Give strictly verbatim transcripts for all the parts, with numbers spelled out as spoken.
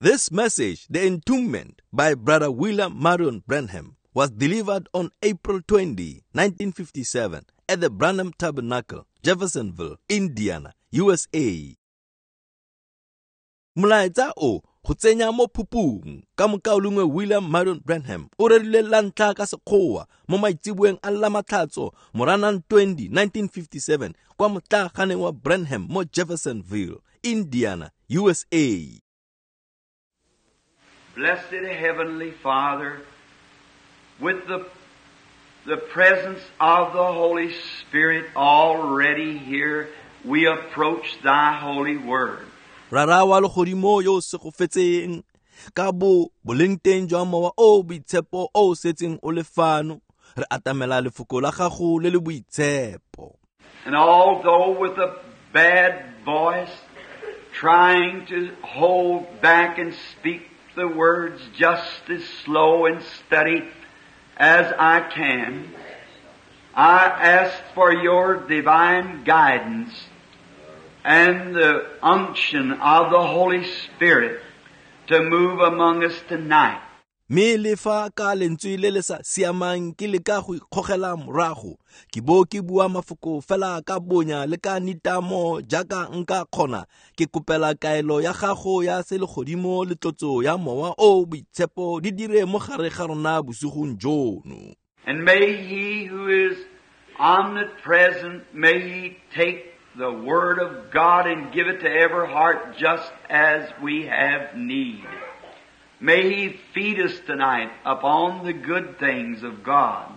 This message, The Entombment, by Brother William Marion Branham, was delivered on April twentieth, nineteen fifty-seven at the Branham Tabernacle, Jeffersonville, Indiana, U S A. Molaetsa o go tsenya mo phupung ka mokaulengwe William Marion Branham o rerile la ntlha ka Sekgowa mo maitseboeng a Lamatlhatso Moranang twentieth, nineteen fifty-seven kwa motlaaganeng wa Branham mo Jeffersonville, Indiana, U S A. Blessed Heavenly Father, with the, the presence of the Holy Spirit already here, we approach Thy holy word. Rara wa legodimo yo o segofetseng ka bo boleng teng jwa mowa o boitshepo o setseng o le fano, re atamela lefoko la gago le le boitshepo. And although with a bad voice, trying to hold back and speak the words just as slow and steady as I can, I ask for your divine guidance and the unction of the Holy Spirit to move among us tonight. Mme le fa ka lentswe le le sa siamang ke leka go ikgogela morago, ke bo ke bua mafoko fela ka bonya le ka nitamo jaaka nka kgona, ke kopela kaelo ya gago ya selegodimo le tlotso ya mowa o boitshepo di dire mo gare ga rona bosigong jono. And may He who is omnipresent, may He take the Word of God and give it to every heart just as we have need. May He feed us tonight upon the good things of God.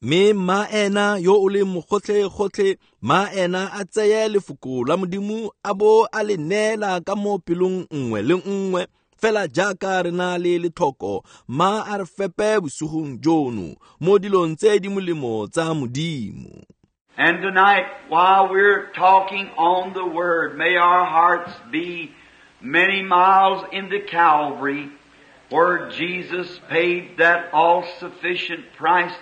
Me ma ena yo o leng mogotlhe-gotlhe, ma ena a tseye lefoko la Modimo a bo a le neela ka mo pelong nngwe le nngwe, fela jaaka re na le letlhoko, ma a re fepe bosigong jono mo dilong tse di molemo tsa Modimo. And tonight, while we're talking on the Word, may our hearts be many miles into Calvary, where Jesus paid that all-sufficient price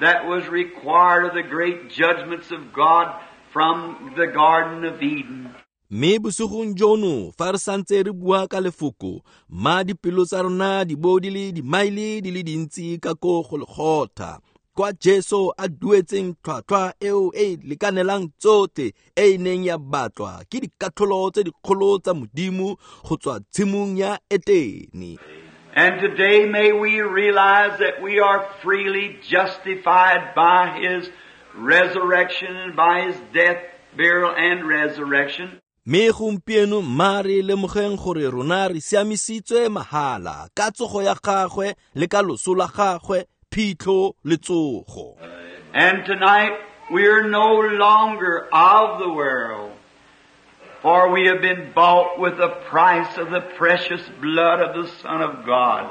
that was required of the great judgments of God from the Garden of Eden. Mme bosigong jono fa re santse re bua ka lefoko, ma dipelo tsa rona di bo di le dimaele di le dintsi ka ko Golgotha, kwa Jesu a duetseng tlhwatlhwa eo e lekanelang tsotlhe e e neng ya batlwa ke dikatlholo tse dikgolo tsa Modimo go tswa tshimong ya Etene. And today may we realize that we are freely justified by His resurrection and by His death, burial, and resurrection. Mme gompieno mma re lemogeng gore rona re siamisitswe mahala ka tsogo ya gagwe le ka loso la gagwe, phitlho le tsogo. And tonight we are no longer of the world, for we have been bought with the price of the precious blood of the Son of God.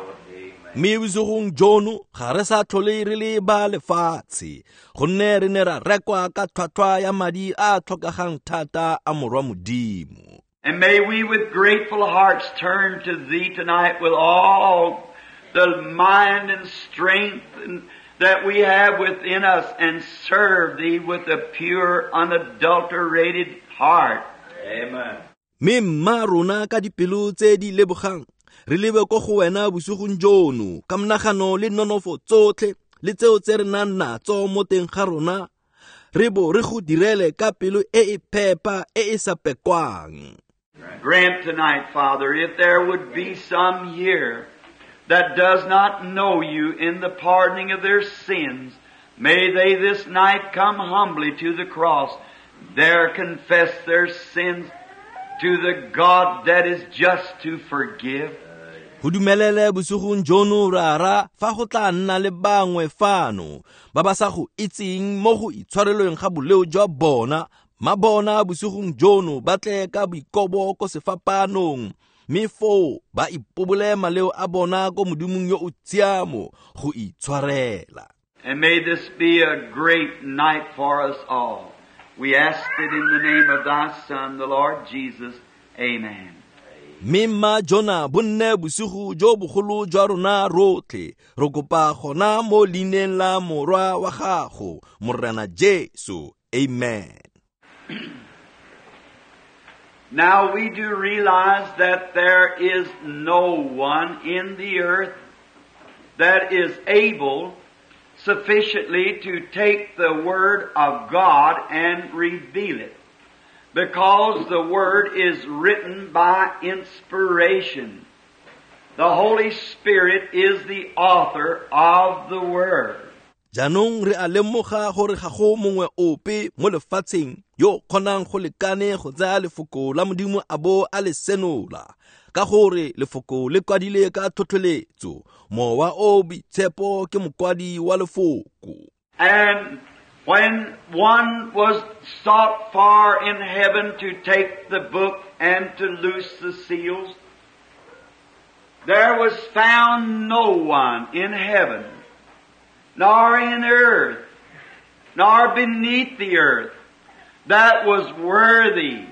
Mme bosigong jono ga re sa tlhole re le ba lefatshe, gonne re ne ra rekwa ka tlhwatlhwa ya madi a tlhokegang thata a Morwa Modimo. And may we with grateful hearts turn to Thee tonight with all the mind and strength and that we have within us, and serve Thee with a pure, unadulterated heart. Amen. Mme mma rona ka dipelo tse di lebogang re lebe ko go wena bosigong jono ka monagano le nonofo tsotlhe le tseo tse re nang natso mo teng ga rona, re bo re go direle ka pelo e e phepa e e sa pekwang. Grant tonight, Father, if there would be some here that does not know You in the pardoning of their sins, may they this night come humbly to the cross, there confess their sins to the God that is just to forgive. Go dumelele bosigong jono rara fa go tla nna le bangwe fano ba ba sa go itseng mo go itshwarelweng ga boleo jwa bona, ma bona bosigong jono ba tle ka boikobo ko sefapanong, mme foo ba ipobole maleo a bona ko Modimong yo o tshiamo go itshwarela. And may this be a great night for us all. We ask it in the name of Thy Son, the Lord Jesus. Amen. Mme mma jona bo nne bosigo jo bogolo jwa rona rotlhe, re kopa gona mo leineng la Morwa wa gago, Morena Jesu. Amen. Now we do realize that there is no one in the earth that is able sufficiently to take the Word of God and reveal it, because the Word is written by inspiration. The Holy Spirit is the author of the Word. Jaanong re a lemoga gore ga go mongwe ope mo lefatsheng yo kgonang go lekane go tsaya lefoko la Modimo a bo a le senola, ka gore lefoko le kwadile ka tlhotlheletso. Mowa o Boitshepo ke mokwadi wa lefoko. And when one was sought far in heaven to take the book and to loose the seals, there was found no one in heaven, nor in earth, nor beneath the earth, that was worthy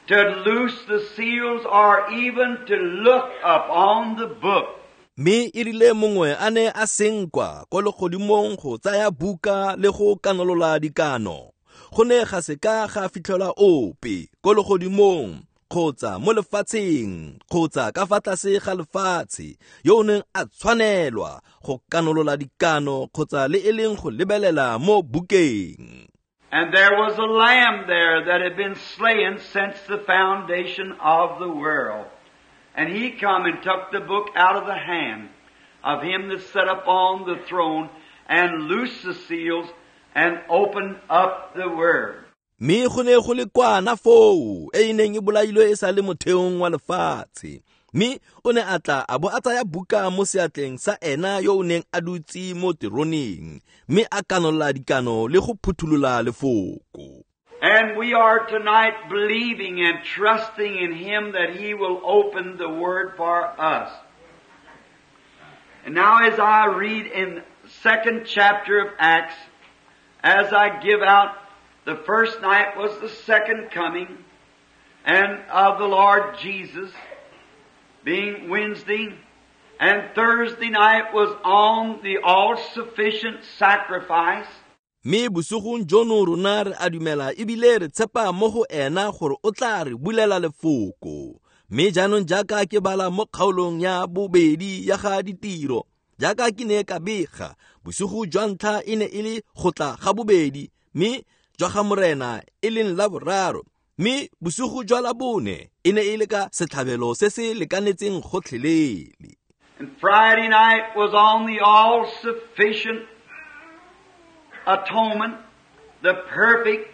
to loose the seals or even to look upon the book. Mme e rile mongwe a ne a senkwa ko legodimong go tsaya buka le go kanolola dikano, go ne ga se ka ga fitlhelwa ope ko legodimong kgotsa mo lefatsheng kgotsa ka fa tlase ga lefatshe yo o neng a tshwanelwa go kanolola dikano kgotsa le e leng go lebelela mo bukeng. And there was a lamb there that had been slain since the foundation of the world. And he come and took the book out of the hand of him that sat upon the throne and loosed the seals and opened up the word. Mme go ne go le kwana foo e e neng e bolailwe e sa le motheong wa lefatshe. Mme o ne a tla a bo a tsaya buka mo seatleng sa ena yo o neng a dutse mo teroneng, mme a kanola dikano le go phutholola lefoko. And we are tonight believing and trusting in Him that He will open the Word for us. And now as I read in second chapter of Acts, as I give out, the first night was the second coming and of the Lord Jesus, being Wednesday, and Thursday night was on the all-sufficient sacrifice. Mme bosigong jono rona re a dumela ebile re tshepa mo go ena gore o tla re bulela lefoko. Mme jaanong jaaka ke bala mo kgaolong ya bobedi ya ga ditiro, jaaka ke ne ka bega, bosigo jwa ntlha e ne e le go tla ga bobedi, mme jwa ga Morena e leng la boraro, mme bosigo jwa la bone e ne e le ka setlhabelo se se lekanetseng gotlhelele. And Friday night was on the all-sufficient atonement, the perfect.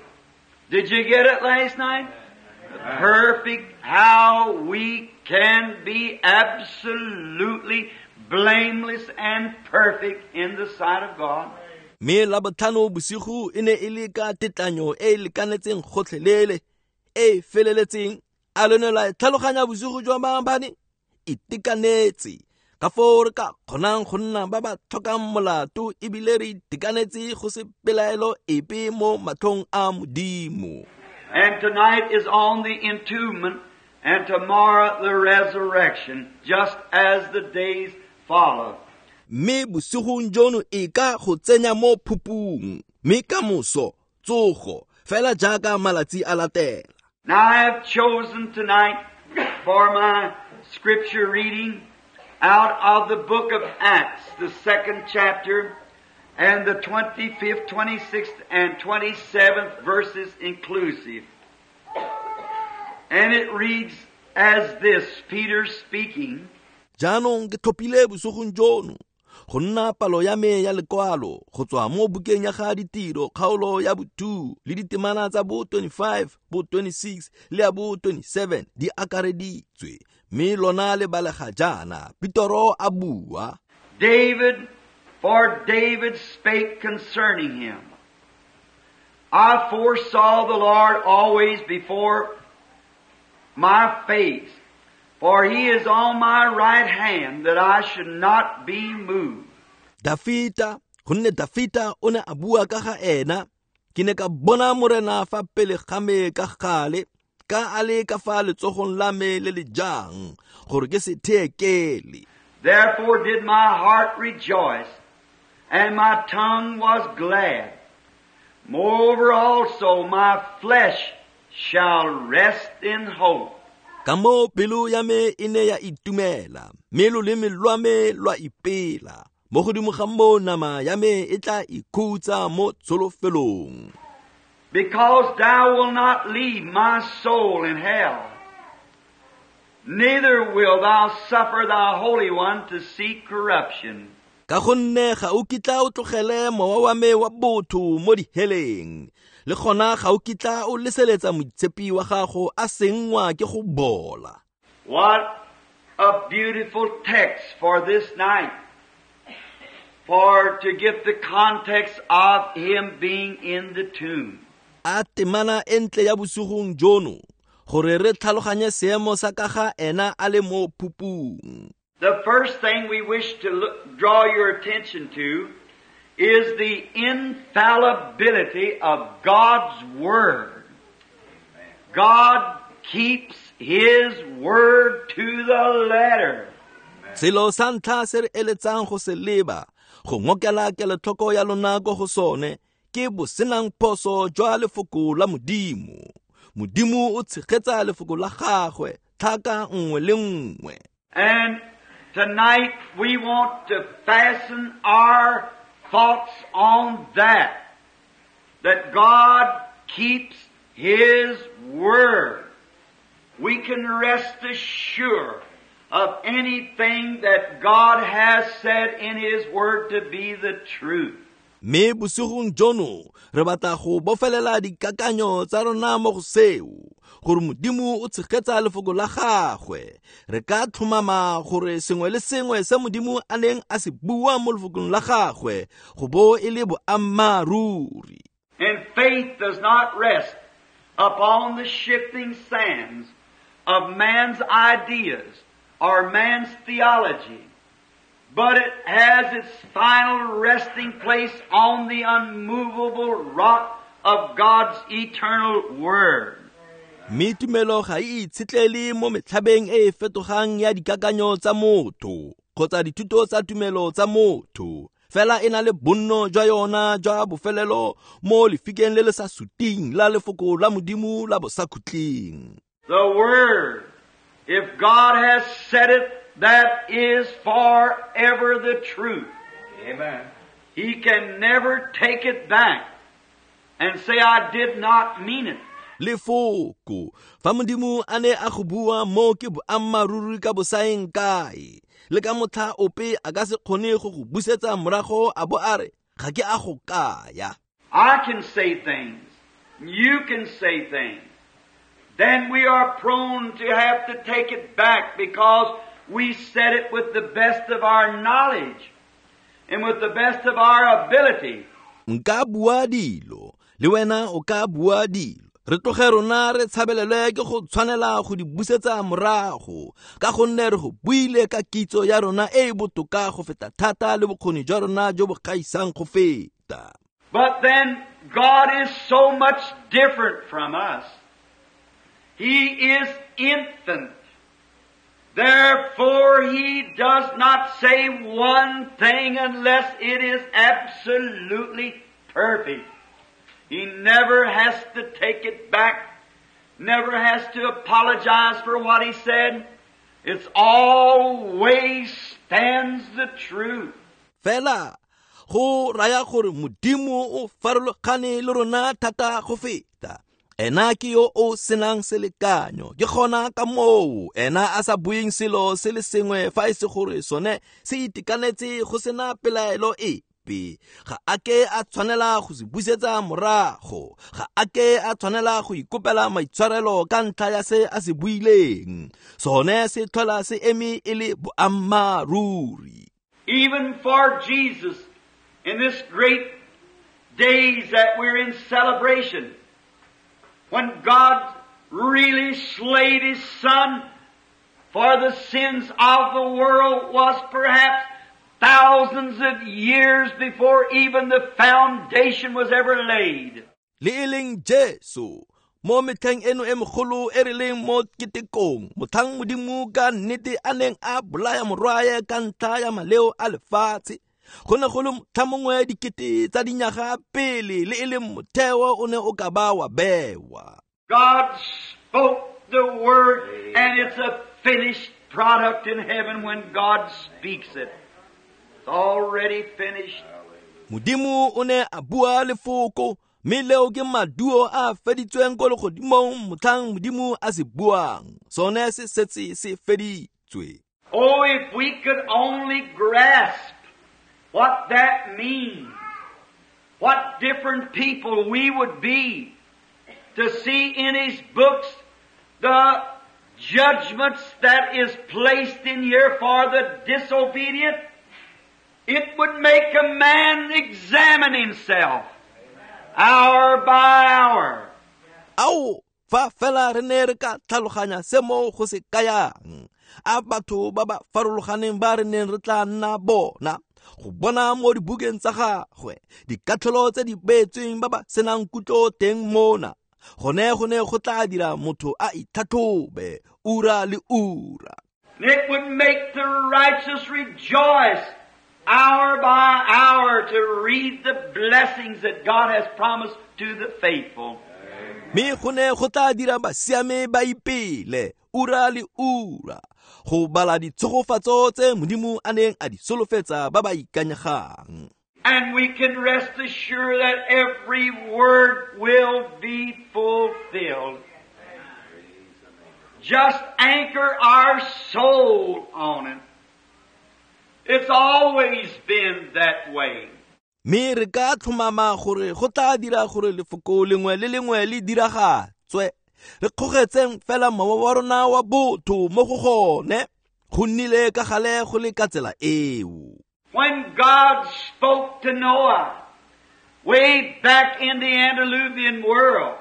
Did you get it last night? The perfect, how we can be absolutely blameless and perfect in the sight of God. Mme la botlhano bosigo e ne e le ka tetlanyo e e lekanetseng gotlhelele, e feleletseng. A lo ne la tlhaloganya bosigo jwa maabane? Itekanetse ka foo re ka kgonang go nna ba ba tlhokang molato ebile re itekanetse go se pelaelo epe mo matlhong a Modimo. And tonight is on the entombment, and tomorrow the resurrection, just as the days follow. Mme bosigong jono e ka go tsenya mo phupung, mme ka moso tsogo, fela jaaka malatsi a latela. Now I have chosen tonight for my scripture reading out of the book of Acts, the second chapter, and the twenty-fifth, twenty-sixth, and twenty-seventh verses inclusive. And it reads as this, Peter speaking. Jaanong ke tlhophile bosigong jono go nna palo ya me ya lekwalo go tswa mo bukeng ya ga ditiro kgaolo ya bo two le ditemana tsa bo twenty-five, bo twenty-six le ya bo twenty-seven di akareditswe. Mme lona le balega jaana, Petoro a bua. David, for David spake concerning him, I foresaw the Lord always before my face, for he is on my right hand, that I should not be moved. Dafita, gonne Dafita o ne a bua ka ga ena, ke ne ka bona Morena fa pele ga me ka gale, ka a le ka fa letsogong la me le le jang, gore ke se theekele. Therefore did my heart rejoice, and my tongue was glad. Moreover also my flesh shall rest in hope. Ka moo pelo ya me e ne ya itumela, mme loleme lwa me lwa ipela. Mo godimo ga moo nama ya me e tla ikhutsa mo tsholofelong. Because thou wilt not leave my soul in hell, neither wilt thou suffer thy Holy One to see corruption. Ka gonne ga o kitla o tlogele mowa wa me wa botho mo diheleng, le gona ga o kitla o leseletsa moitshepi wa gago a sengwa ke go bola. What a beautiful text for this night, for to get the context of him being in the tomb. A temana e ntle ya bosigong jono, gore re tlhaloganye seemo sa ka ga ena a le mo phupung. The first thing we wish to look, draw your attention to is the infallibility of God's Word. God keeps His Word to the letter. Selo sa ntlha se re eletsang go se leba, go ngokela kelotlhoko ya lona ko go sone, ke bosenang phoso jwa lefoko la Modimo. Modimo o tshegetsa lefoko la gagwe tlhaka nngwe le nngwe. And tonight we want to fasten our thoughts on that, that God keeps His Word. We can rest assured of anything that God has said in His Word to be the truth. Mme bosigong jono re batla go bofelela dikakanyo tsa rona mo go seo, gore Modimo o tshegetsa lefoko la gagwe. Re ka tlhomama gore sengwe le sengwe se Modimo a neng a se bua mo lefokong la gagwe go bo e le boammaaruri. And faith does not rest upon the shifting sands of man's ideas or man's theology, but it has its final resting place on the unmovable rock of God's eternal Word. Mme tumelo ga e itshetlele mo metlhabeng e e fetogang ya dikakanyo tsa motho kgotsa dithuto tsa tumelo tsa motho, fela e na le bonno jwa yona jwa bofelelo mo lefikeng le le sa suting la lefoko la Modimo la bosakhutleng. The Word, if God has said it, that is forever the truth. Amen. He can never take it back and say, I did not mean it. Lefoko, fa Modimo a ne a go bua mo ke boammaaruri ka bosaeng kae, le ka motlha ope a ka se kgone go go busetsa morago a bo a re, ga ke a go kaya. I can say things. You can say things. Then we are prone to have to take it back because we said it with the best of our knowledge and with the best of our ability. Nka bua dilo, le wena o ka bua dilo. Re tloge rona re tshabelelwe ke go tshwanela go di busetsa morago, ka gonne re go buile ka kitso ya rona e e botoka go feta thata le bokgoni jwa rona jo bo gaisang go feta. But then God is so much different from us. He is infinite. Therefore, He does not say one thing unless it is absolutely perfect. He never has to take it back, never has to apologize for what He said. It's always stands the truth. Fela, go raya gore Modimo o farologane le rona thata go feta. Ena ke yo o senang selekanyo, ke gona ka moo ena a sa bueng selo se le sengwe fa e se gore sone se itekanetse go sena pelaelo epe. Ga a ke a tshwanela go se busetsa morago, ga a ke a tshwanela go ikopela maitshwarelo ka ntlha ya se a se buileng. Sone se tlhola se eme e le boammaaruri. Even for Jesus, in this great days that we're in celebration, when God really slayed His Son for the sins of the world was perhaps thousands of years before even the foundation was ever laid. Le e leng Jesu, mo metlheng eno e mogolo e re leng mo ketekong, motlhang Modimo ka nnete a neng a bolaya morwae ka ntlha ya maleo a lefatshe, go ne go le motlha mongwe dikete tsa dinyaga pele le e leng motheo o ne o ka ba wa bewa. God spoke the Word, and it's a finished product in heaven when God speaks it. It's already finished. Modimo o ne a bua lefoko, mme leo ke maduo a feditsweng ko legodimong motlhang Modimo a se buang. Sone se setse se feditswe. Oh, if we could only grasp what that means, what different people we would be to see in His books the judgments that is placed in here for the disobedient. It would make a man examine himself hour by hour. Ao, fa fela re ne re ka tlhaloganya se mo go se kayang, a batho ba ba farologaneng ba re neng re tla nna bona, go bona mo dibukeng tsa gagwe dikatlholo tse di beetsweng ba ba senang kutlo teng mona, gone go ne go tla dira motho a itlhatlhobe ura le ura. It would make the righteous rejoice hour by hour to read the blessings that God has promised to the faithful. Me go ne go tla dira basiame ba ipele ura le ura go bala ditshegofatso tse Modimo a neng a di solofetsa ba ba ikanyegang. And we can rest assured that every word will be fulfilled. Just anchor our soul on it. It's always been that way. Me re ka tlhomama gore go tla dira gore lefoko lengwe le lengwe le diragatswe. Re kgogetseng fela mowa wa rona wa botho mo go gone, go nnile ka gale go le ka tsela eo. When God spoke to Noah, way back in the antediluvian world,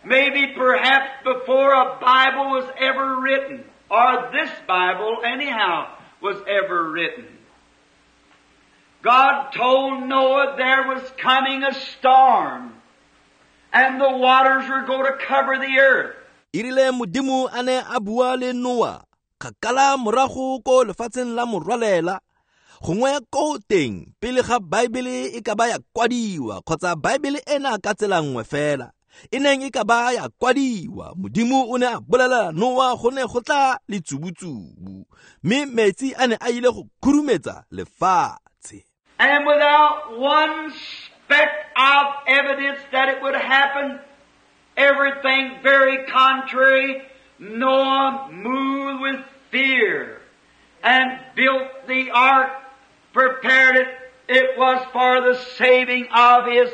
maybe perhaps before a Bible was ever written, or this Bible anyhow was ever written, God told Noah there was coming a storm, and the waters were going to cover the earth. Erile Modimo a ne a bua le Noah, kgakala morago ko lefatsheng la morwalela, gongwe ko teng pele ga Baebele e ka ba ya kwadiwa, kgotsa Baebele ena ka tsela nngwe fela e neng e ka ba ya kwadiwa, Modimo o ne a bolelela Noah go ne go tla letsubutsubu, mme metsi a ne a ile go khurumetsa lefatshe. And without one speck of evidence that it would happen, everything very contrary, Noah moved with fear and built the ark, prepared it. It was for the saving of his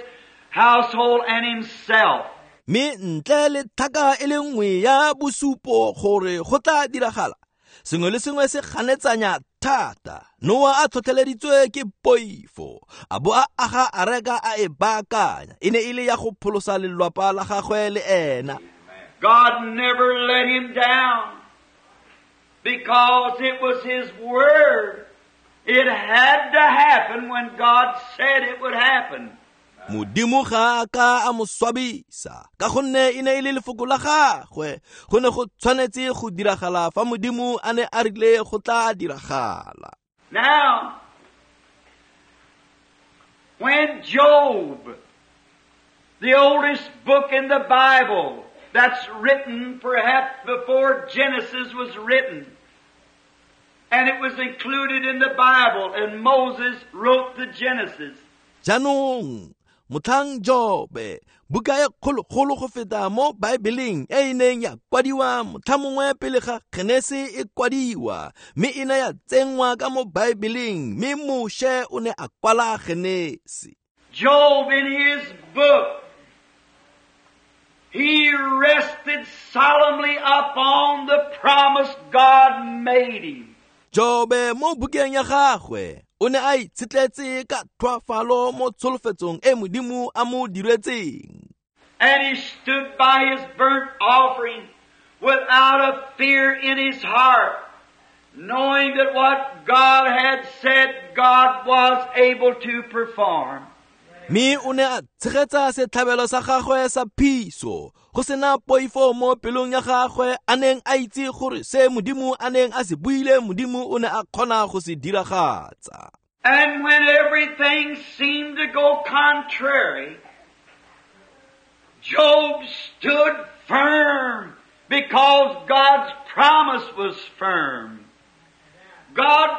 household and himself. Me ntle le thaka e le nngwe ya bosupo gore go tla diragala, sengwe le sengwe se ganetsanya thata. Noah a tlhotlheleditswe ke poifo, a bo a aga areka a e baakanya, e ne e le ya go pholosa lelwapa la gagwe le ena. God never let him down because it was His word. It had to happen when God said it would happen. Modimo ga a ka a mo swabisa, ka gonne e ne e le lefoko la gagwe, go ne go tshwanetse go diragala fa Modimo a ne a rile go tla diragala. Now, when Job, the oldest book in the Bible, that's written perhaps before Genesis was written, and it was included in the Bible, and Moses wrote the Genesis. Jaanong, motlhang Jobe, buka e kgologolo go feta mo Baebeleng e e neng ya kwadiwa motlha mongwe pele ga Genese e kwadiwa, mme e ne ya tsenngwa ka mo Baebeleng, mme Moshe o ne a kwala Genese. Job in his book, he rested solemnly upon the promise God made him. Jobe mo bukeng ya gagwe o ne a itshetletse ka tlhoafalo mo tsholofetsong e Modimo a mo diretseng. And he stood by his burnt offering without a fear in his heart, knowing that what God had said, God was able to perform. Me o ne a tshegetsa setlhabelo sa gagwe sa phiso, go sena poifo mo pelong ya gagwe, a neng a itse gore se Modimo a neng a se buile, Modimo o ne a kgona go se diragatsa. And when everything seemed to go contrary, Job stood firm, Because God's promise was firm. God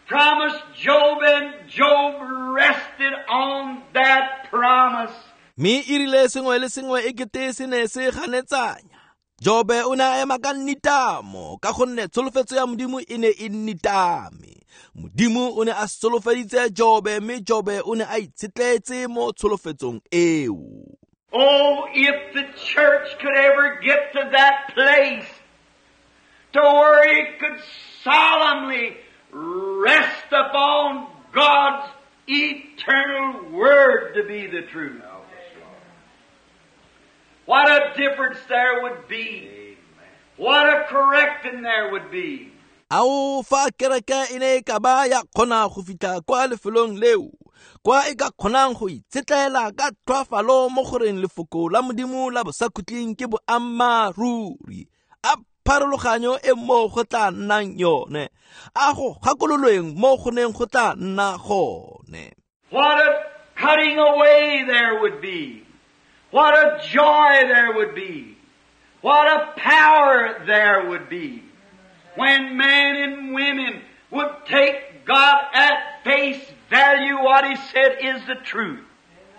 promised Job, and Job rested on that promise. Mme e rile sengwe le sengwe e kete se ne se ganetsanya, Jobe o ne a ema ka nitamo ka gonne tsholofetso ya Modimo e ne e nitame. Modimo o ne a solofeditse Jobe, mme Jobe o ne a itshetletse mo tsholofetsong eo. Oh, if the church could ever get to that place to where it could solemnly rest upon God's eternal Word to be the truth. What a difference there would be. What a correcting there would be. Ao fa kereke e ne e ka ba ya kgona go fitlha kwa lefelong leo, kwa e ka kgonang go itshetlela ka tlhoafalo mo goreng lefoko la Modimo la bosakhutleng ke boammaaruri. A pharologanyo e mo go tla nnang yone, a go gakololweng mo go neng go tla nna gone. What a cutting away there would be. What a joy there would be. What a power there would be. When men and women would take God at face value, what He said is the truth.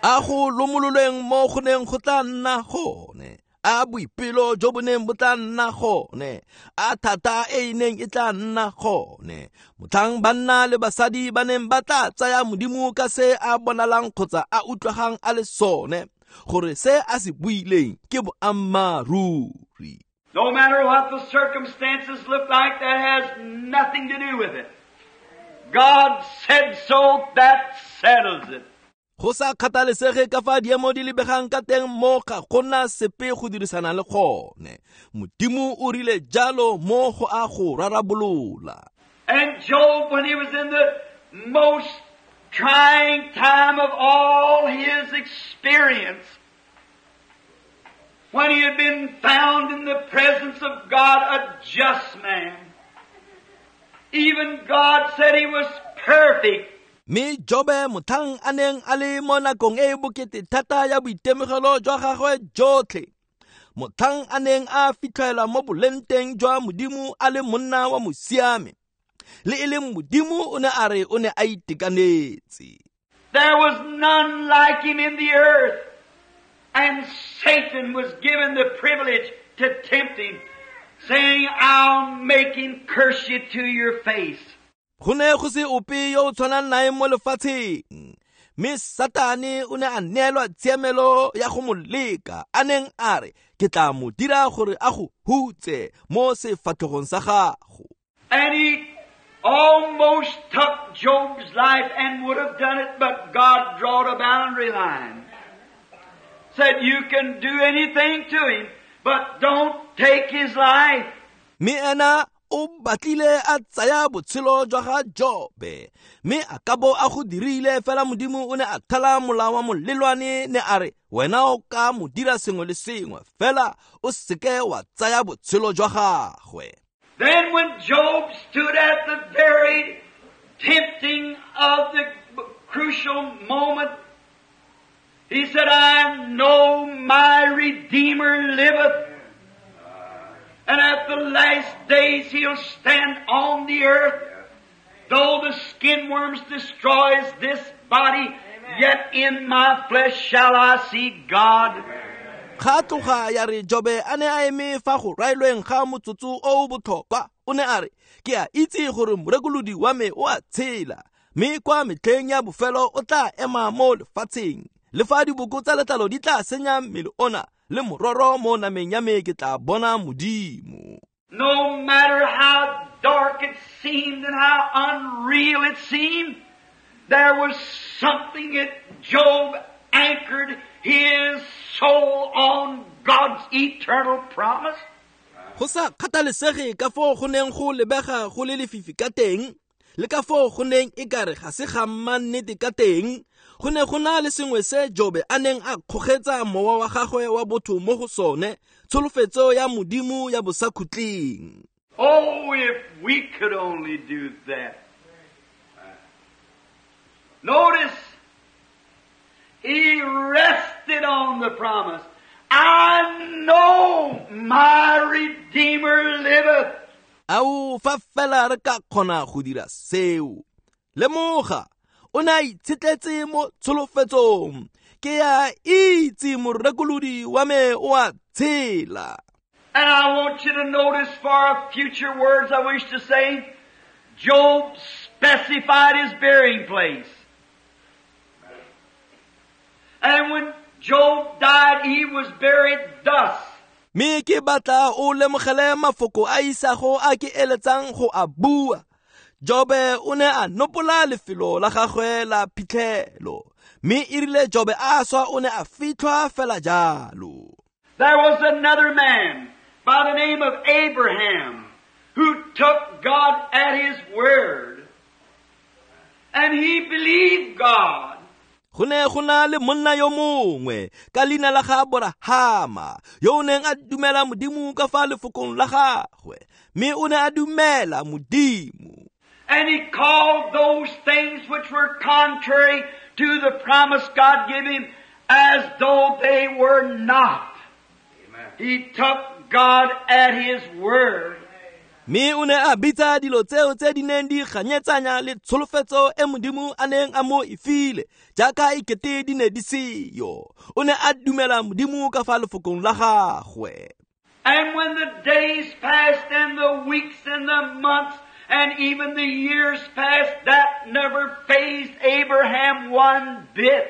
A go lomololweng mo go neng go tla nna gone, a boipelo jo bo neng bo tla nna gone, a thata e e neng e tla nna gone. Motlhang banna le basadi ba neng ba tla tsaya Modimo ka se a bonalang kgotsa a utlwagang a le sone, gore se a se buileng ke boammaaruri. No matter what the circumstances look like, that has nothing to do with it. God said so, that settles it. Go sa kgathalesege ka fa diemo di lebegang ka teng mo ga gona sepe go dirisana le gone. Modimo o rile jalo mo go a go rarabolola. And Job, when he was in the most trying time of all his experience, when he had been found in the presence of God a just man, even God said he was perfect. Mme Jobe motlhang a neng a le mo nakong e e bokete thata ya boitemogelo jwa gagwe jotlhe, motlhang a neng a fitlhelwa mo bolenteng jwa Modimo a le monna wa mosiame, le e leng Modimo o ne a re o ne a itekanetse. There was none like him in the earth, and Satan was given the privilege to tempt him, saying, I'll make him curse you to your face. Go ne go se ope yo o tshwanang nae mo lefatsheng, mme Satane o ne a neelwa tshiamelo ya go mo leka, a neng a re, ke tla mo dira gore a go hutse mo sefatlhegong sa gago. And he almost took Job's life and would have done it, but God drawed a boundary line. Said, you can do anything to him, but don't take his life. Mme ena o batlile a tsaya botshelo jwa ga Jobe, mme a ka bo a go dirile fela Modimo o ne a thala molao wa molelwane, ne a re, wena o ka mo dira sengwe le sengwe, fela o seke wa tsaya botshelo jwa gagwe. Then when Job stood at the very tempting of the crucial moment, he said, I know my Redeemer liveth, and at the last days he'll stand on the earth. Though the skin worms destroys this body, yet in my flesh shall I see God. Ga tloga ya re Jobe a ne a eme fa go raelweng ga motsotso o o botlhokwa, o ne a re, ke a itse gore morekolodi wa me o a tshela, mme kwa metlheng ya bofelo o tla ema mo lefatsheng. Le fa diboko tsa letlalo di tla senya mmele ona, le mororo mo nameng ya me ke tla bona Modimo. No matter how dark it seemed and how unreal it seemed, there was something that Job anchored his soul on God's eternal promise. Go sa kgathalesege ka foo go neng go lebega go le lefifi ka teng, le ka foo go neng e kare ga se ga mannete ka teng, go ne go na le sengwe se Jobe a neng a kgogetsa mowa wa gagwe wa botho mo go sone, tsholofetso ya Modimo ya bosakhutleng. Oh, if we could only do that. Notice, he rested on the promise. I know my Redeemer liveth. Ao fa fela re ka kgona go dira seo. Lemoga, o ne a itshetletse mo tsholofetsong. Ke a itse morekolodi wa me o a tshela. And I want you to notice for future words I wish to say, Job specified his burying place. And when Job died, he was buried thus. Mme ke batla o lemogele mafoko a isago a ke eletsang go a bua. Jobe o ne a nopola lefelo la gagwe la phitlhelo. Mme e rile Jobe a swa o ne a fitlhwa fela jalo. There was another man by the name of Abraham who took God at his word. And he believed God. Go ne go na le monna yo mongwe ka leina la ga Aborahama yo o neng a dumela Modimo ka fa lefokong la gagwe, mme o ne a dumela Modimo. And he called those things which were contrary to the promise God gave him as though they were not. Amen. He took God at his word. Mme o ne a bitsa dilo tseo tse di neng di ganyetsanya le tsholofetso e Modimo a neng a mo e file jaaka e kete di ne di seyo. O ne a dumela Modimo ka fa lefokong la gagwe. And when the days passed and the weeks and the months and even the years passed, that never fazed Abraham one bit.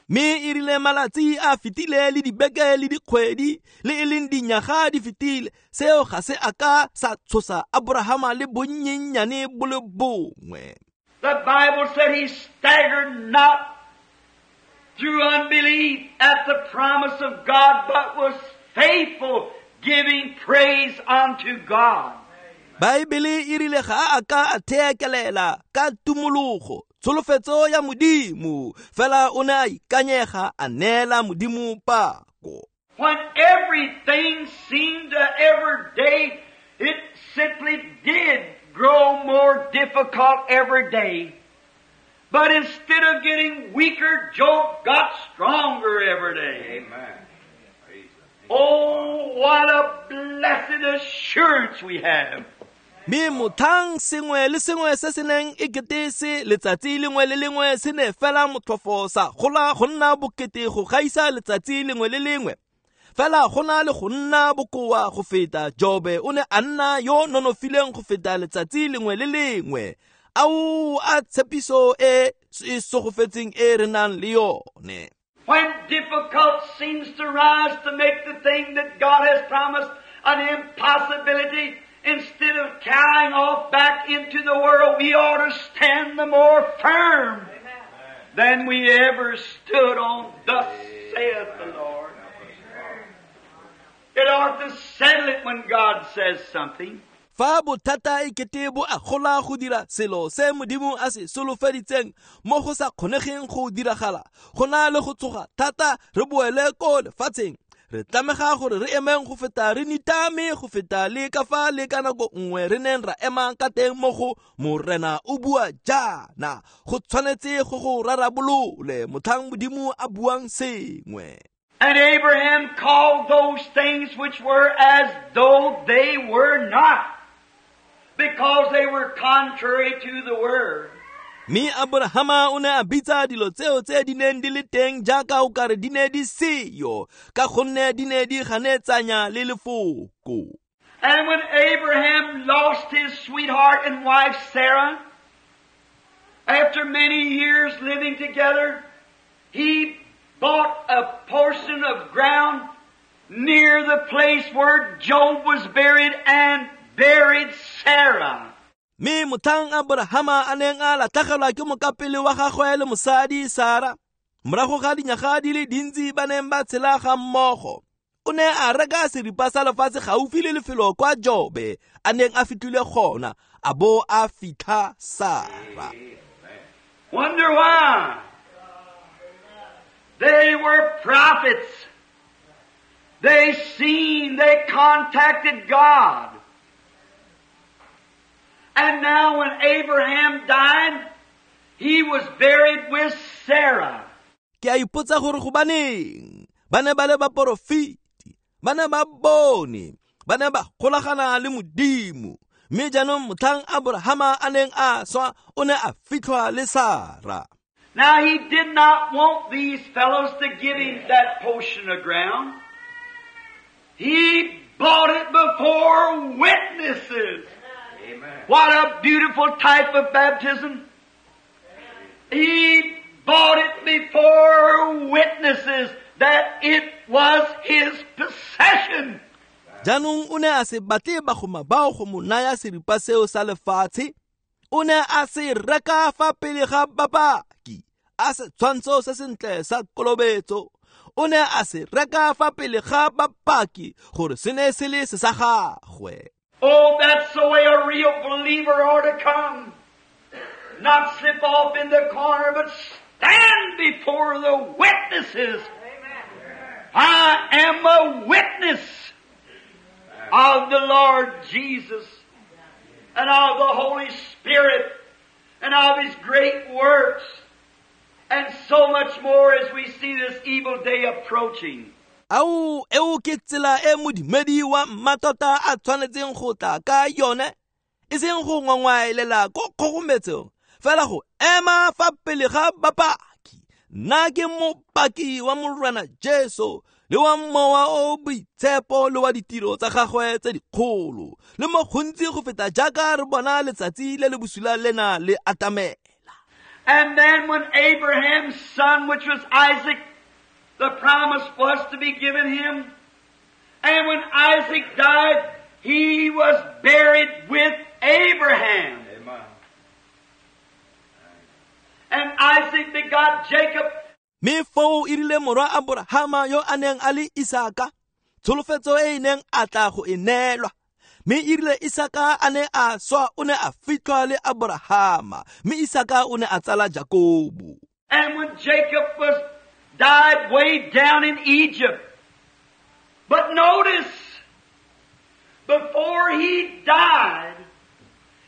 Mme e rile malatsi a fetile le dibeke le dikgwedi le e leng dinyaga di fetile, seo ga se a ka sa tshosa Aborahama le bonnyenyane bo le bongwe. The Bible said he staggered not through unbelief at the promise of God, but was faithful, giving praise unto God. Baebele e rile ga a ka a theekelela ka tumologo tsholofetso ya Modimo, fela o ne a ikanyega a neela Modimo pako. When everything seemed to every day, it simply did grow more difficult every day. But instead of getting weaker, Job got stronger every day. Amen. Oh, what a blessed assurance we have. Mme mothang sengwe le sengwe se se neng e kete se letsatsi lengwe le lengwe se ne fela motlhofo sa gola go nna bokete go gaisa letsatsi lengwe le lengwe. Fela go na le go nna bokoa go feta Jobe o ne a nna yo nonofileng go feta letsatsi lengwe le lengwe. Ao a tshepiso e e sogofetseng e re nang le yone. When difficult seems to rise to make the thing that God has promised an impossibility, instead of cowering off back into the world, we ought to stand the more firm than we ever stood on, thus saith the Lord. It ought to settle it when God says something. Fa bothata e kete bo a gola go dira selo se Modimo a se solofeditseng mo go sa kgonegeng go diragala, go na le go tsoga thata re boele ko lefatsheng. Re tlamega gore re emeng go feta re nitame go feta le ka fa le ka nako nngwe re neng ra ema ka teng mo go Morena o bua jaana. Go tshwanetse go go rarabolole motlhang Modimo a buang sengwe. And Abraham called those things which were as though they were not, because they were contrary to the word. Mme Aborahama o ne a bitsa dilo tseo tse di neng di le teng jaaka o kare di ne di seyo, ka gonne di ne di ganetsanya le lefoko. And when Abraham lost his sweetheart and wife Sarah, after many years living together, he bought a portion of ground near the place where Job was buried and buried Sarah. Mme motlhang Aborahama a neng a latlhegelwa ke mokapele wa gagwe le mosadi Sara, morago ga dinyaga di le dintsi ba neng ba tshela ga mmogo, o ne a reka seripa sa lefatshe gaufi le lefelo kwa Jobe a neng a fitlhile gona, a bo a fitlha Sara. Wonder why? They were prophets. They seen, they contacted God. And now when Abraham died, he was buried with Sarah. Ke a ipotsa gore gobaneng ba ne ba le baporofeti, Ba ne ba bone, ba ne ba golagana le Modimo. Mme jaanong motlhang Aborahama a neng a swa, o ne a fitlhwa le Sara. Now he did not want these fellows to give him that portion of ground. He bought it before witnesses. Amen. What a beautiful type of baptism. He bought it before witnesses that it was his possession. Jaanong o ne a se batle bagoma bao go mo naya seripa seo sa lefatshe. O ne a se reka fa pele ga bapaki, a setshwantsho se sentle sa kolobetso. O ne a se reka fa pele ga bapaki gore se ne se le se sa gagwe. Oh, that's the way a real believer ought to come. Not slip off in the corner, but stand before the witnesses. Amen. I am a witness of the Lord Jesus and of the Holy Spirit and of His great works and so much more as we see this evil day approaching. Ao, eo ke tsela e modumedi wa mmatota a tshwanetseng go tla ka yone, e seng go ngwangwaelela ko kgogometsong, fela go ema fa pele ga bapaki. Nna ke mopaki wa Morena Jesu le wa Mowa o Boitshepo le wa ditiro tsa gagwe tse dikgolo, le mo gontsi go feta jaaka re bona letsatsi le le bosula lena le atamela. And then when Abraham's son, which was Isaac, the promise was to be given him. And when Isaac died, he was buried with Abraham. Amen. And Isaac begot Jacob. Mme foo e rile morwa Aborahama yo a neng a le Isaka, tsholofetso e e neng a tla go e neelwa. Mme e rile Isaka a ne a swa, o ne a fitlhwa le Aborahama, mme Isaka o ne a tsala Jakobo. And when Jacob was died way down in Egypt. But notice, before he died,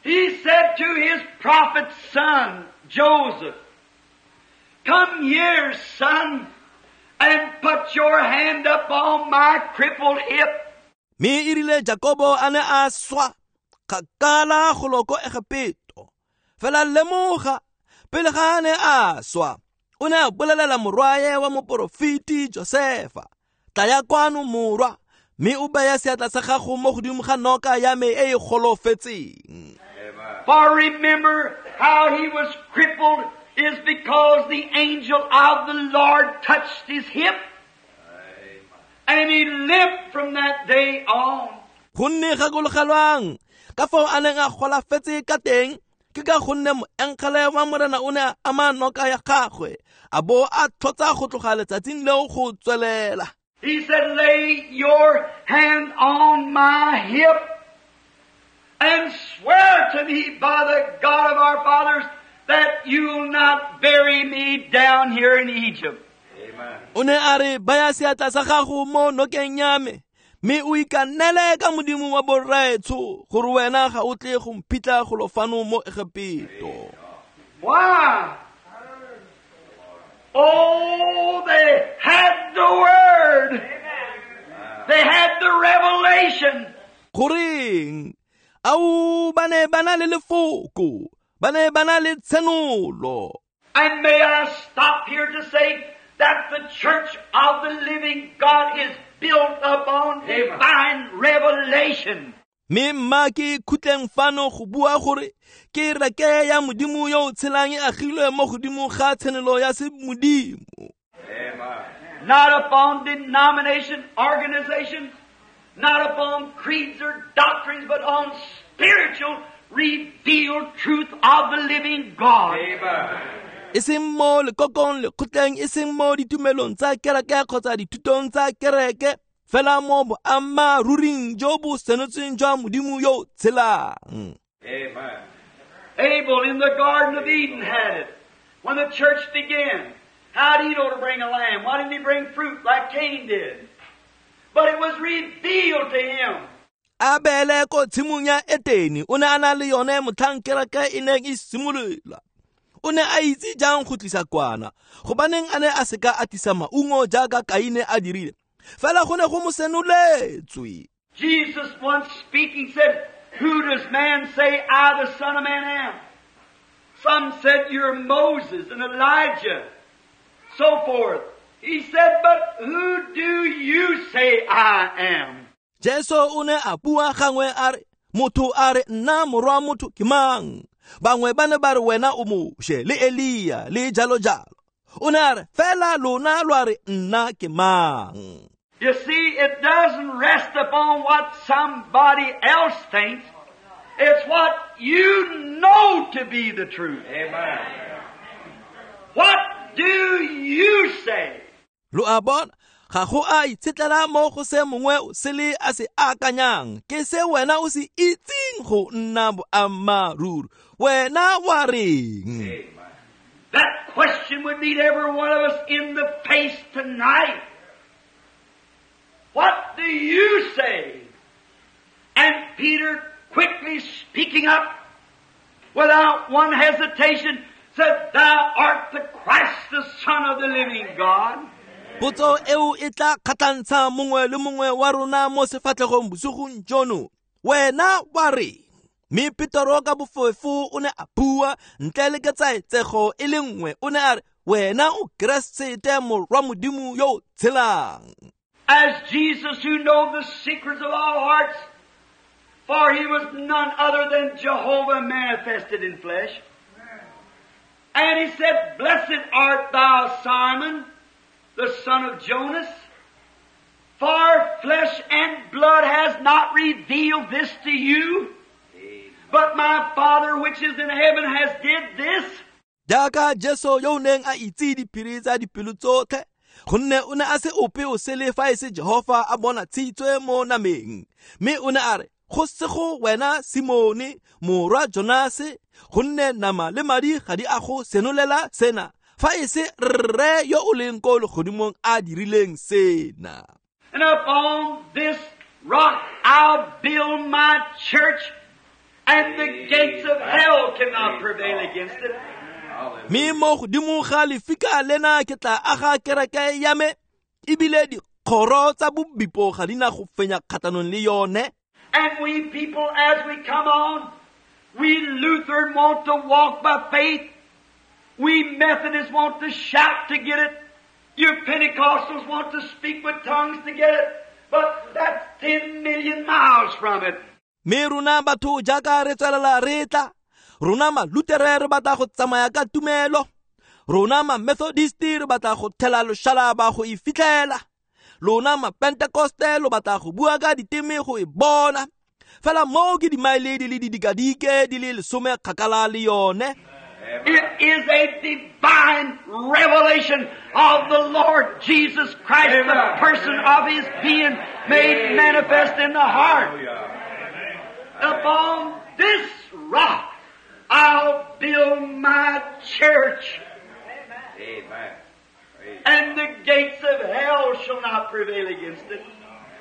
he said to his prophet son, Joseph, "Come here, son, and put your hand up on my crippled hip." Mme e rile Jakobo a ne a swa kgakala golo ko Egepeto. Fela lemoga, pele ga a ne a swa, o ne a bolelela morwae wa moporofeti Josefa, "Tlaya kwano morwa, mme o beye seatla sa gago mo godimo ga noka ya me e e golofetseng." For remember how he was crippled is because the angel of the Lord touched his hip. And he limped from that day on. Gonne gakologelwang ka fao a neng a golafetse ka teng, ke ka gonne moengele wa Morena o ne a ama noka ya gagwe, a bo a tlhotsa go tloga letsatsing leo go tswelela. He said, "Lay your hand on my hip and swear to me by the God of our fathers that you'll not bury me down here in Egypt." Amen. O ne a re, "Baya seatla sa gago mo nokeng ya me, mme o ikanele ka Modimo wa borraetsho gore wena ga o tle go mphitlha golo fano mo Egepeto." Why? Oh, they had the word. They had the revelation. Goreng? Ao, ba ne ba na le lefoko, ba ne ba na le tshenolo. And may I stop here to say that the church of the living God is built upon divine revelation. Mme mma ke khutleng fano go bua gore ke reke ya Modimo yo o tshelang e agilwe mo godimo ga tshenolo ya semodimo. Not upon denomination, organization, not upon creeds or doctrines, but on spiritual revealed truth of the living God. Amen. E seng mo lekokong lekgotleng, e seng mo ditumelong tsa kereke kgotsa dithutong tsa kereke, fela mo boammaaruring jo bo senotsweng jwa Modimo yo o tshelang. Amen. Abel in the Garden of Eden had it. When the church began, how'd he know to bring a lamb? Why didn't he bring fruit like Cain did? But it was revealed to him. Abele ko tshimong ya Etene o ne a na le yone motlhang kereke e neng e simolola. O ne a itse jang go tlisa kwana, gobaneng a ne a seka a tlisa maungo jaaka Kaine a dirile. Fela go ne go mo senoletswe. Jesus once speaking said, "Who does man say I the Son of Man am?" Some said you're Moses and Elijah, so forth. He said, "But who do you say I am?" Jesu o ne a bua gangwe a re, motho a re nna morwa motho ke mang? Bangwe ba ne ba re wena o Moshe le Elia le jalo jalo. O ne a re fela lona lwa re nna ke mang? You see, it doesn't rest upon what somebody else thinks. It's what you know to be the truth. Amen. What do you say? Lo a bona, ga go a itshetlela mo go se mongwe o sele a se akanyang, ke se wena o se itseng go nna boammaaruri. Wena wa reng? That question would meet every one of us in the face tonight. What do you say? And Peter, quickly speaking up, without one hesitation, said, "Thou art the Christ, the Son of the living God." Potso eo e tla kgatlhantsha mongwe le mongwe wa rona mo sefatlhegong bosigong jono. Wena wa reng? Mme Petero ka bofefo o ne a bua ntle le ketsaetsego e le nngwe, o ne a re, wena o Keresete morwa Modimo yo o tshelang. As Jesus, who knows the secrets of all hearts, for he was none other than Jehovah manifested in flesh. And he said, "Blessed art thou, Simon, the son of Jonas, for flesh and blood has not revealed this to you, but my Father which is in heaven has did this." Jaaka Jesu yo o neng a itse diphiri tsa dipelo tsotlhe, gonne o ne a se ope o sele fa e se Jehofa a bona tshitswe mo nameng. Mme o ne a re, go sego wena Simone morwa Jonase, gonne nama le madi ga di a go senolela sena, fa e se rre yo o leng ko legodimong a dirileng sena. And upon this rock I'll build my church, and the gates of hell cannot prevail against it. Mme mo godimo ga lefika lena ke tla aga kereke ya me, ebile dikgoro tsa bobipo ga di na go fenya kgatlhanong le yone. And we people, as we come on, we Lutheran want to walk by faith. We Methodists want to shout to get it. You Pentecostals want to speak with tongues to get it. But that's ten million miles from it. Mme rona batho jaaka re tswelela re tla, rona ma-Lutere re batla go tsamaya ka tumelo, rona ma-Methodist re batla go thela loshalaba go e fitlhela, lona ma-Pentecoste lo batla go bua ka diteme go e bona. Fela moo ke dimaele di le didikadike di le lesome kgakala le yone. It is a divine revelation of the Lord Jesus Christ, Amen. The person of His being made manifest in the heart. Upon this rock I'll build my church. Amen. And the gates of hell shall not prevail against it.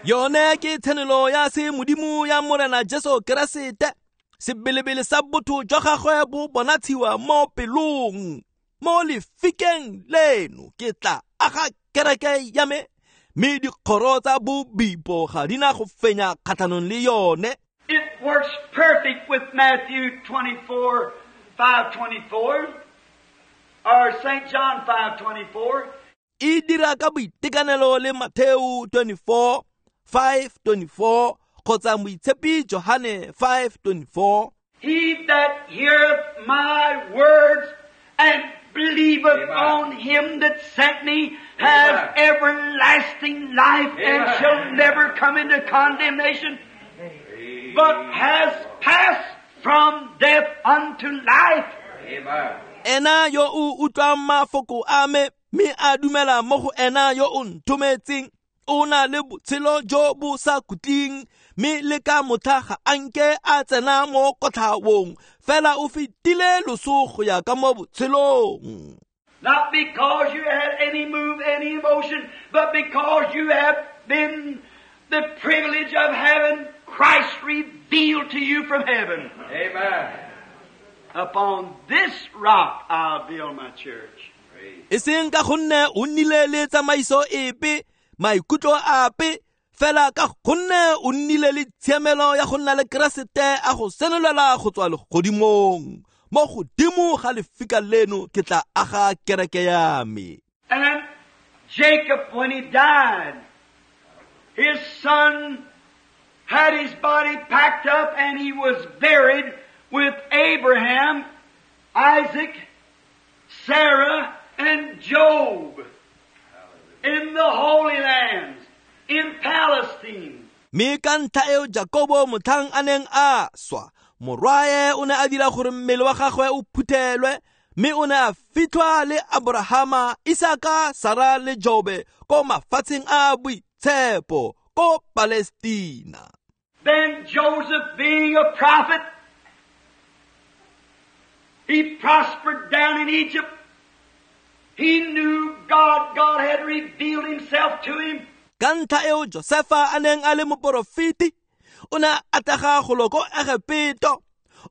Yone ke tshenolo ya se Modimo ya Morena Jesu Keresete. Sebelebele sa botho jwa gagwe bo bonatshiwa mo pelong. Mo lefikeng leno ke tla aga kereke ya me, mme dikgoro tsa bobipo ga di na go fenya kgatlhanong le yone. It works perfect with Matthew twenty-four, five twenty-four, or Saint John five twenty-four. E dira ka boitekanelo le Matthew twenty-four, five twenty-four, kgotsa Moitshepi Johane five twenty-four. He that heareth my words and believeth Amen. On him that sent me has Amen. Everlasting life. Amen. And shall never come into condemnation, but has passed from death unto life. Amen. Ena yo o utlwang mafoko a me, mme a dumela mo go ena yo o nthometseng, o na le botshelo jo bo sa khutleng, mme le ka motlha ga a nke a tsena mo kotlhaong, fela o fetile loso go ya ka mo botshelong. Not because you had any move, any emotion, but because you have been the privilege of having Christ revealed to you from heaven. Amen. Upon this rock I'll build my church. E seng ka gonne o nnile le tsamaiso epe, maikutlo ape fela ka gonne o nnile le tshiamelo ya go nna le Keresete a go senolela go tswa legodimong. Mo godimo ga lefika leno ke tla aga kereke ya me. And then Jacob, when he died, his son had his body packed up and he was buried with Abraham, Isaac, Sarah, and Job in the Holy Lands, in Palestine. Mme ka ntlha eo Jakobo motlhang a neng a swa, morwae o ne a dira gore mmele wa gagwe o phuthelwe, mme o ne a fitlhwa le Abrahama, Isaka, Sara le Jobe ko mafatsheng a boitshepo ko Palestina. Then Joseph, being a prophet, he prospered down in Egypt. He knew God. God had revealed himself to him. Ka ntlha eo Josefa a neng a le moporofeti, o ne a atlega golo ko Egepeto.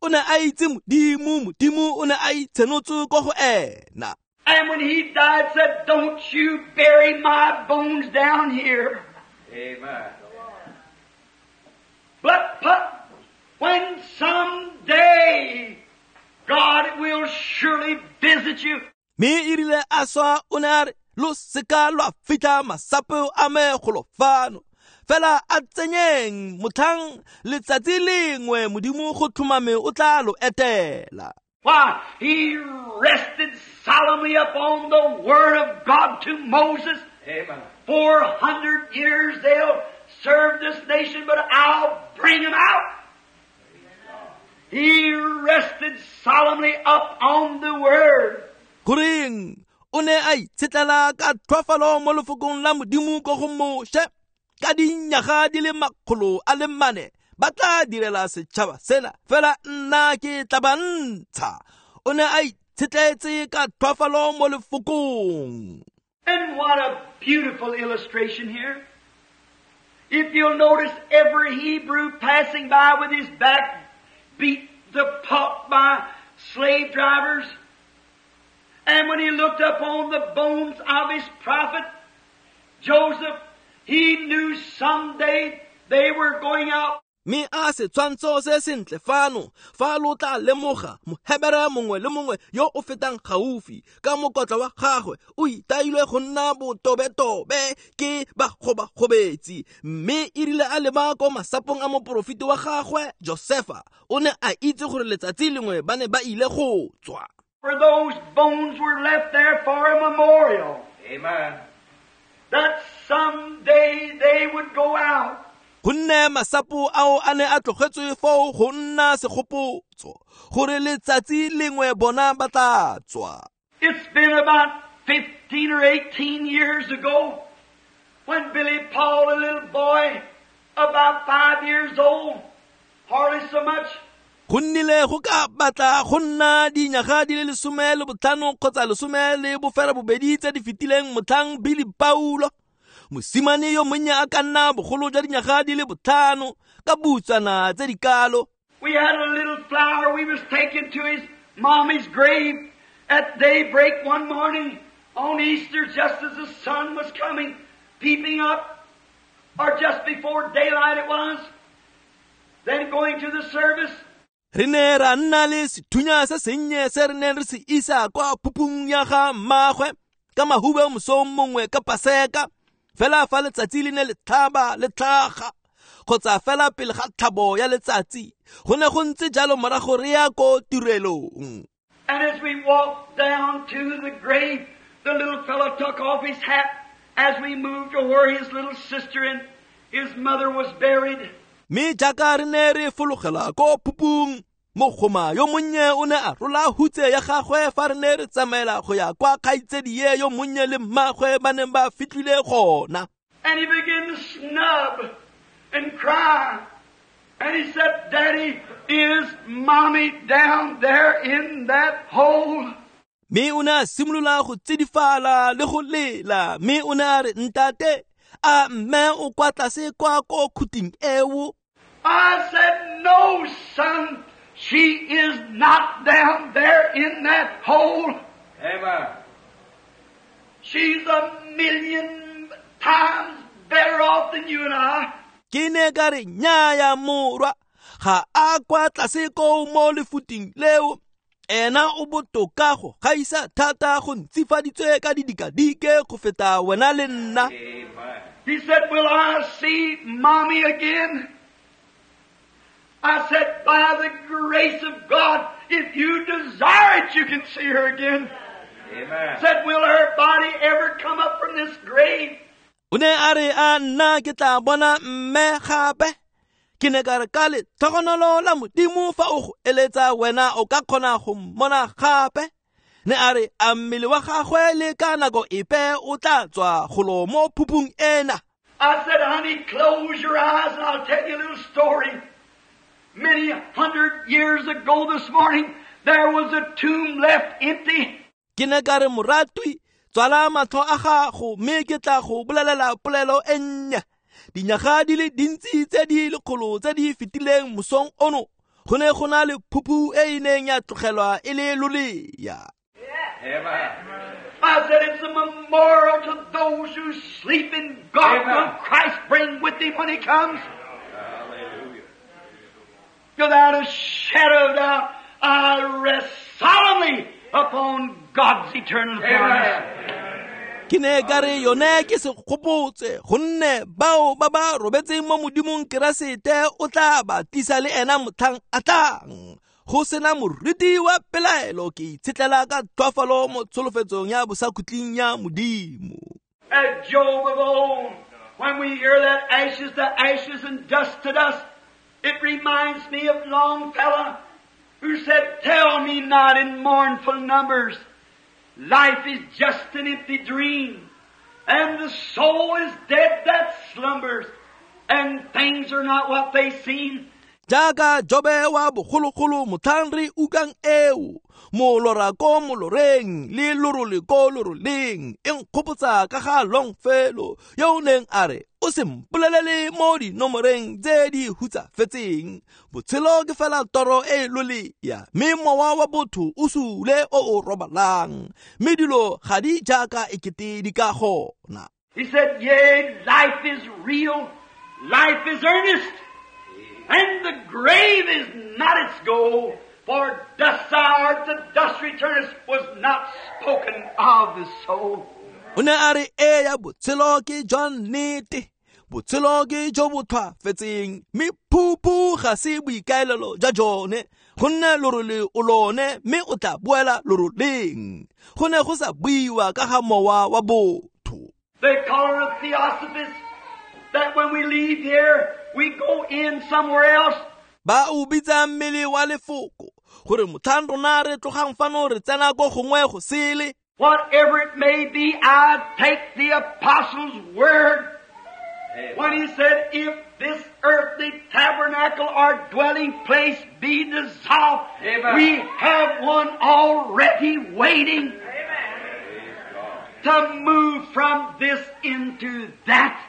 O ne a itse Modimo, Modimo o ne a itshenotse ko go ena. And when he died, said, "Don't you bury my bones down here." Amen. But, but when someday God will surely visit you. Mme e rile a swa o ne a re, lo seka lwa fitlha masapo a me golo fano. Fela a tsenyeng motlhang letsatsi lengwe Modimo go tlhomame o tla lo etela. Why, he rested solemnly upon the word of God to Moses. Amen. Four hundred years they'll serve this nation, but I'll bring them out. He rested solemnly up on the word. Goreng o ne a itshetlela ka tlhwafalo mo lefokong la Modimo ko go Moshe. Ka dinyaga di le makgolo a le mane ba tla direla setšhaba sena, fela nna ke tla ba ntsha. O ne a itshetletse ka tlhwafalo mo lefokong. And what a beautiful illustration here. If you'll notice, every Hebrew passing by with his back beat the pulp by slave drivers. And when he looked upon the bones of his prophet, Joseph, he knew someday they were going out. Mme a setshwantsho se sentle fano, fa lo tla lemoga Mohebere mongwe le mongwe yo o fetang gaufi ka mokotla wa gagwe o itailwe go nna botobetobe ke bagobagobetsi. Mme e rile a leba ko masapong a moporofeti wa gagwe Josefa, o ne a itse gore letsatsi lengwe ba ne ba ile go tswa. For those bones were left there for a memorial. Amen. That someday they would go out. Gonne masapo ao a ne a tlogetswe foo go nna segopotso gore letsatsi lengwe bona ba tla tswa. It's been about fifteen or eighteen years ago when Billy Paul, a little boy about five years old, hardly so much, Go nnile go ka batla go nna dinyaga di le lesome le botlhano kgotsa lesome le bofera bobedi tse di fetileng motlhang Billy Paulo, mosimane yo monnye a ka nna bogolo jwa dinyaga di le botlhano ka butswana tse di kalo. We had a little flower we was taken to his mommy's grave at daybreak one morning on Easter, just as the sun was coming, peeping up, or just before daylight it was, then going to the service. Re ne ra nna le sethunya se sennye se re neng re se isa kwa phupung ya ga mmagwe ka mahube mosong mongwe ka Paseka, fela fa letsatsi le ne le tlhaba le tlhaga kgotsa fela pele ga tlhabo ya letsatsi. Go ne go ntse jalo morago re ya ko tirelong. And as we walked down to the grave, the little fellow took off his hat as we moved to where his little sister and his mother was buried. Mme jaaka re ne re fologela ko phupung, mogoma yo monnye o ne a rola hutse ya gagwe fa re ne re tsamaela go ya kwa kgaitsedie yo monnye le mmagwe ba neng ba fitlhile gona. And he began to snub and cry. And he said, "Daddy, is mommy down there in that hole?" Mme o ne a simolola go tsidifala le go lela. Mme o ne a re, "Ntate, a mme o kwa tlase kwa ko khuting eo?" I said, "No, son, she is not down there in that hole." Amen. She's a million times better off than you and I. Ke ne ka re nnyaya morwa, ga a kwa tlase koo mo lefuting leo. Ena o botoka go gaisa thata go ntsifaditswe ka didikadike go feta wena le nna. He said, "Will I see mommy again?" I said, "By the grace of God, if you desire it, you can see her again." Amen. Said, "Will her body ever come up from this grave?" O ne a re a nna ke tla bona mme gape. Ke ne ka re ka letlhogonolo la Modimo fa o go eletsa wena o ka kgona go mmona gape. Ne a re a mmele wa gagwe le ka nako epe o tla tswa golo mo phupung ena. I said, "Honey, close your eyes and I'll tell you a little story. Many hundred years ago this morning, there was a tomb left empty." Ke ne ka re moratwi, tswala matlho a gago mme ke tla go bolelela polelo e nnye. Dinyaga di le dintsi tse di lekgolo tse di fetileng mosong ono, go ne go na le phuphu e e neng ya tlogelwa e le lolea. Amen. I said, "It's a memorial to those who sleep in God. Will Christ bring with him when he comes?" Hallelujah. Without a shadow of doubt, I rest solemnly upon God's eternal promise. Ke ne ka re yone ke segopotse gonne bao ba ba robetseng mo Modimong Keresete o tla ba tlisa le ena motlhang a tlang. Go sena moriti wa pelaelo ke itshetlela ka tlhoafalo mo tsholofetsong ya bosakhutleng ya Modimo. As Job of old, when we hear that ashes to ashes and dust to dust, it reminds me of Longfellow, who said, "Tell me not in mournful numbers, life is just an empty dream, and the soul is dead that slumbers, and things are not what they seem." Jaaka Jobe wa bogologolo motlhang re utlwang eo, molora ko moloreng le lorole ko loroleng, e nkgopotsa ka ga Longfellow yo o neng a re o se mpolelele mo dinomoreng tse di hutsafetseng. Botshelo ke fela toro e lolea, mme mowa wa botho o sule o o robalang, mme dilo ga di jaaka ekete di ka gona. He said, "Yea, life is real, life is earnest, and the grave is not its goal, for dust thou art, to dust returnest, was not spoken of the soul." O ne a re eya botshelo ke jwa nnete, botshelo ke jo bo tlhwafetseng, mme phuphu ga se boikaelelo jwa jone, gonne lorole o lone mme o tla boela loroleng. Go ne go sa buiwa ka ga mowa wa botho. They call it a theosophist, that when we leave here, we go in somewhere else. Ba o bitsa mmele wa lefoko gore motlhang rona re tlogang fano re tsena ko gongwe go sele. Whatever it may be, I take the apostle's word when he said, "If this earthly tabernacle or dwelling place be dissolved, Amen. we have one already waiting Amen. to move from this into that."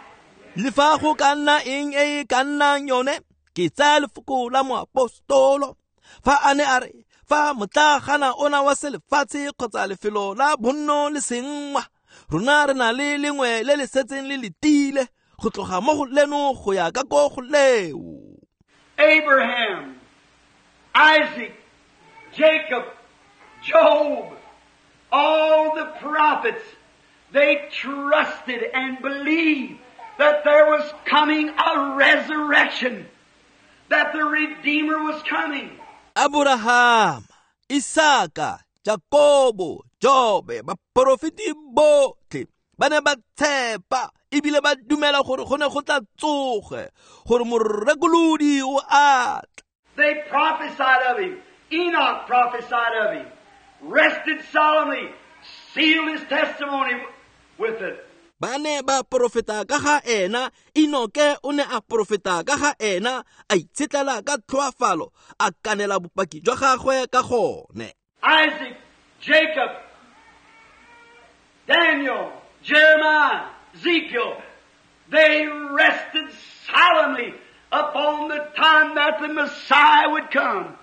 Le fa go ka nna eng e e ka nnang yone, ke tsaya lefoko la moapostolo fa a ne a re fa motlagana ona wa selefatshe kgotsa lefelo la bonno le sengwa, rona re na le lengwe le le setseng le letile go tloga mo go leno go ya ka ko go leo. Abraham, Isaac, Jacob, Job, all the prophets, they trusted and believed that there was coming a resurrection, that the Redeemer was coming. Abraham, Isaka, Jakobo, Jobe, baporofeti botlhe ba ne ba tshepa ebile ba dumela gore go ne go tla tsoge, gore morekolodi o a tla. They prophesied of him. Enoch prophesied of him, rested solemnly, sealed his testimony with it. Ba ne ba porofeta ka ga ena, Enoke o ne a porofeta ka ga ena, a itshetlela ka tlhoafalo, a kanela bopaki jwa gagwe ka gone. Isaac, Jacob, Daniel, Jeremiah, Ezekiel, they rested solemnly upon the time that the Messiah would come.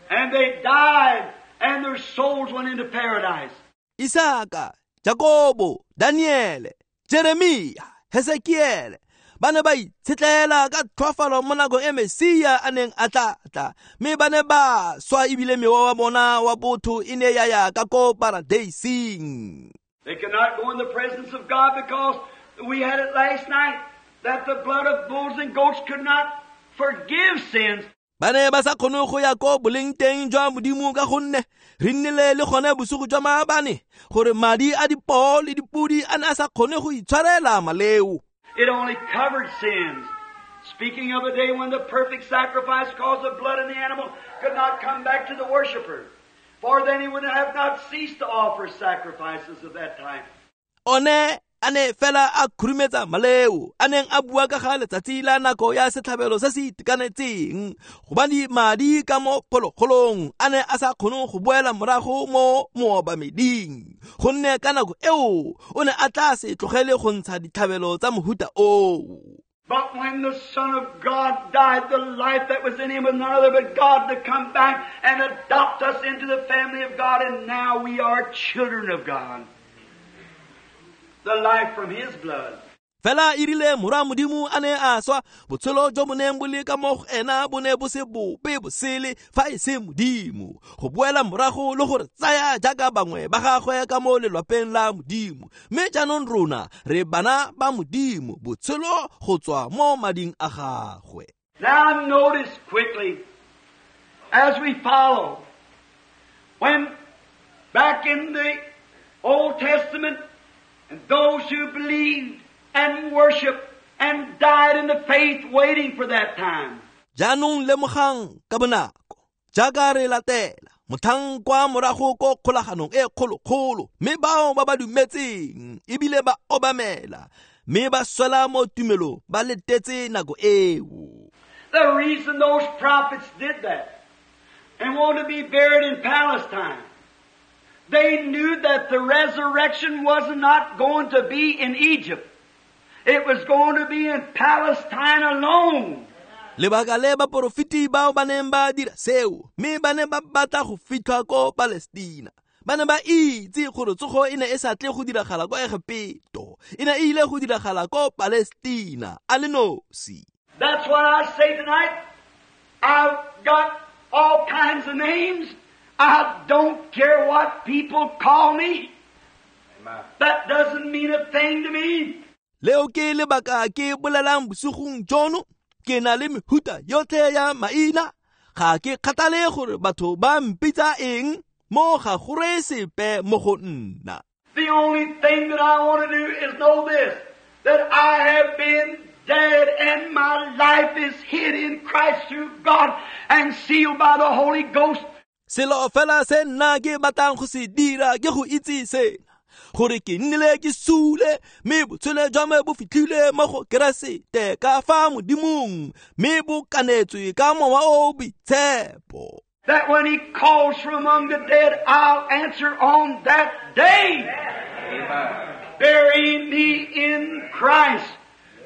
And they died, and their souls went into paradise. Isaka, Jakobo, Daniele, Jeremia, Hesekiele ba ne ba itshetlela ka tlhoafalo mo nakong e Mesia a neng a tla tla, mme ba ne ba swa ebile mewa wa bona wa botho e ne ya ya ka ko paradeising. They could not go in the presence of God because we had it last night that the blood of bulls and goats could not forgive sins. Ba ne ba sa kgone go ya ko boleng teng jwa Modimo ka gonne re nnile le gone bosigo jwa maabane gore madi a dipoo le dipodi a ne a sa kgone go itshwarela maleo. It only covered sins. Speaking of a day when the perfect sacrifice caused the blood of the animal could not come back to the worshiper, for then he would have not ceased to offer sacrifices of that type. One a ne fela a khurumetsa maleo a neng a bua ka ga letsatsi la nako ya setlhabelo se se itekanetseng, gobane madi ka mo phologolong a ne a sa kgone go boela morago mo moobameding, gonne ka nako eo o ne a tla se tlogele go ntsha ditlhabelo tsa mohuta oo. But when the Son of God died, the life that was in him was none other but God to come back and adopt us into the family of God, and now we are children of God. The life from his blood. Fela e rile morwa Modimo a ne a swa, botshelo jo bo neng bo le ka mo go ena bo ne bo se bope bosele fa e se Modimo, go boela morago le gore tsaya jaaka bangwe ba gagwe ka mo lelwapeng la Modimo. Mme jaanong rona re bana ba Modimo, botshelo go tswa mo mading a gagwe. Now notice quickly, as we follow, when back in the Old Testament, and those who believed and worshiped and died in the faith waiting for that time. Jaanong lemogang ka bonako jaaka re latela motlhang kwa morago ko kgolaganong e kgolokgolo, mme bao ba ba dumetseng ebile ba obamela mme ba swela mo tumelong ba letetse nako eo. The reason those prophets did that and wanted to be buried in Palestine, they knew that the resurrection was not going to be in Egypt. It was going to be in Palestine alone. Lebaka le baporofeti bao ba neng ba dira seo, mme ba ne ba batla go fitlhwa ko Palestina. Ba ne ba itse gore tsogo e ne e sa tle go diragala ko Egepeto, e ne e ile go diragala ko Palestina a le nosi. That's what I say tonight. I've got all kinds of names. I don't care what people call me. Amen. That doesn't mean a thing to me. Leo ke lebaka ke bolelang bosigong jono, ke na le mehuta yotlhe ya maina. Ga ke kgathale gore batho ba mpitsa eng, mo ga go reye sepe mo go nna. The only thing that I want to do is know this, that I have been dead and my life is hid in Christ through God and sealed by the Holy Ghost. Selo fela se nna ke batlang go se dira ke go itse sena, gore ke nnile ke sule mme botshelo jwa me bo fitlhile mo go Keresete ka fa Modimong, mme bo kanetswe ka Mowa o Boitshepo. That when he calls from among the dead, I'll answer on that day. Amen. Bury me in Christ.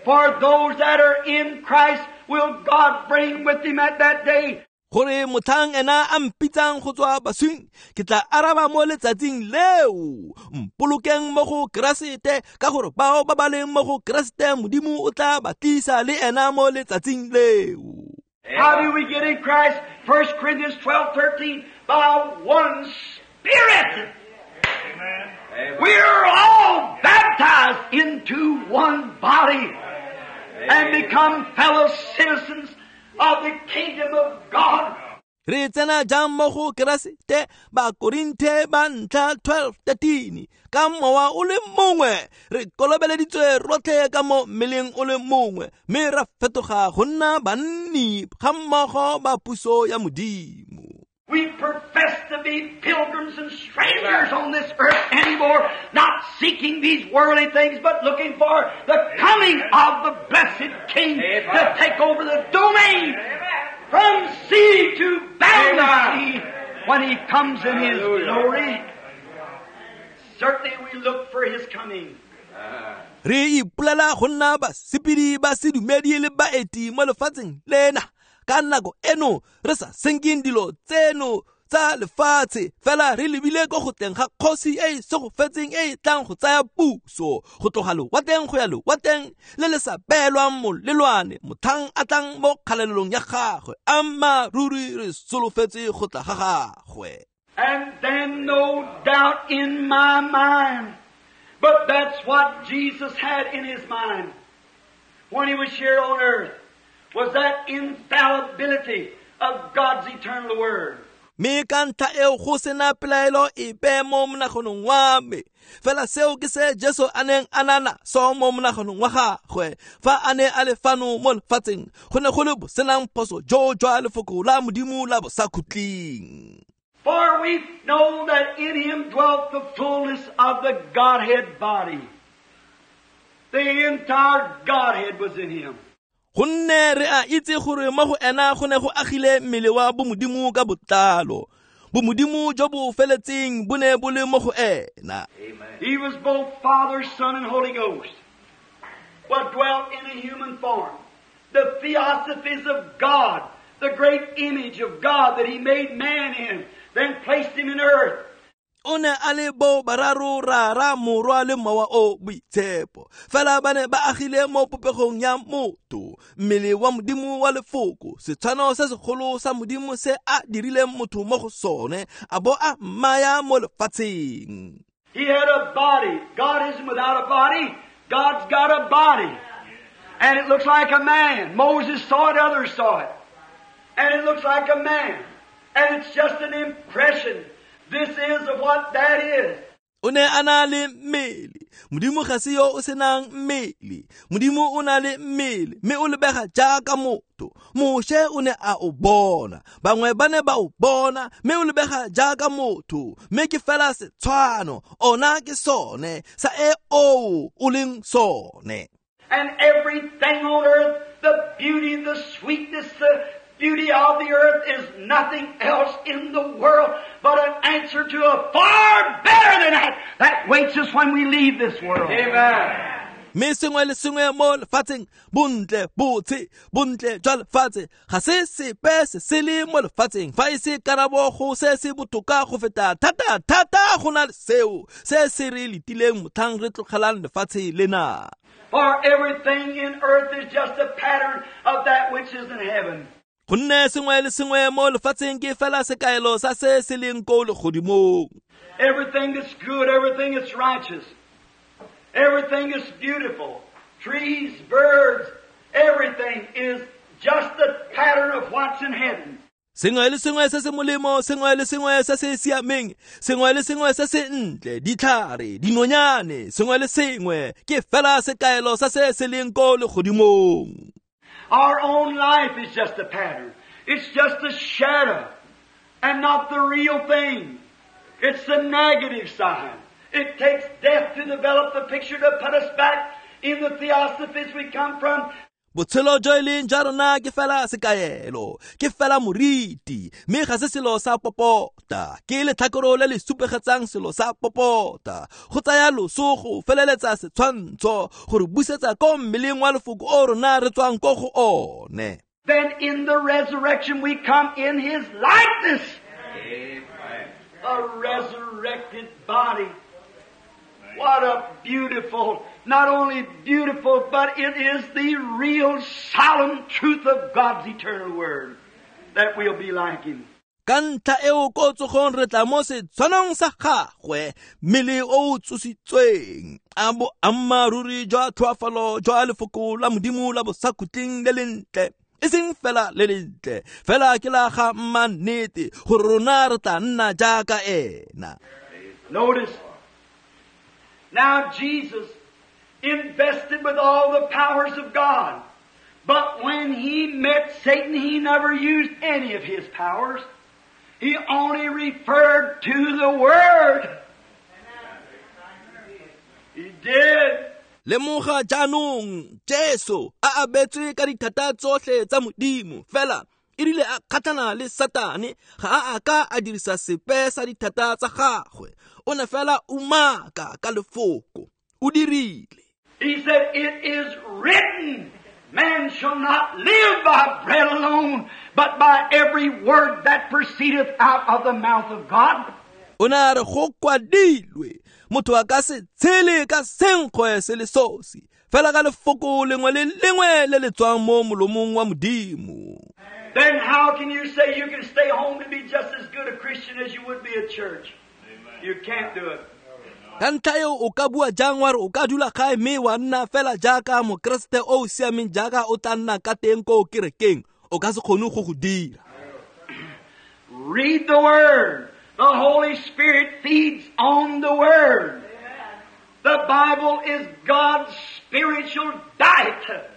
For those that are in Christ will God bring with him at that day. Gore motlhang ena a mpitsang go tswa baswing, ke tla araba mo letsatsing leo. Mpolokeng mo go Keresete, ka gore bao ba ba leng mo go Keresete Modimo o tla ba tlisa le ena mo letsatsing leo. How do we get in Christ? First Corinthians twelve thirteen, by one Spirit. Amen. We are all baptized into one body and become fellow citizens of the kingdom of God. Re tsena jang mo go Keresete? Bakorinthe ba ntlha twelve thirteen, ka mowa o le mongwe re kolobeleditswe rotlhe ka mo mmeleng o le mongwe, mme ra fetoga go nna banni ga mmogo ba puso ya Modimo. We profess to be pilgrims and strangers on this earth anymore, not seeking these worldly things, but looking for the coming of the blessed King to take over the domain from sea to boundless sea when He comes in His glory. Certainly we look for His coming. Re ipolela go nna basepedi ba sedumedi le baeti mo lefatsheng lena. Ka nako eno re sa senkeng dilo tseno tsa tsa lefatshe fela re lebile ko go tleng ga kgosi e e segofetseng e e tlang go tsaya puso go tloga lewatleng go ya lewatleng le le sa beelwang molelwane motlhang a tlang mo kgalelelong ya gagwe ammaaruri re solofetse go tla ga gagwe. And then no doubt in my mind, but that's what Jesus had in his mind when he was here on earth, was that infallibility of God's eternal word. Mme ka ntlha eo go sena pelaelo epe mo monaganong wa me fela seo ke se Jesu a neng a na naso mo monaganong wa gagwe fa a ne a le fano mo lefatsheng go ne go le bosenang phoso jo jwa lefoko la Modimo la bosakhutleng. For we know that in him dwelt the fullness of the Godhead body. The entire Godhead was in him. Gonne re a itse gore mo go ena go ne go agile mmele wa bomodimo ka botlalo. Bomodimo jo bo feletseng bo ne bo le mo go ena. He was both Father, Son, and Holy Ghost, but dwelt in a human form. The theosophies of God, the great image of God that he made man in, then placed him in earth. O ne a le bo bararo rara morwa le mowa o boitshepo fela ba ne ba agile mo popegong ya motho mmele wa Modimo wa lefoko setshwano se segolo sa Modimo se a dirileng motho mo go sone a bo a mmaya mo lefatsheng. He had a body. God isn't without a body. God's got a body. And it looks like a man. Moses saw it, others saw it. And it looks like a man. And it's just an impression. This is of what that is. O ne a na le mmele. Modimo ga se yo o senang mmele. Modimo o na le mmele mme o lebega jaaka motho. Moshe o ne a o bona. Bangwe ba ne ba o bona mme o lebega jaaka motho. Mme ke fela setshwano. Ona ke sone sa e o o leng sone. And everything on earth, the beauty, the sweetness, the beauty of the earth is nothing else in the world but an answer to a far better than that that waits us when we leave this world. Amen. Mme sengwe le sengwe mo lefatsheng bontle botshe bontle jwa lefatshe ga se sepe se se le mo lefatsheng fa e se karabo go se se botoka go feta thata thata go na le seo se se re letileng motlhang re tlogelang lefatshe lena. For everything in earth is just a pattern of that which is in heaven. Gonne sengwe le sengwe mo lefatsheng ke fela sekaelo sa se se leng ko legodimong. Everything that's good, everything that's righteous, everything that's beautiful, trees, birds, everything is just the pattern of what's in heaven. Sengwe le sengwe se se molemo, sengwe le sengwe se se siameng, sengwe le sengwe se se ntle, ditlhare, dinonyane, sengwe le sengwe ke fela sekaelo sa se se leng ko legodimong. Our own life is just a pattern. It's just a shadow and not the real thing. It's the negative side. It takes death to develop the picture to put us back in the theosophies we come from. Botshelo jo e leng jwa rona ke fela sekaelo, ke fela moriti, mme ga se selo sa popota, ke letlhakoro le le supegetsang selo sa popota. Go tsaya loso go feleletsa setshwantsho gore busetsa ko mmeleng wa lefoko o rona re tswang ko go one. Then in the resurrection we come in his likeness. Amen. A resurrected body. What a beautiful, not only beautiful, but it is the real solemn truth of God's eternal word that we'll be like him. Ka ntlha eo ko tsogong re tla mo setshwanong sa gagwe, mmele o o tsositsweng, a boammaaruri jwa tlhoafalo jwa lefoko la Modimo la bosakhutleng le lentle, e seng fela le lentle, fela ke la ga mannete gore rona re tla nna jaaka ena. Notice, now Jesus invested with all the powers of God. But when he met Satan, he never used any of his powers. He only referred to the Word. He did. Lemoga jaanong Jesu a abetswe ka dithata tsotlhe tsa Modimo fela e rile a kgatlhana le Satane ga a a ka a dirisa sepe sa dithata tsa gagwe. O ne fela umaka ka lefoko o dirile. He said, "It is written." Man shall not live by bread alone, but by every word that proceedeth out of the mouth of God. O ne a re go kwadilwe motho a ka se tshele ka senkgwe se le sosi fela ka lefoko lengwe le lengwe le le tswang mo molomong wa Modimo. Then how can you say you can stay home to be just as good a Christian as you would be at church? You can't do it. Ka ntlha eo o ka bua jang wa re o ka dula gae mme wa nna fela jaaka mokeresete o o siameng jaaka o tla nna ka teng ko kerekeng, o ka se kgone go go dira. Read the Word. The Holy Spirit feeds on the Word. The Bible is God's spiritual diet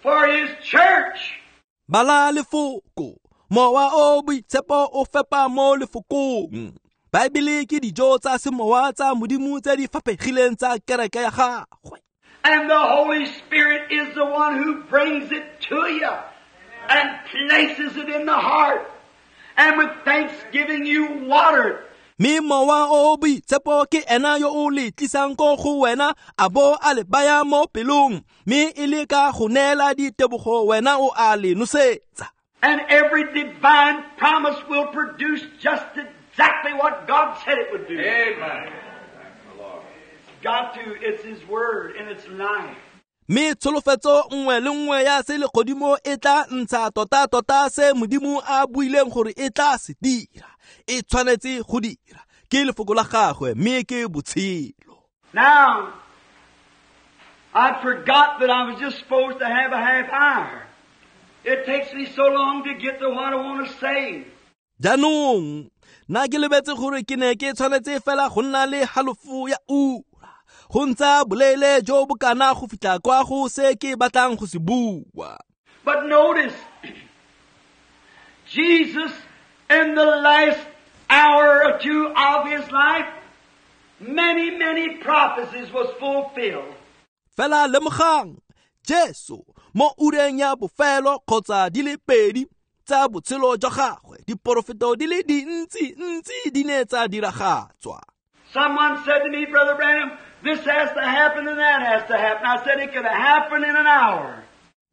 for His church. Bala lefoko, mowa o boitshepo o fepa mo lefokong. Baebele ke dijo tsa semowa tsa Modimo tse di faphegileng tsa kereke ya gagwe. And the Holy Spirit is the one who brings it to you and places it in the heart. And with thanksgiving you water it. Mme mowa o boitshepo ke ena yo o le tlisang ko go wena a bo a le baya mo pelong, mme e le ka go neela ditebogo wena o a le nosetsa. And every divine promise will produce just exactly what God said it would do. Amen. It's got to. It's His Word and it's life. Mme tsholofetso nngwe le nngwe ya se legodimo e tla ntsha tota-tota se Modimo a buileng gore e tla se dira. E tshwanetse go dira. Ke lefoko la gagwe mme ke botshelo. Now, I forgot that I was just supposed to have a half hour. It takes me so long to get to what I want to say. Jaanong, nna ke lebetse gore ke ne ke tshwanetse fela go nna le halofo ya ura. Go ntsa boleele jo bo kana go fitlha kwa go se ke batlang go se bua. But notice, Jesus in the last hour or two of His life, many, many prophecies was fulfilled. Fela lemogang, Jesu mo ureng ya bofelo kgotsa di le pedi tsa botshelo jwa gagwe, diporofeto di le dintsi ntsi di ne tsa diragatswa. Someone said to me, Brother Branham, this has to happen and that has to happen. I said it could happen in an hour.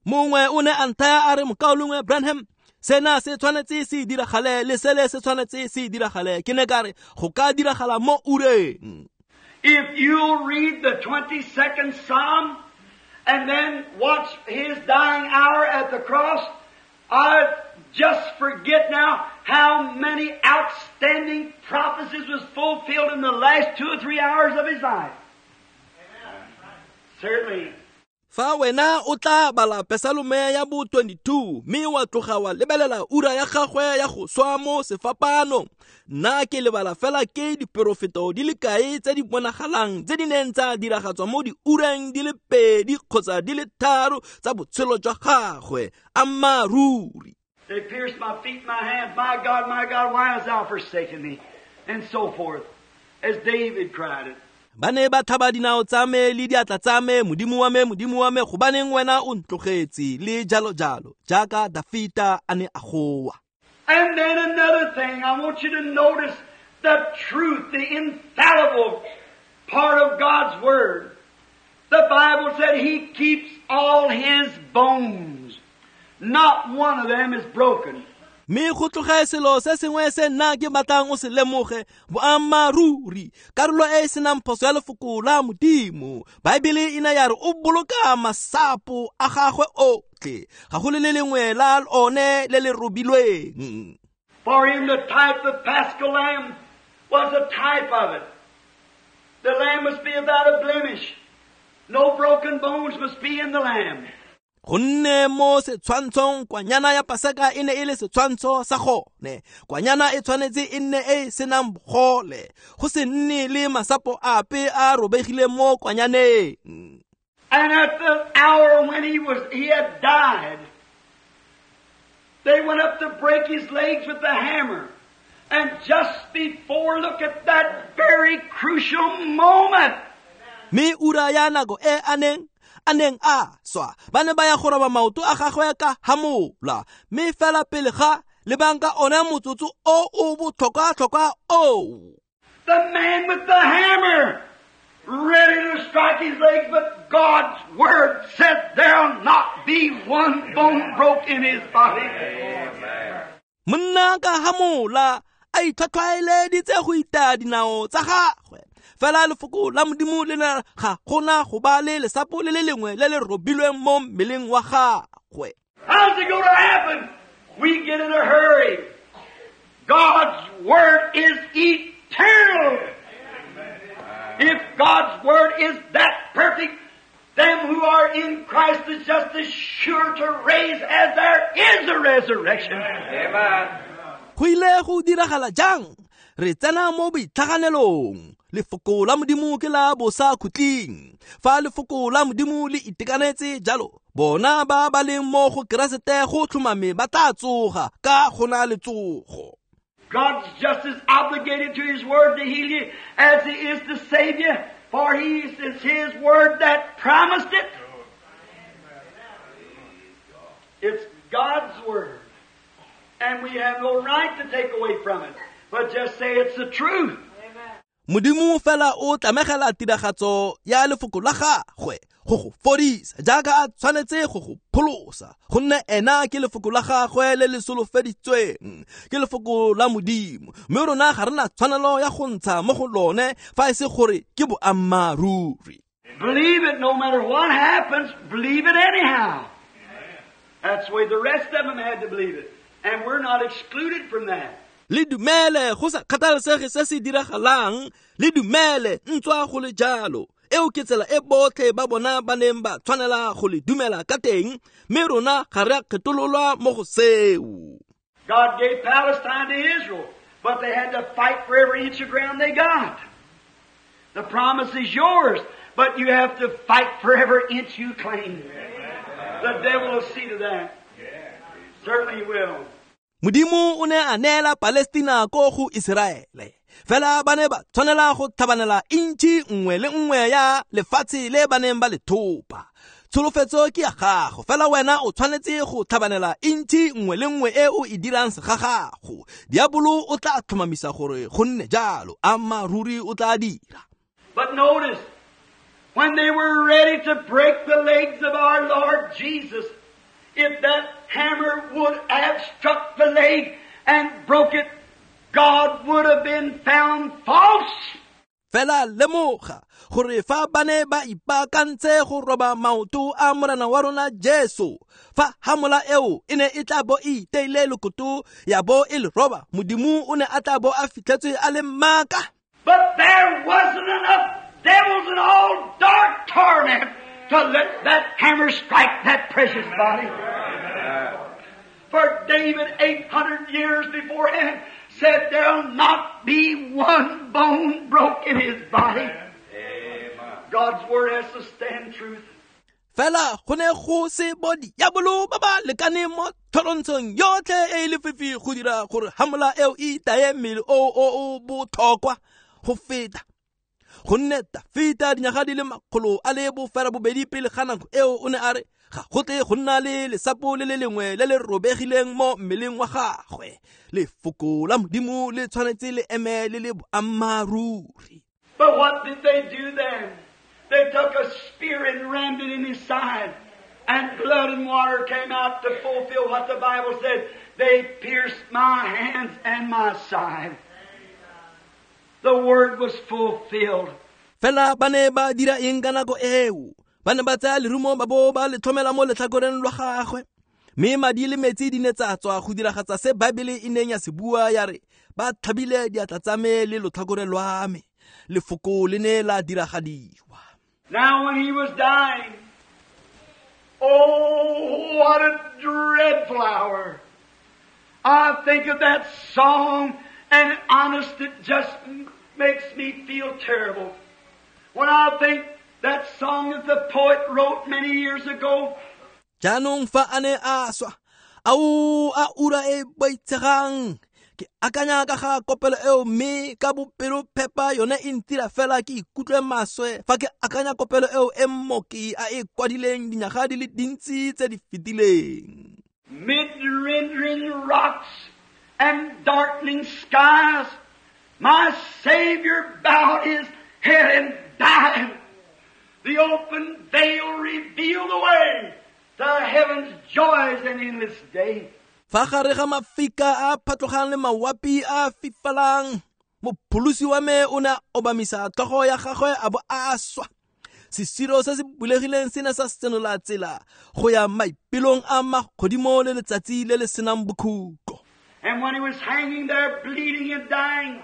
Mongwe o ne a nthaya a re mokaulengwe Branham, sena se tshwanetse se diragale le sele se tshwanetse se diragale. Ke ne ka re go ka diragala mo ureng. If you'll read the twenty-second Psalm and then watch His dying hour at the cross, I just forget now how many outstanding prophecies was fulfilled in the last two or three hours of His life. Certainly. Fa wena o tla bala Pesalome ya bo twenty-two mme wa tloga wa lebelela ura ya gagwe ya go swa mo sefapanong, nna ke lebala fela ke diporofeto di le kae tse di bonagalang tse di neng tsa diragatswa mo diureng di le pedi kgotsa di le tharo tsa botshelo jwa gagwe. Ammaaruri. They pierced my feet and my hands. My God, my God, why hast thou forsaken me? And so forth, as David cried it. Ba ne ba tlhaba dinao tsa me le diatla tsa me, Modimo wa me, Modimo wa me, gobaneng wena o ntlogetse, le jalo jalo, jaaka Dafita a ne a goa. And then another thing, I want you to notice the truth, the infallible part of God's Word. The Bible said He keeps all His bones. Not one of them is broken. Mme go tloge selo se sengwe se nna ke batlang o se lemoge, boammaaruri, karolo e e senang phoso ya lefoko la Modimo. Baebele e ne ya re o boloka masapo a gagwe otlhe, ga go le le lengwe la one le le robilweng. For in the type of Paschal lamb was a type of it. The lamb must be without a blemish. No broken bones must be in the lamb. Gonne mo setshwantshong kwanyana ya Paseka e ne e le setshwantsho sa gone. Kwanyana e tshwanetse e nne e e senang bogole, go se nne le masapo ape a robegileng mo kwanyaneng. And at the hour when he was he had died, they went up to break his legs with the hammer. And just before, look at that very crucial moment. Mme ura ya nako e a neng a neng a swa, ba ne ba ya go roba maoto a gagwe ka hamola, mme fela pele ga lebang ka ona motsotso o o botlhokwa-tlhokwa oo. The man with the hammer ready to strike his legs, but God's Word said there'll not be one bone broke in his body. Monna ka hamola a itlhwatlhwaeleditse go itaya dinao tsa gagwe. Fela lefoko la Modimo le ne ga gona go ba le lesapo le le lengwe le le robilweng mo mmeleng wa gagwe. How's it going to happen? We get in a hurry. God's Word is eternal. If God's Word is that perfect, them who are in Christ is just as sure to raise as there is a resurrection. Amen. Go ile go diragala jang? Re tsena mo boitlhaganelong. Lefoko la Modimo ke la bosa khutleng. Fa lefoko la Modimo le itekanetse jalo, bona ba ba leng mo go Keresete go tlhomame ba tla tsoga ka gona le tsogo. God's just as obligated to His Word to heal you as He is to save you, for He is His Word that promised it. It's God's Word. And we have no right to take away from it, but just say it's the truth. Modimo fela o tlamegela tiragatso ya lefoko la gagwe go go fodisa jaaka a tshwanetse go go pholosa, gonne ena ke lefoko la gagwe le le solofeditsweng, ke lefoko la Modimo, mme rona ga rena tshwanelo ya go ntsha mo go lone fa e se gore ke boammaaruri. Believe it no matter what happens, believe it anyhow. That's the way the rest of them had to believe it, and we're not excluded from that. Le dumele go sa kgathalesege se se diragalang, le dumele ntswa go le jalo. Eo ke tsela e botlhe ba bona ba neng ba tshwanela go le dumela ka teng, mme rona ga re a kgethololwa mo go seo. God gave Palestine to Israel, but they had to fight for every inch of ground they got. The promise is yours, but you have to fight for every inch you claim. The devil will see to that. Certainly he will. Modimo o ne a neela Palestina ko go Iseraele. Fela ba ne ba tshwanela go tlhabanela intšhi nngwe le nngwe ya lefatshe le ba neng ba le thopa. Tsholofetso ke ya gago, fela wena o tshwanetse go tlhabanela intšhi nngwe le nngwe e o e dirang segagago. Diabolo o tla tlhomamisa gore go nne jalo, ammaaruri o tla dira. But notice, when they were ready to break the legs of our Lord Jesus, if that hammer would have struck the leg and broke it, God would have been found false. Fela lemoga gore fa ba ne ba ipaakantse go roba maoto a Morena wa rona Jesu, fa hamola eo e ne e tla bo e iteile lokoto ya bo e le roba, Modimo o ne a tla bo a fitlhetswe a le maaka. But there wasn't enough devils in all dark torment to let that hammer strike that precious body. For David, eight hundred years beforehand, said there'll not be one bone broke in his body. Amen. God's Word has to stand truth. Fela go ne go se bo diabolo ba ba lekaneng mo tlholontshong yotlhe e e lefifi go dira gore hamola eo e itaye mmele o o o botlhokwa go feta. Gonne Dafita dinyaga di le makgolo a le bofera bobedi pele ga nako eo o ne a re ga go tle go nna le lesapo le le lengwe le le robegileng mo mmeleng wa gagwe. Lefoko la Modimo le tshwanetse le eme le le boammaaruri. But what did they do then? They took a spear and rammed it in his side, and blood and water came out to fulfill what the Bible said. They pierced my hands and my side. The word was fulfilled. Fela ba ne ba dira eng ka nako eo? Ba ne ba tsaya lerumo ba bo ba le tlhomela mo letlhakoreng lwa gagwe. Mme madi le metsi di ne tsa tswa go diragatsa se Baebele e neng ya se bua ya re ba tlhabile diatla tsa me le lotlhakore lwa me. Lefoko le ne la diragadiwa. Now when he was dying, oh, what a dreadful hour. I think of that song, and honest, it just makes me feel terrible. When I think that song that the poet wrote many years ago. Jaanong fa a ne a swa, ao a ura e boitshegang. Ke akanya ka ga kopelo eo mme ka bopelophepa yone e ntira fela ke ikutlwe maswe fa ke akanya kopelo eo e mmoki a e kwadileng dinyaga di le dintsi tse di fetileng. Mid-rendering rocks and darkening skies, my Savior bowed his head and died, the open veil revealed the way to heaven's joys and endless day. Fa gare ga mafika a phatlogang le mawapi a fifalang, mopholosi wa me o ne a obamisa tlhogo ya gagwe a bo a swa. Sesiro se se bulegileng se ne sa senola tsela go ya maipelong a magodimo le letsatsi le le senang bokhutlo. And when he was hanging there bleeding and dying,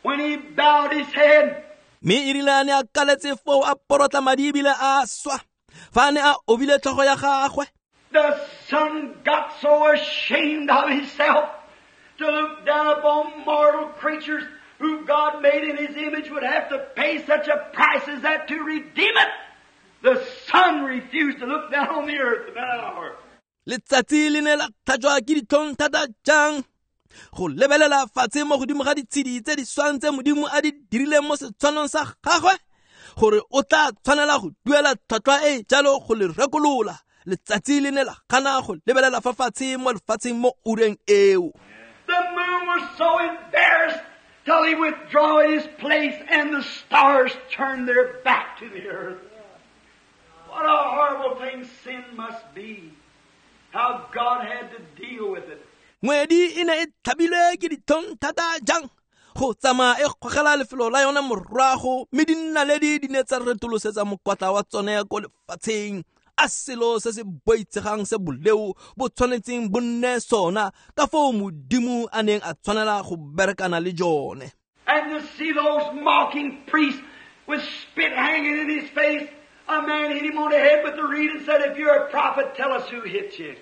when he bowed his head, mme e rile a ne a kaletse foo a porotla madi ebile a swa, fa a ne a obile tlhogo ya gagwe, the Son got so ashamed of himself to look down upon mortal creatures who God made in His image would have to pay such a price as that to redeem it. The Son refused to look down on the earth in that hour. Letsatsi le ne la tlhajwa ke ditlhong thata jang go lebelela fatshe mo godimo ga ditshedi tse di swang tse Modimo a di dirileng mo setshwanong sa gagwe, gore o tla tshwanela go duela tlhwatlhwa e jalo go le rekolola. Letsatsi le ne la gana go lebelela fa fatshe mo lefatsheng mo ureng eo. The moon was so embarrassed till he withdrew his place and the stars turned their back to the earth. What a horrible thing sin must be. How God had to deal with it. Ngwedi e ne e tlhabilwe ke ditlhong thata jang go tsamaya e gogela lefelo la yona morago, mme dinaledi di ne tsa retolosetsa mokwatla wa tsone ko lefatsheng. A selo se se boitshegang se boleo bo tshwanetseng bo nne sona, ka foo Modimo a neng a tshwanela go berekana le jone. And to see those mocking priests with spit hanging in his face, a man hit him on the head with the reed and said, "If you're a prophet, tell us who hit you."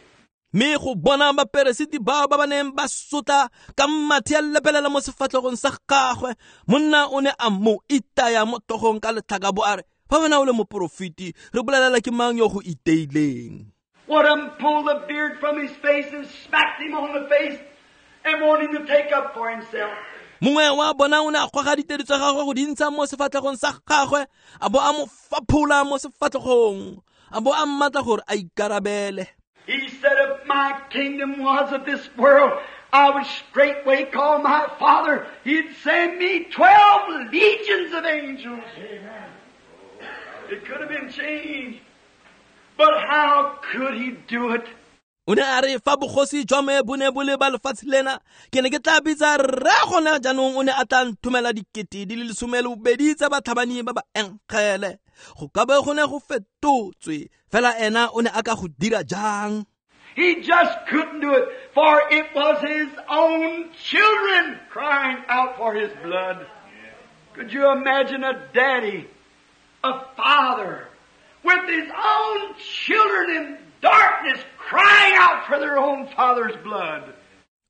Mme go bona baperesiti bao ba ba neng ba sotla ka mathe a lepelela mo sefatlhegong sa gagwe, monna o ne a mo itaya mo tlhogong ka letlhaka bo a re, fa wena o le moporofeti, re bolelela ke mang yo go iteileng. One of them pulled the beard from his face and smacked him on the face and wanted him to take up for himself. Mongwe wa bona o ne a goga ditedu tsa gagwe go di ntsha mo sefatlhegong sa gagwe, a bo a mo faphola mo sefatlhegong, a bo a mmatla gore a ikarabele. He said, "If my kingdom was of this world, I would straightway call my Father. He'd send me twelve legions of angels." Amen. It could have been changed. But how could he do it? O ne a re fa bogosi jwa me bo ne bo le ba lefatshe lena, ke ne ke tla bitsa rre gona jaanong o ne a tla nthomela dikete di le lesome le bobedi tsa batlhabani ba ba enkgele. Go ka be go ne go fetotswe, fela ena o ne a ka go dira jang? He just couldn't do it, for it was his own children crying out for his blood. Could you imagine a daddy, a father, with his own children in darkness crying out for their own father's blood?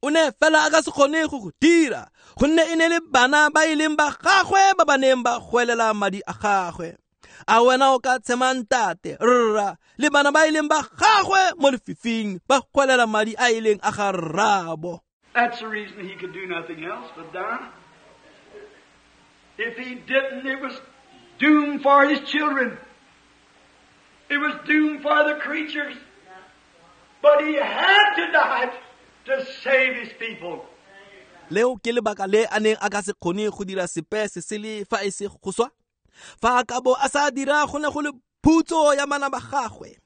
O ne fela a ka se kgone go go dira, gonne e ne le bana ba e leng ba gagwe ba ba neng ba goelela madi a gagwe. A wena o ka tshema ntate, rra, le bana ba e leng ba gagwe mo lefifing ba goelela madi a e leng a ga rraabo. That's the reason he could do nothing else but die. If he didn't, it was doom for his children. It was doom for the creatures. But he had to die to save his people. Leo ke lebaka le a neng a ka se kgone go dira sepe se sele fa e se go swa. Fa a ka bo a sa dira, go ne go le phutso ya bana ba gagwe,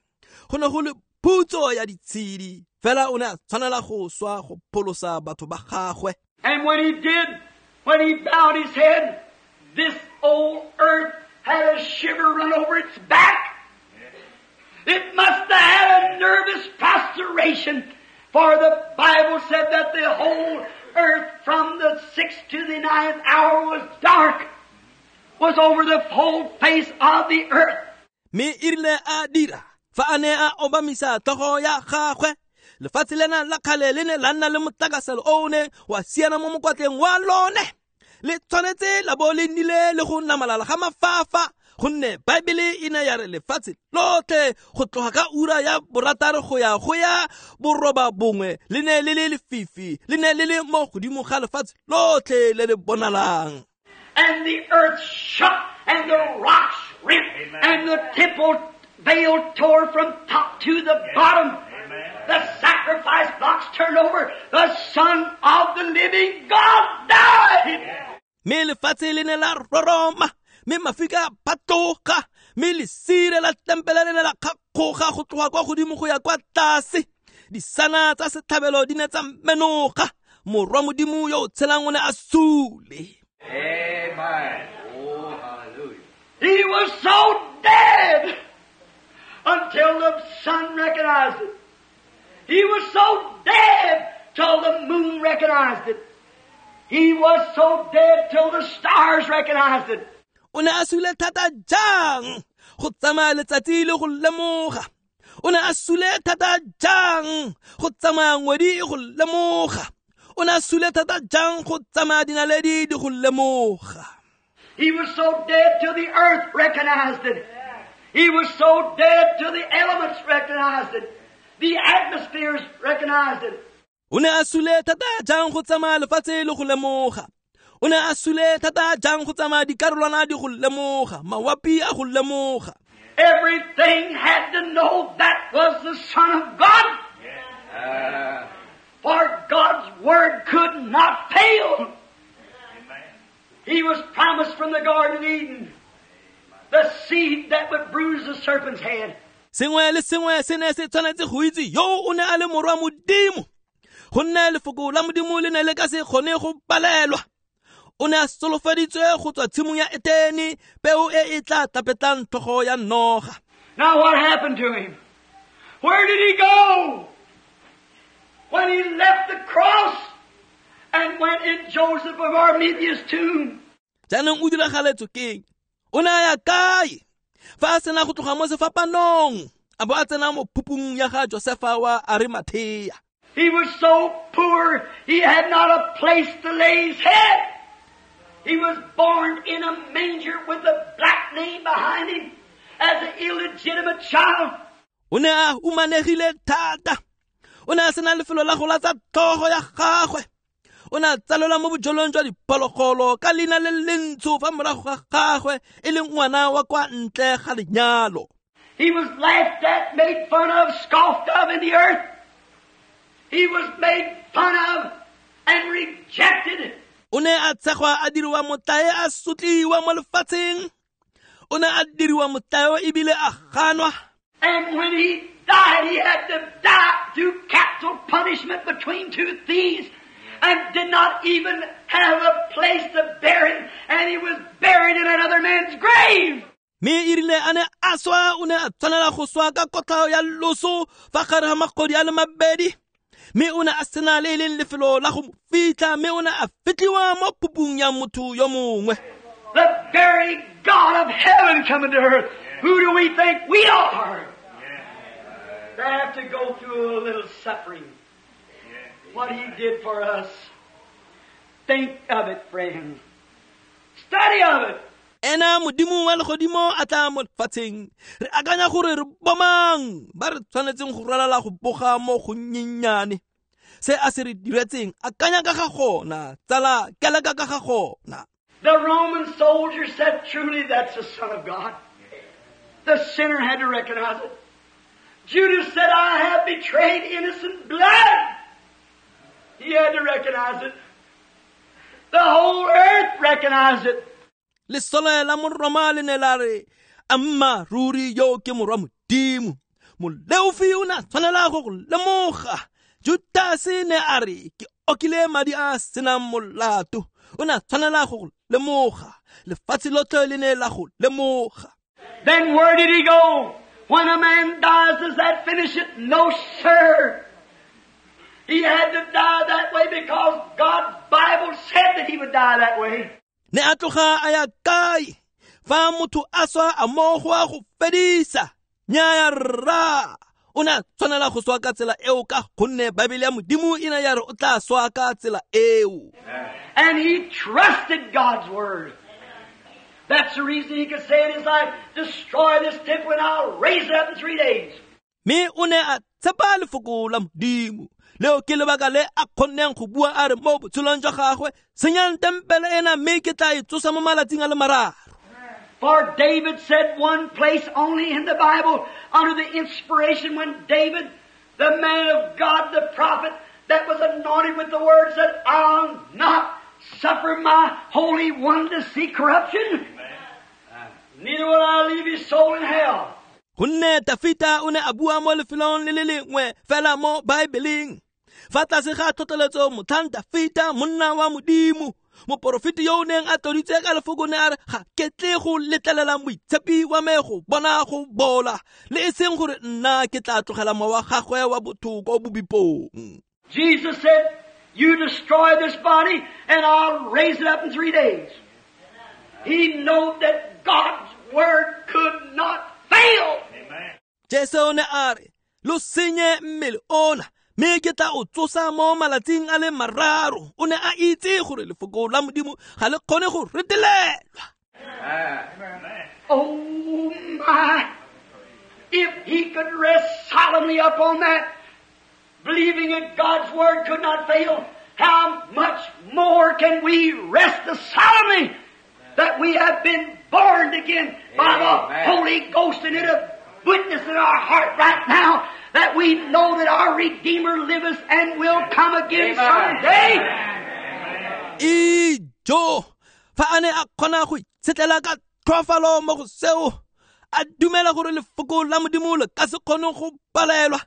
go ne go le phutso ya ditshedi, fela o ne a tshwanela go swa go pholosa batho ba gagwe. And when he did, when he bowed his head, this old earth had a shiver run over its back. It must have had a nervous prostration, for the Bible said that the whole earth from the sixth to the ninth hour was dark, was over the whole face of the earth. Mme e rile a dira fa a ne a obamisa tlhogo ya gagwe, lefatshe lena la kgale le ne la nna le motlakaselo o ne wa siana mo mokwatleng wa lone. Le tshwanetse la bo le nnile le go namalala ga mafafa, gonne Baebele e ne ya re lefatshe lotlhe go tloga ka ura ya borataro go ya go ya boroba bongwe le ne le le lefifi, le ne le le mo godimo ga lefatshe lotlhe le le bonalang. And the earth shook, and the rocks rent, and the temple veil tore from top to the bottom. The sacrifice blocks turned over. The Son of the living God died. Mme lefatshe le ne la roroma, Mme mafika a phatloga, mme lesire la tempele le ne la kgakgoga go tloga kwa godimo go ya kwa tlase. Disana tsa setlhabelo di ne tsa menoga. Morwa Modimo yo o tshelang o ne a sule. Amen. Oh, hallelujah. He was so dead until the sun recognized it. He was so dead till the moon recognized it. He was so dead till the stars recognized it. O ne a sule thata jang go tsamaya letsatsi le go lemoga. O ne a sule thata jang go tsamaya ngwedi go lemoga. O ne a sule thata jang go tsamaya dinaledi di go lemoga. He was so dead till the earth recognized it. He was so dead till the elements recognized it. The atmospheres recognized it. O ne a sule thata jang go tsamaya lefatshe le go lemoga. O ne a sule thata jang go tsamaya dikarolwana di go lemoga, mawapi a go lemoga. Everything had to know that was the Son of God. Uh, For God's word could not fail. Amen. He was promised from the Garden of Eden the seed that would bruise the serpent's head. Sengwe le sengwe se ne se tshwanetse go itse yo o ne a le morwa Modimo. Gonne lefoko la Modimo le ne le ka se kgone go palelwa. O ne a solofeditswe go tswa tshimong ya Etene, peo e e tla tapetlang tlhogo ya noga. Now what happened to him? Where did he go? When he left the cross and went in Joseph of Arimathea's tomb. Jaanong o diragaletswe keng? O ne a ya kae? Fa a sena go tloga mo sefapanong, a bo a tsena mo phupung ya ga Josefa wa Arimathea. He was so poor, he had not a place to lay his head. He was born in a manger with a black name behind him as an illegitimate child. O ne a humanegile thata. O ne a sena lefelo la go latsa tlhogo ya gagwe. O ne a tsalelwa mo bojelong jwa diphologolo ka leina le lentsho fa morago ga gagwe e leng ngwana wa kwa ntle ga lenyalo. He was laughed at, made fun of, scoffed of in the earth. He was made fun of and rejected. O ne a tshegwa a diriwa motlae a sotliwa mo lefatsheng. O ne a diriwa motlae ebile a ganwa. And when he died, he had to die through capital punishment between two thieves and did not even have a place to bury him, and he was buried in another man's grave. Mme e rile a ne a swa, o ne a tshwanela go swa ka kotlhao ya loso fa gare ga magodi a le mabedi. Mme o ne a sena le e leng lefelo la go mo fitlha, mme o ne a fitlhiwa mo phupung ya motho yo mongwe. The very God of heaven coming to earth. Who do we think we are? They have to go through a little suffering. What he did for us. Think of it, friends. Study of it. Ena Modimo wa legodimo a tla mo lefatsheng. Re akanya gore re bomang ba re tshwanetseng go ralala go boga mo go nnyenyane. Se a se re diretseng, akanya ka ga gona, tsala keleka ka ga gona. The Roman soldier said, truly, that's the Son of God. The sinner had to recognize it. Judas said, I have betrayed innocent blood. He had to recognize it. The whole earth recognized it. Lesole la Moroma le ne la re, amma ruri yo ke morwa Modimo. Moleofi o ne a tshwanela go go lemoga. Judase ne a re, ke okile madi a senang molato. O ne a tshwanela go go lemoga. Lefatshe lotlhe le ne la go lemoga. Then where did he go? When a man dies, does that finish it? No, sir. He had to die that way because God's Bible said that he would die that way. Ne a tloga a ya kae? Fa motho a swa a mo go a go fedisa. Nnyaya rra. O ne a tshwanela go swa ka tsela eo ka gonne Bibele ya Modimo e ne ya re o tla swa ka tsela eo. And he trusted God's word. That's the reason he could say in his life, destroy this temple and I'll raise it up in three days. Mme o ne a tshepa lefoko la Modimo. Leo ke lebaka le a kgonneng go bua a re mo botshelong jwa gagwe, senyang tempele ena mme ke tla e tsosa mo malatsing a le mararo. For David said one place only in the Bible under the inspiration when David, the man of God, the prophet that was anointed with the word, said, I'll not suffer my Holy One to see corruption. Neither will I leave his soul in hell. Gonne Tafita o ne a bua mo lefelong le le lengwe fela mo Baebeleng. Fa tlase ga tlhotlheletso motlhang Tafita monna wa Modimo, moporofeti yo o neng a tloditswe ka lefoko ne a re ga ke tle go letlelela moitshepi wa me go bona go bola, le e seng gore nna ke tla tlogela mowa wa gagwe wa botho ko bobipong. Jesus said, "You destroy this body and I'll raise it up in three days." He knew that God's word could not fail. Amen. Jesu o ne a re, lo senye mmele ona, mme ke tla o tsosa mo malatsing a le mararo. O ne a itse gore lefoko la Modimo ga le kgone go retelelwa. Amen. Oh my! If he could rest solemnly upon that, believing that God's word could not fail, how much more can we rest solemnly that we have been born again by the Amen. Holy Ghost, and it a witness in our heart right now that we know that our Redeemer liveth and will come again someday. Ijo, fa a ne a kgona go itshetlela ka tlhoafalo mo go seo, a dumela gore lefoko la Modimo le ka se kgone go palelwa.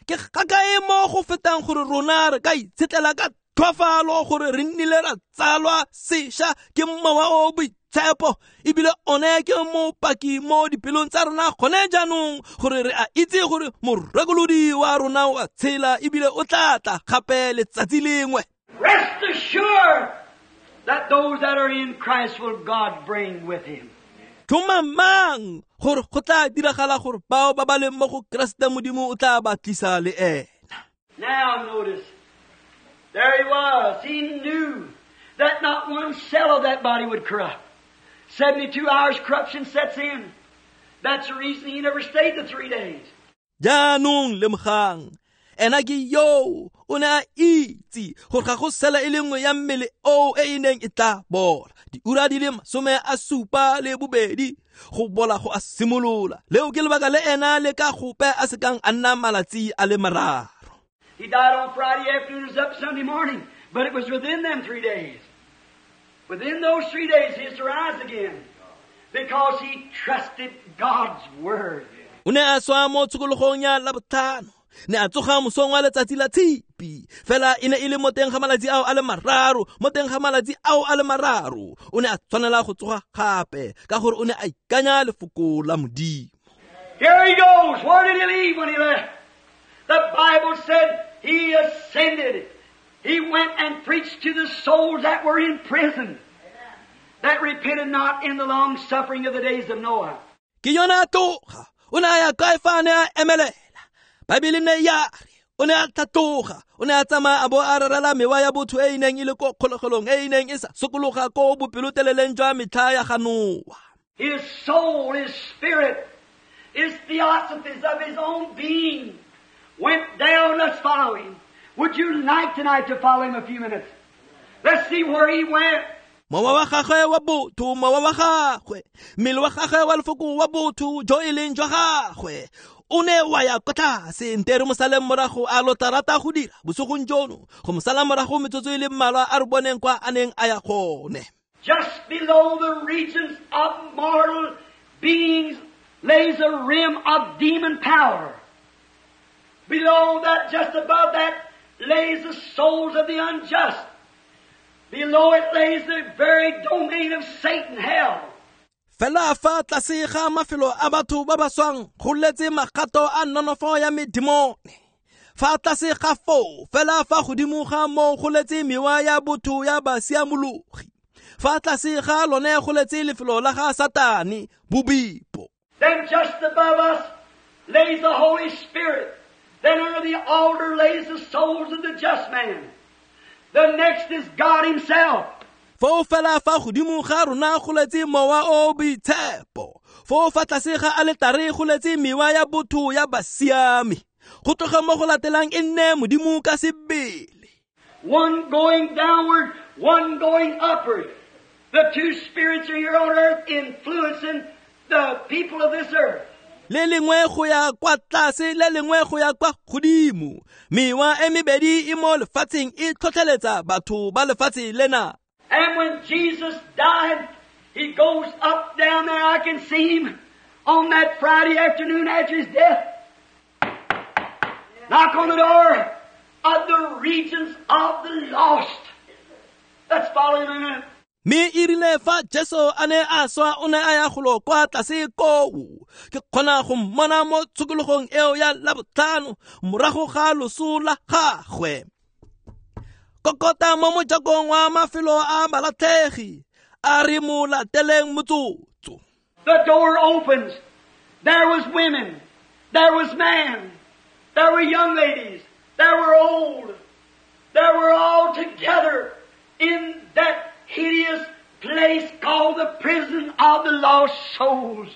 Ke gakae mo go fetang gore rona re ka itshetlela ka tlhoafalo gore re nnile ra tsalwa sešwa ke mowa o boitshepo, ebile one ke mopaki mo dipelong tsa rona gone jaanong gore re a itse gore morekolodi wa rona o a tshela ebile o tla tla gape letsatsi lengwe. Rest assured that those that are in Christ will God bring with him. Tlhomamang gore go tla diragala gore bao ba ba leng mo go Keresete Modimo o tla ba tlisa le ena. Now notice, there he was. He knew that not one cell of that body would corrupt. Seventy-two hours corruption sets in. That's the reason he never stayed the three days. Jaanong lemogang, ena ke yo o ne a itse gore ga go sela e le nngwe ya mmele o e e neng e tla bola. Diura di le masome a supa le bobedi go bola go a simolola. Leo ke lebaka le ena le ka gope a sekang a nna malatsi a le mararo. He died on Friday afternoon, was up Sunday morning, but it was within them three days. Within those three days, he is to rise again because he trusted God's word. O ne a swa mo tshokologong ya Labotlhano, ne a tsoga mosong wa letsatsi la Tshipi. Fela e ne e le mo teng ga malatsi ao a le mararo, mo teng ga malatsi ao a le mararo. O ne a tshwanela go tsoga gape ka gore o ne a ikanya lefoko la Modimo. Here he goes. Where did he leave when he left? The Bible said he ascended. He went and preached to the souls that were in prison, that repented not in the long suffering of the days of Noah. Ke yona a tloga, o ne a ya kae fa a ne a emelela? Baebele ne ya re, o ne a tlhatloga, o ne a tsamaya a bo a rerela mewa ya botho e e neng e le ko kgolegelong, e e neng e sa sokologa ko bopeloteleleng jwa metlha ya ga Noa. His soul, his spirit, his theosophies of his own being went down. Let's follow him. Would you like tonight to follow him a few minutes? Let's see where he went. Mowa wa gagwe wa botho, mowa wa gagwe, mmele wa gagwe wa lefoko wa botho jo e leng jwa gagwe, o ne wa ya kwa tlase. Nte re mo saleng morago a lo tla rata go dira bosigong jono, go mo sala morago metsotso e le mmalwa a re boneng kwa a neng a ya gone. Just below the regions of mortal beings lays a rim of demon power. Below that, just above that, lays the souls of the unjust. Below it lays the very domain of Satan, hell. Fela fa tlase ga mafelo a batho ba ba swang go letse magato a nonofo ya medimone. Fa tlase ga foo, fela fa godimo ga moo go letse mewa ya botho ya basiamologi. Fa tlase ga lone go letse lefelo la ga Satane, bobipo. Then just above us lays the Holy Spirit. Then under the altar lays the souls of the just man. The next is God himself. Foo fela fa godimo ga rona go letse mowa o boitshepo. Foo fa tlase ga aletare go letse mewa ya botho ya basiami. Go tloga mo go latelang e nne Modimo ka sebele. One going downward, one going upward. The two spirits are here on earth influencing the people of this earth. Le lengwe go ya kwa tlase, le lengwe go ya kwa godimo. Mewa e mebedi e mo lefatsheng e tlhotlheletsa batho ba lefatshe lena. And when Jesus died, He goes up down there. I can see him on that Friday afternoon after his death. Knock on the door of the regions of the lost. Let's follow him in a minute. Mme e rile fa Jesu a ne a swa o ne a ya golo kwa tlase koo. Ke kgona go mmona mo tshokologong eo ya Labotlhano morago ga loso la gagwe. Kokota mo mojakong wa mafelo a balatlhegi, a re mo lateleng motsotso. The door opens. There was women. There was man. There were young ladies. There were old. There were all together in that hideous place called the prison of the lost souls.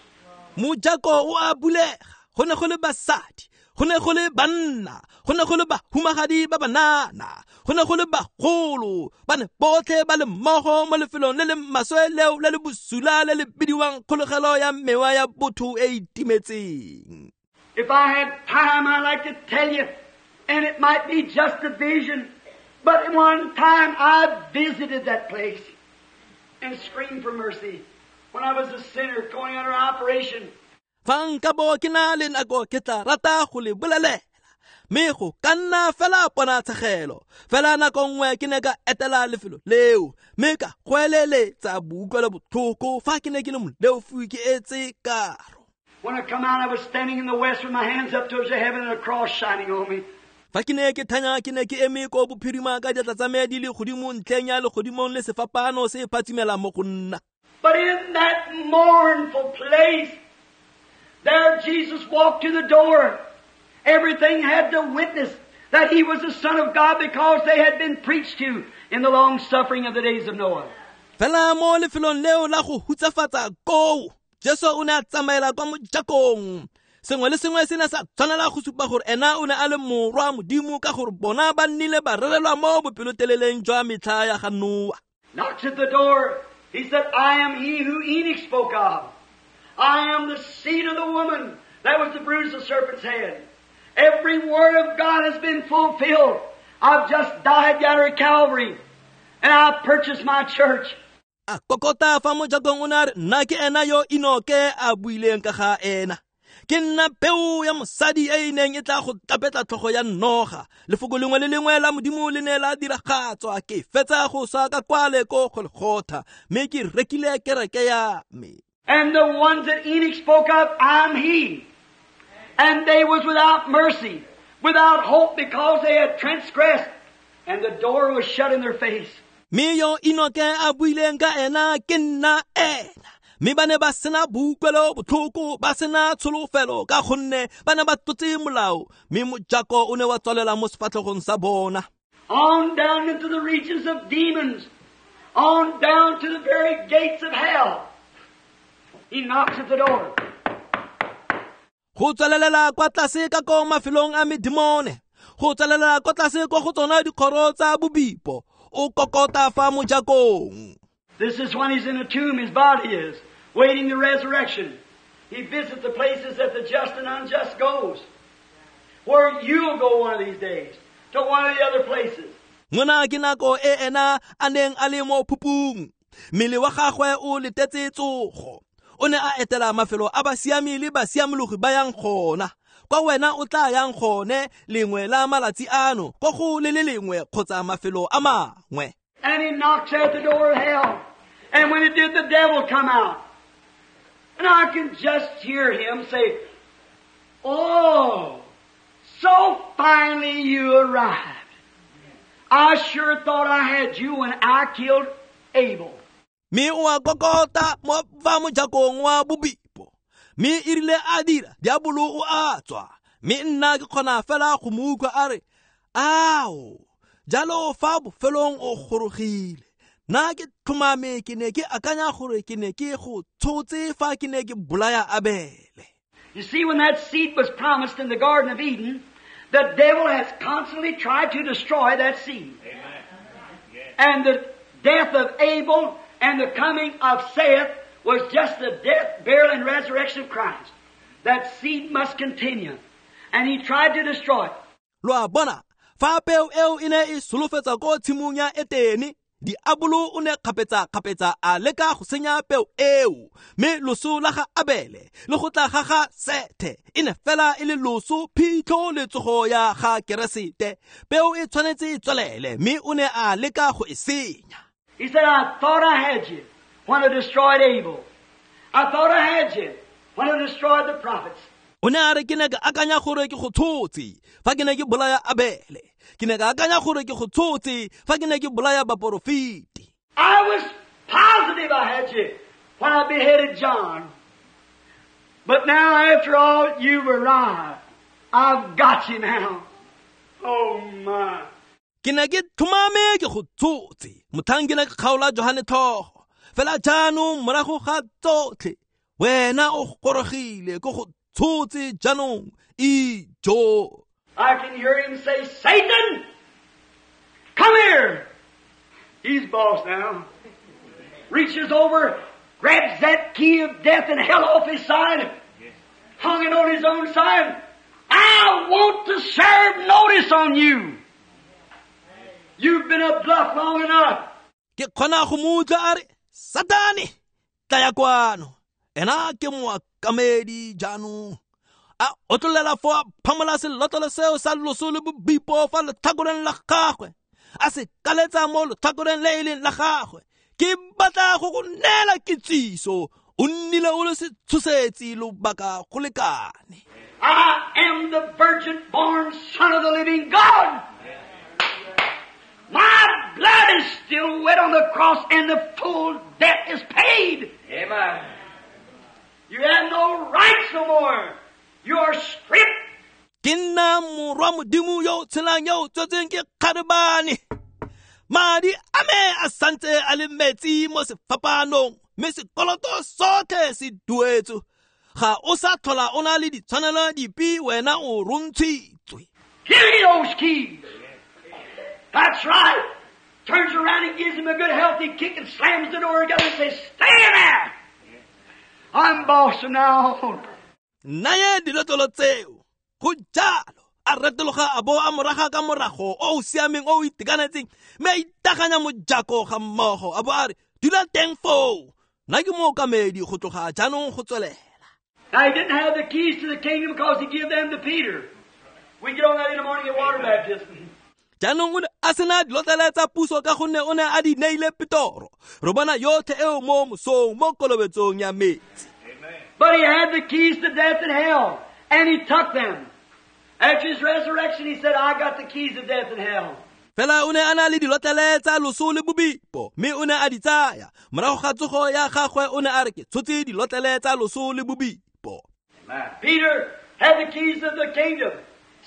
Mojako o a bulega. Go ne go le basadi, go ne go le banna, go ne go le bahumagadi ba banana, go ne go le bagolo, ba ne botlhe ba le mmogo mo lefelong le le maswe leo le le bosula le le bidiwang kgolegelo ya mewa ya botho e e timetseng. If I had time, I'd like to tell you, and it might be just a vision, but one time I visited that place and screamed for mercy when I was a sinner going under operation. Fa nka bo ke na le nako ke tla rata go le bolelela, mme go ka nna fela ponatshegelo. Fela nako nngwe ke ne ka etela lefelo leo, mme ka goeleletsa boutlwelo botlhoko fa ke ne ke le moleofi ke etse karo. When I come out, I was standing in the west with my hands up towards the heaven and a cross shining on me. Fa ke ne ke thanya ke ne ke eme ko bophirima ka diatla tsa me di le godimo ntlheng ya legodimong le sefapano se phatsimela mo go nna. But in that mournful place, there Jesus walked to the door. Everything had to witness that he was the Son of God because they had been preached to in the long suffering of the days of Noah. Fela mo lefelong leo la go hutsafatsa koo, Jesu o ne a tsamaela kwa mojakong. Sengwe le sengwe se ne sa tshwanela go supa gore ena o ne a le morwa Modimo ka gore bona ba nnile ba rerelwa mo bopeloteleleng jwa metlha ya ga Noa. Knocks at the door. He said, I am he who Enoch spoke of. I am the seed of the woman that was to bruise the serpent's head. Every word of God has been fulfilled. I've just died yonder at Calvary, and I purchased my church. A kokota fa mojakong o ne a re, nna ke ena yo Enoke a buileng ka ga ena. Ke nna peo ya mosadi e e neng e tla go tapetla tlhogo ya noga. Lefoko lengwe le lengwe la Modimo le ne la diragatswa. Ke fetsa go swa ka kwale ko Golgotha, mme ke rekile kereke ya me. And the ones that Enoch spoke of, I'm he. And they was without mercy, without hope, because they had transgressed, and the door was shut in their face. Mme yo Enoke a buileng ka ena ke nna ena. Mme ba ne ba sena boutlwelo botlhoko, ba sena tsholofelo ka gonne ba ne ba tlotse molao, mme mojako o ne wa tswalela mo sefatlhegong sa bona. On down into the regions of demons, on down to the very gates of hell. He knocks at the door. Go tswalelela kwa tlase ka ko mafelong a medimone, go tswalelela kwa tlase kwa go tsona dikgoro tsa bobipo, o kokota fa mojakong. This is when he's in a tomb, his body is, waiting the resurrection. He visits the places that the just and unjust goes. Where you'll go one of these days, to one of the other places. Ngwana ke nako e ena a neng a le mo phupung. Mmele wa gagwe o letetse tsogo. O ne a etela mafelo a basiami le basiamologi ba yang gona. Kwa wena o tla yang gone lengwe la malatsi ano, kwa go le le lengwe kgotsa mafelo a mangwe. And he knocks at the door of hell. And when it did, the devil come out. And I can just hear him say, Oh, so finally you arrived. I sure thought I had you when I killed Abel. Mme o a kokota mo fa mojakong wa bobipo. Mme e rile a dira, diabolo o a tswa. Mme nna ke kgona fela go mo utlwa a re, ao, jalo fa bofelong o gorogile. Nna ke tlhomame ke ne ke akanya gore ke ne ke go tshotse fa ke ne ke bolaya Abele. You see, when that seed was promised in the Garden of Eden, the devil has constantly tried to destroy that seed. Amen. Yeah. And the death of Abel and the coming of Seth was just the death, burial, and resurrection of Christ. That seed must continue. And he tried to destroy it. Lo a bona, fa peo eo e ne e solofetsa ko tshimong ya Etene, Diabolo o ne kgapetsa-kgapetsa a leka go senya peo eo, mme loso la ga Abele le go tla ga ga Sethe e ne fela e le loso, phitlho le tsogo ya ga Keresete. Peo e tshwanetse e tswelele, mme o ne a leka go e senya. He said, I thought I had you when I destroyed Abel. I thought I had you when I destroyed the prophets. O ne a re ke ne ka akanya gore ke go tshotse fa ke ne ke bolaya Abele. Ke ne ka akanya gore ke go tshotse fa ke ne ke bolaya baporofeti. I was positive I had you when I beheaded John. But now, after all, you've arrived. I've got you now. Oh, my. Ke ne ke tlhomame ke go tshotse motlhang ke ne ke kgaola Johane tlhogo. Fela jaanong morago ga tsotlhe, wena o gorogile ke go tshotse jaanong, ijo. I can hear him say, Satan, come here. He's boss now. Reaches over, grabs that key of death and hell off his side, hung it on his own side. I want to serve notice on you. You've been a bluff long enough. Ke kgona go mo utlwa a re, Satane, tlaya kwano. Ena ke moakamedi jaanong. A otlolela fo a phamola selotlolo seo sa loso le bobipo fa letlhakoreng la gagwe, a se kaletsa mo letlhakoreng le e leng la gagwe. Ke batla go go neela kitsiso, o nnile o le setshosetsi lobaka go lekane. I am the virgin born Son of the living God. My blood is still wet on the cross and the full debt is paid. Amen. You have no rights no more. You are stripped. Ke nna morwa Modimo yo o tshelang yo o tswetseng ke kgarebane. Madi a me a santse a le metsi mo sefapanong, mme sekoloto sotlhe se duetswe. Ga o sa tlhola o na le ditshwanelo dipe, wena o rontshitswe. Give me those keys. That's right. Turns around and gives him a good healthy kick and slams the door together and says, stay in there. I'm boss from now on. Naye dilotlolo tseo. Go jalo a retologa a bo a moraga ka morago o o siameng o o itekanetseng, mme a itaganya mojako ga mmogo a bo a re, dula teng foo, nna ke mookamedi go tloga jaanong go tswelela. Now he didn't have the keys to the kingdom because he gave them to Peter. We get on that in the morning at water baptism. Jaanong o ne a sena dilotlele tsa puso ka gonne o ne a di neile Petoro. Re bona yotlhe eo mo mosong mo kolobetsong ya metsi. But he had the keys to death and hell, and he took them. After his resurrection, he said, I got the keys of death and hell. Fela o ne a na le dilotlele tsa loso le bobipo, mme o ne a di tsaya. Morago ga tsogo ya gagwe o ne a re, ke tshotse dilotlele tsa loso le bobipo. Peter had the keys of the kingdom.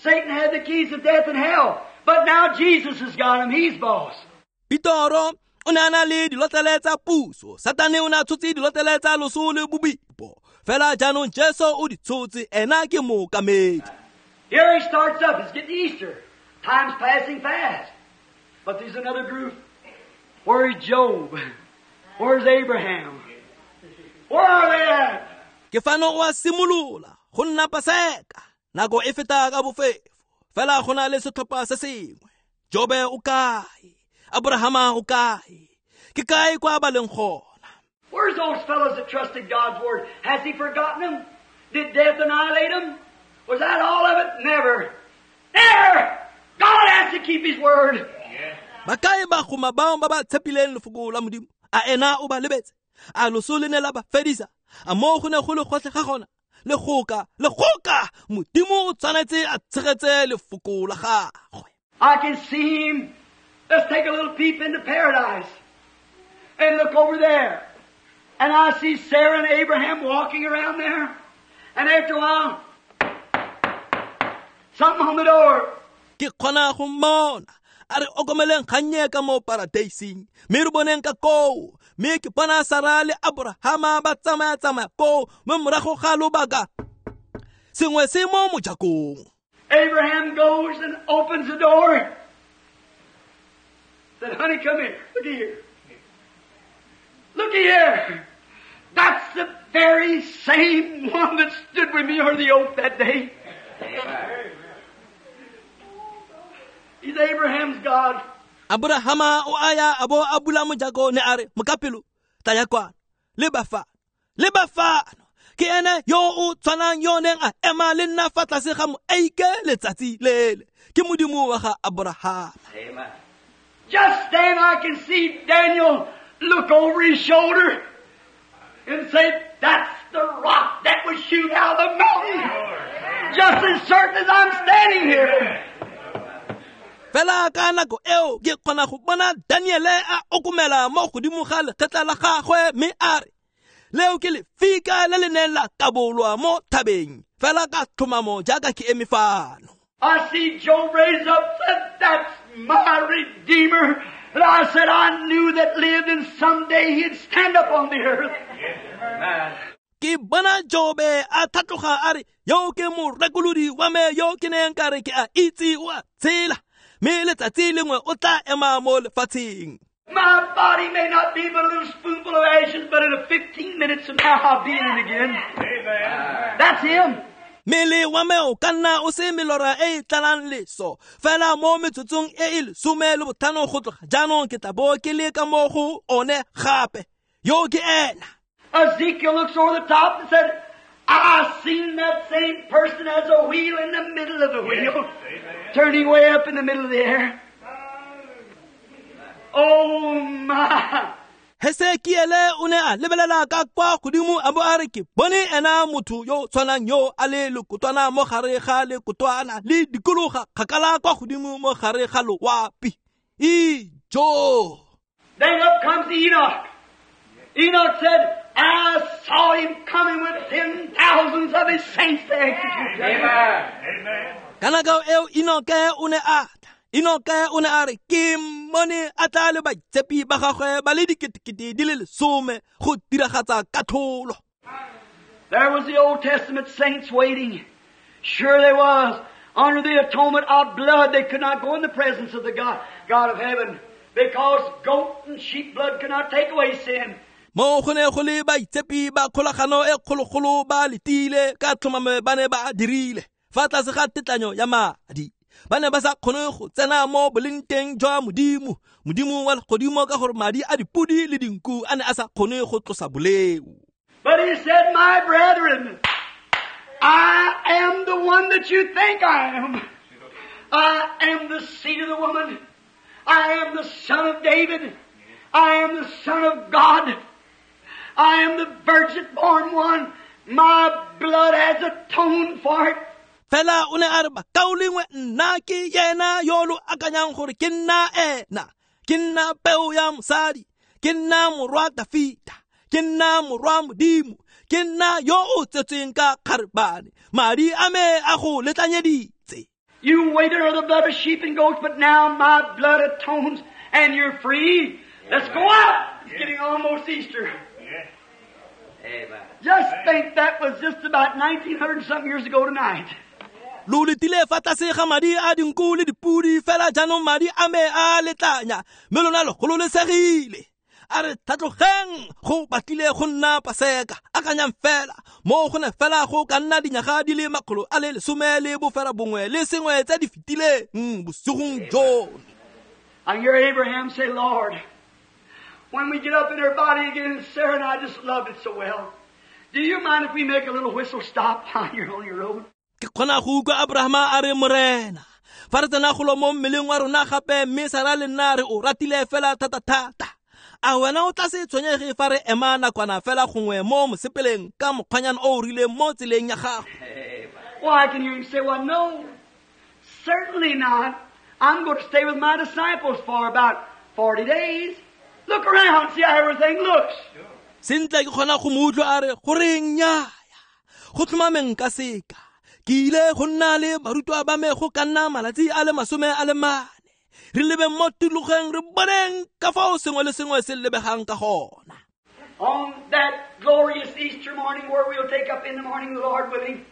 Satan had the keys of death and hell. But now Jesus has got them. He's boss. Petoro o ne a na le dilotlele tsa puso. Satane o ne a tshotse dilotlele tsa loso le bobipo. Fela jaanong Jesu o di tshotse, ena ke mookamedi. Here he starts up. It's getting Easter. Time's passing fast. But there's another group. Where's Job? Where's Abraham? Where are they at? Ke fano o a simolola go nna Paseka. Nako e feta ka bofefo. Fela go na le setlhopha se sengwe. Jobe o kae? Abrahama o kae? Ke kae kwa ba leng gona? Where's those fellows that trusted God's word? Has he forgotten them? Did death annihilate them? Was that all of it? Never. Never! God has to keep His word. Ba kae bagoma bao ba ba tshepileng lefoko la Modimo? A ena o ba lebetse? A loso le ne la ba fedisa? A mo go ne go le gotlhe ga gona? Le goka, le goka! Modimo o tshwanetse a tshegetse lefoko la gagwe. I can see Him. Let's take a little peep into paradise and look over there. And I see Sarah and Abraham walking around there. And after a while, something on the door. Ke kgona go mmona a re okomeleng kgannye ka mo paradeising, mme re boneng ka koo, mme ke bona Sara le Abrahama ba tsamaya-tsamaya koo, mme morago ga lobaka sengwe se mo mojakong. Abraham goes and opens the door. Said, honey, come here. Look here. Look here. That's the very same one that stood with me under the oak that day. He's Abraham's God. Abrahama o aya a bo a bula mojako ne a re mokapelo tlaya kwano leba fano leba fano ke ene yo o tshwanang yo neng a ema le nna fa tlase ga moeike letsatsi lele ke modimo wa ga Abrahama. Amen. Just then I can see Daniel look over his shoulder and say, that's the rock that was hewn out of the mountain. Just as certain as I'm standing here. Fela ka nako eo ke kgona go bona Daniele a okomela mo godimo ga lekgetla la gagwe mme a re leo ke lefika le le neng la kabolwa mo thabeng fela ka tlhomamo jaaka ke eme fano. I see Job raise up and said, that's my Redeemer. And I said, I knew that lived and someday he'd stand up on the earth. Amen. Ke bona Jobe a tlhatloga a re yo ke morekolodi wa me yo ke neng ka re ke a itse o a tshela mme letsatsi lengwe o tla ema mo lefatsheng. My body may not be but a little spoonful of ashes, but in a fifteen minutes from now I'll be in it again. Amen. That's him. Mmele wa me o ka nna o se melora e e tlalang leso fela mo metsotsong e e lesome le botlhano go tloga jaanong ke tla bo ke le ka mo go one gape yo ke ena. Ezekiel looks over the top and said, I seen that same person as a wheel in the middle of the wheel, Amen. Turning way up in the middle of the air. Oh my! Hesekiele o ne a lebelela ka kwa godimo a bo a re ke bone ena motho yo tshwanang yo a le lekotwana mo gare ga lekotwana le dikologa kgakala kwa godimo mo gare ga loapi. Ijo! Then up comes Enoch. Enoch said, I saw him coming with ten thousands of his saints to execute judgment. Amen. Ka nako eo Enoke o ne a tla. Enoke o ne a re ke mmone a tla le baitshepi ba gagwe ba le diketekete di le lesome go diragatsa katlholo. There was the Old Testament saints waiting. Sure they was. Under the atonement of blood, they could not go in the presence of the God, God of heaven, because goat and sheep blood could not take away sin. Mo go ne go le baitshepi ba kgolagano e kgologolo ba letile ka tlhomamo ba ne ba dirile fa tlase ga tetlanyo ya madi. Ba ne ba sa kgone go tsena mo boleng teng jwa modimo modimo wa legodimo ka gore madi a dipudi le dinku a ne a sa kgone go tlosa boleo. But he said, my brethren, I am the one that you think I am. I am the seed of the woman. I am the son of David. I am the son of God. I am the virgin born one. My blood has atoned for it. Fela o ne a re bakaulengwe nna ke yena yo lo akanyang gore ke nna ena ke nna peo ya mosadi ke nna morwa Dafita ke nna morwa modimo ke nna yo o tsetsweng ka kgarebane madi a me a go letlanyeditse. You waited on the blood of sheep and goats, but now my blood atones and you're free. Let's go out. It's getting almost Easter. Amen. Just think that was just about nineteen hundred and something years ago tonight. Lo letile fa tlase ga madi a dinku le dipudi fela jaanong madi a me a letlanya mme lona le gololesegile. A re tlhatlogeng go batlile go nna paseka akanyang fela mo go ne fela go ka nna dinyaga di le makgolo a le lesome le bofera bongwe le sengwe tse di fetileng bosigong jono. I hear Abraham say, Lord, when we get up in her body again, Sarah and I just loved it so well. Do you mind if we make a little whistle stop while you're on your road? Ke kgona go utlwa Abrahama a re morena fa re tsena golo mo mmeleng wa rona gape mme Sara le nna re o ratile fela thata-thata. A wena o tla se tshwenyege fa re ema nakwana fela gongwe mo mosepeleng ka mokgwanyana o o rileng mo tseleng ya gago. Well, I can hear him say, well, no, certainly not. I'm going to stay with my disciples for about forty days. Look around, see how everything looks. Sentle ke kgona go mo utlwa a re goreng nnyaya go tlhomameng ka seka ke ile go nna le barutwa ba me go ka nna malatsi a le masome a le mane re lebeng mo tulogeng re boneng ka fao sengwe le sengwe se lebegang ka gona. On that glorious Easter morning where we'll take up in the morning, the Lord willing,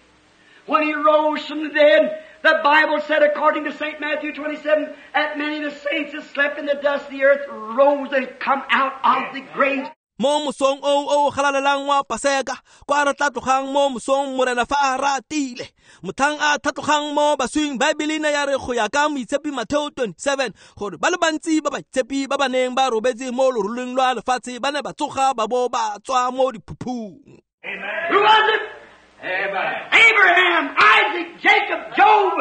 when he rose from the dead, the Bible said, according to Saint Matthew twenty-seven, that many of the saints that slept in the dust of the earth rose and come out of the graves. Mo mosong o o galalelang wa Paseka, kwa re tla tlogang mo mosong Morena fa a ratile. Motlhang a tlhatlogang mo baswing, Baebele ne ya re go ya ka Moitshepi Mateo twenty-seven gore ba le bantsi ba baitshepi ba ba neng ba robetse mo loroleng lwa lefatshe ba ne ba tsoga ba bo ba tswa mo diphuphung. Who was it? Abraham, Isaac, Jacob, Job,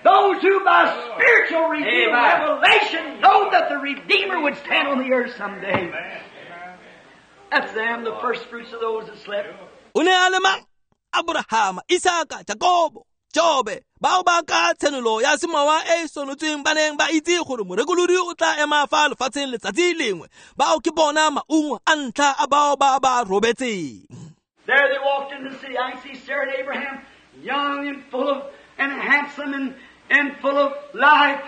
those who by spiritual revealed revelation know that the Redeemer would stand on the earth someday. That's them, the first fruits of those that slept. O ne a le mang? Abrahama, Isaka, Jakobo, Jobe, bao ba ka tshenolo ya semowa e e sonotsweng ba neng ba itse gore morekolodi o tla ema fa lefatsheng letsatsi lengwe. Bao ke bona maungo a ntlha a bao ba ba robetseng. There they walked in the city. I can see Sarah and Abraham, young and full of, and handsome and, and full of life.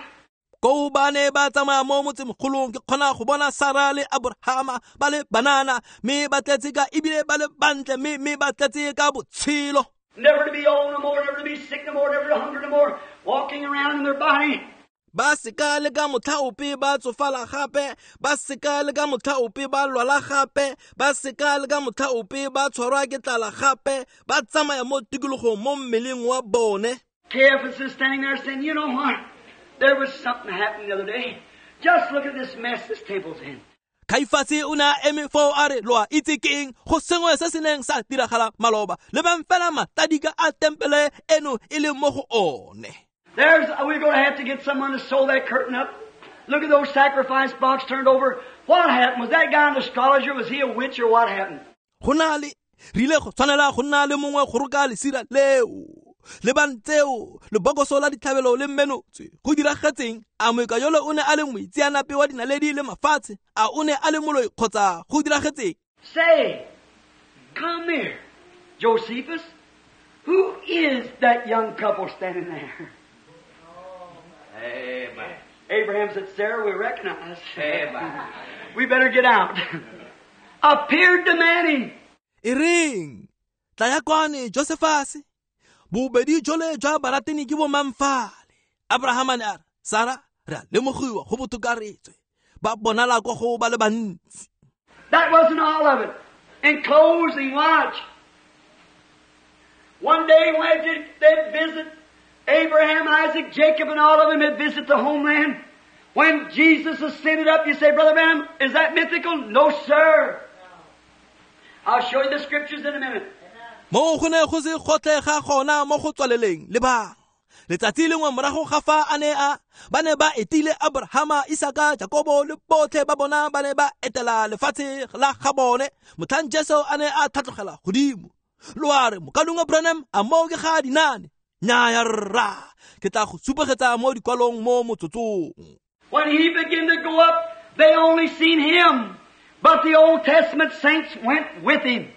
Ko ba ne ba tsamaya mo motsemogolong, ke kgona go bona Sara le Abrahama ba le banana, mme ba tletse ka ebile ba le bantle, mme mme ba tletse ka botshelo. Never to be old no more, never to be sick no more, never to hunger no more, walking around in their body. Ba seka le ka motlha ope ba tsofala gape, ba seka le ka motlha ope ba lwala gape, ba seka le ka motlha ope ba tshwarwa ke tlala gape, ba tsamaya mo tikologong mo mmeleng wa bone. Caiaphas is standing there saying, you know what? There was something happened the other day. Just look at this mess this temple's in. Kaifase o ne a eme foo a re, lo a itse ke eng? Go sengwe se se neng sa diragala maloba. Lebang fela matadika a tempele eno e le mo go one. There's, we're going to have to get someone to sew that curtain up. Look at those sacrifice box turned over. What happened? Was that guy an astrologer? Was he a witch or what happened? Go na le, re ile go tshwanela go nna le mongwe go roka lesira leo. Lebang tseo, lebokoso la ditlhabelo le mmenotswe. Go diragetseng? A moeka yole o ne a le moitseanape wa dinaledi le mafatshe? A o ne a le moloi kgotsa go diragetseng? Say, come here, Josephus. Who is that young couple standing there? Amen. Abraham said, Sarah, we recognize. Amen. We better get out. Appeared to many. E reng, tla ya kwane, Josephus. Bobedi jole jwa barateni ke bo mamfale. Abraham a ne a re, Sara, re a lemogiwa go botoka re tswe. Ba bonala kwa go ba le bantsi. That wasn't all of it. In closing, watch. One day when they visit Abraham, Isaac, Jacob, and all of them had visited the homeland. When Jesus ascended up, you say, Brother Branham, is that mythical? No, sir. I'll show you the scriptures in a minute. Mo go ne go se gotlhe ga gona mo go tswaleleng le bang. Letsatsi lengwe morago ga fa a ne a ba ne ba etile Abrahama, Isaka, Jakobo le botlhe ba bona ba ne ba etela lefatshe la ga bone. Motlhang Jesu a ne a tlhatlogela godimo. Lo a re, mokalongwe Branham, a moo ke ga dinane? Nnyaya rra, ke tla go supegetsa mo dikwalong mo motsotsong. When he began to go up, they only seen him, but the Old Testament saints went with him.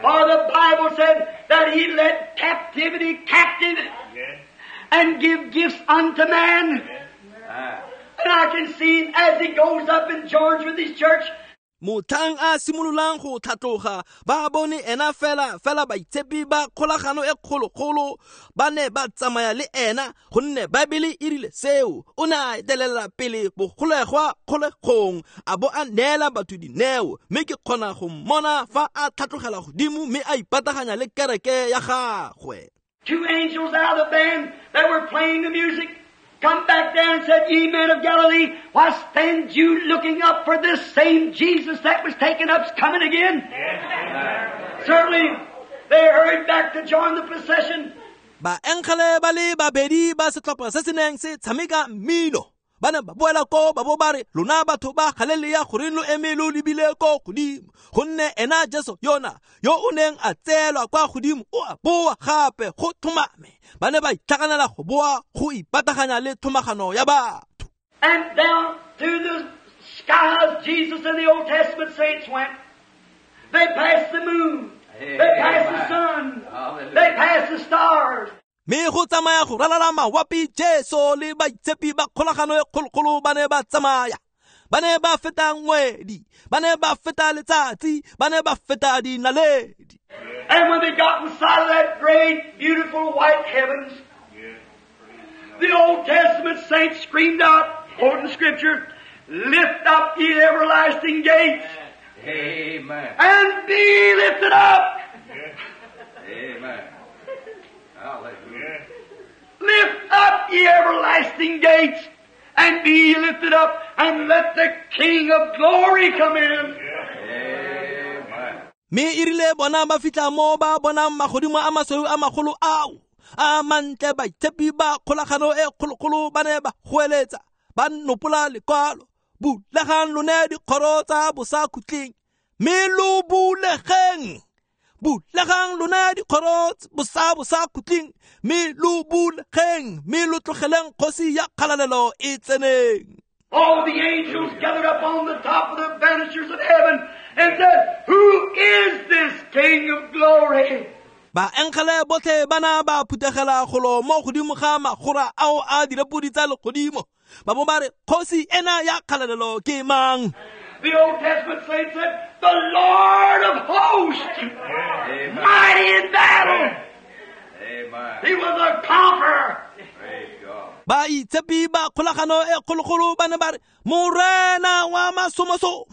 For the Bible said that he led captivity captive and give gifts unto man. And I can see him as he goes up and joins with his church. Motlhang a simololang go tlhatloga, ba bone ena fela fela baitshepi ba kgolagano e kgologolo ba ne ba tsamaya le ena, gonne Baebele e rile seo. O ne a etelela pele bogolegwa kgolegong, a bo a neela batho dineo, mme ke kgona go mmona fa a tlhatlogela godimo mme a ipataganya le kereke ya gagwe. Two angels out of the band that were playing the music come back down and said, Ye men of Galilee, why stand you looking up for this same Jesus that was taken up's coming again? Yeah. Certainly, they hurried back to join the procession. Baengele ba le babedi ba setlhopha se se neng se tshameka mmino ba ne ba boela ko ba bo ba re, lona batho ba Galilea, goreng lo eme lo lebile ko godimo? Gonne ena Jesu yona yo o neng a tseelwa kwa godimo o a boa gape go thomame. Ba ne ba itlhaganela go boa go ipataganya le thomagano ya batho. And down through the skies Jesus and the Old Testament saints went. They passed the moon. They passed the sun. They passed the stars. Mme go tsamaya go ralala mawapi, Jesu le baitshepi ba kgolagano e kgologolo ba ne ba tsamaya. Ba ne ba feta ngwedi, ba ne ba feta letsatsi, ba ne ba feta dinaledi. And when they got inside of that great, beautiful white heavens, the Old Testament saints screamed out, quoting Scripture, Lift up ye everlasting gates, Amen. And be lifted up. Amen. Hallelujah. Lift up ye everlasting gates, and be lifted up, and let the King of glory come in. Amen. Mme erile bona ba fitlha mo ba bonang magodimo a masweu a magolo ao a mantle, baitshepi ba kgolagano e kgologolo ba ne ba goeletsa ba nopola lekwalo, bulegang lone dikgoro tsa bosakhutleng, mme lo bulegeng, bulegang lone dikgoro bosa bosakhutleng, mme lo bulegeng, mme lo tlogeleng kgosi ya kgalalelo e tseneng. All the angels gathered up on the top of the banisters of heaven and said, Who is this King of glory? Baengele botlhe ba na ba phuthegela golo mo godimo ga magora ao a direpodi tsa legodimo, ba bo ba re, kgosi ena ya kgalalelo ke mang? The Old Testament saints said, The Lord of hosts, Amen. Mighty in battle. Amen. He was a conqueror. Praise God. Baitshepi ba kgolagano e kgologolo ba ne ba re, Morena wa masomosomo,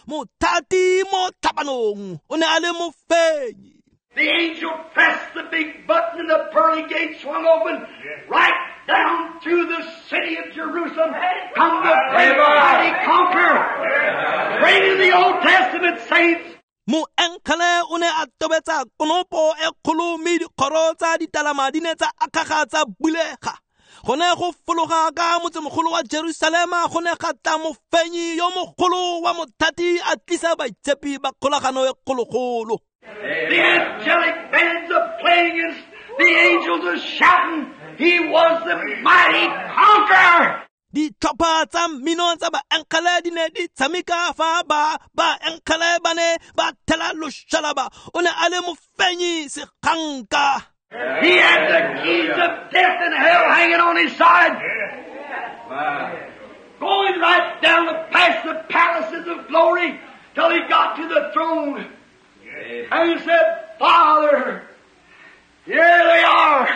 mothati mo tlhabanong, o ne a le mofenyi. The angel pressed the big button and the pearly gate swung open. Right down through the city of Jerusalem come the great mighty conqueror, bringing the Old Testament saints. Moengele o ne a tobetsa konopo e kgolo, mme dikgoro tsa ditalama di ne tsa akgaga tsa bulega. Go ne go fologa ka motsemogolo wa Jerusalema go ne ga tla mofenyi yo mogolo wa mothati a tlisa baitshepi ba kgolagano e kgologolo. The angelic bands are playing and the angels are shouting. He was the mighty conqueror. Ditlhopha tsa mmino tsa baengele di ne di tshameka fa ba baengele ba ne ba thela loshalaba. O ne a le mofenyi seganka. He had the keys of death and hell hanging on his side. Going right down the past the palaces of glory till he got to the throne. And he said, Father, here they are.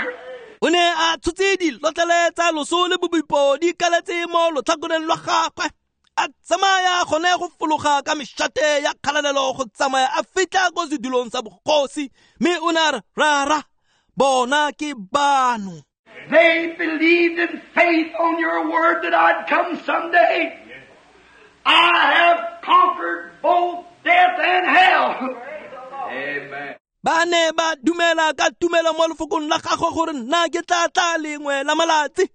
O ne a tshotse dilotlele tsa loso le bobipo di kaletse mo lotlhakoreng lwa gagwe, a tsamaya gone go fologa ka mešate ya kgalalelo go tsamaya a fitlha ko sedulong sa bogosi, mme o ne a re, Rara, bona ke bano. They believed in faith on your word that I'd come someday. I have conquered both death and hell. Amen. Ba ne ba dumela ka tumelo mo lefokong la gagwe gore nna ke tla tla lengwe la malatsi,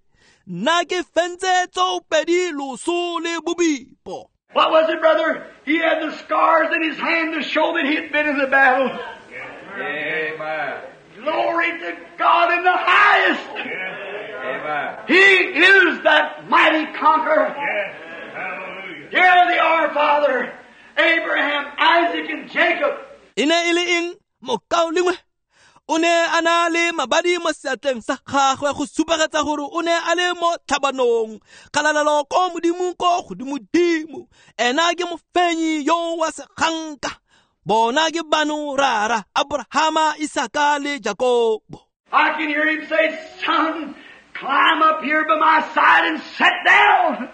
nna ke fentse tsoopedi loso le bobipo. What was it, brother? He had the scars in his hand to show that he had been in the battle. Amen. Glory to God in the highest. Amen. He is that mighty conqueror. Yes. Hallelujah. Here they are, Father, Abraham, Isaac, and Jacob. E ne e le eng mokaulengwe? O ne a na le mabadi mo seatleng sa gagwe go supegetsa gore o ne a le mo tlhabanong. Kgalalelo ko Modimo ko godimodimo, ena ke mofenyi yo wa seganka. Bona ke bano rara, Abrahama, Isaka le Jakobo. I can hear him say, Son, climb up here by my side and sit down.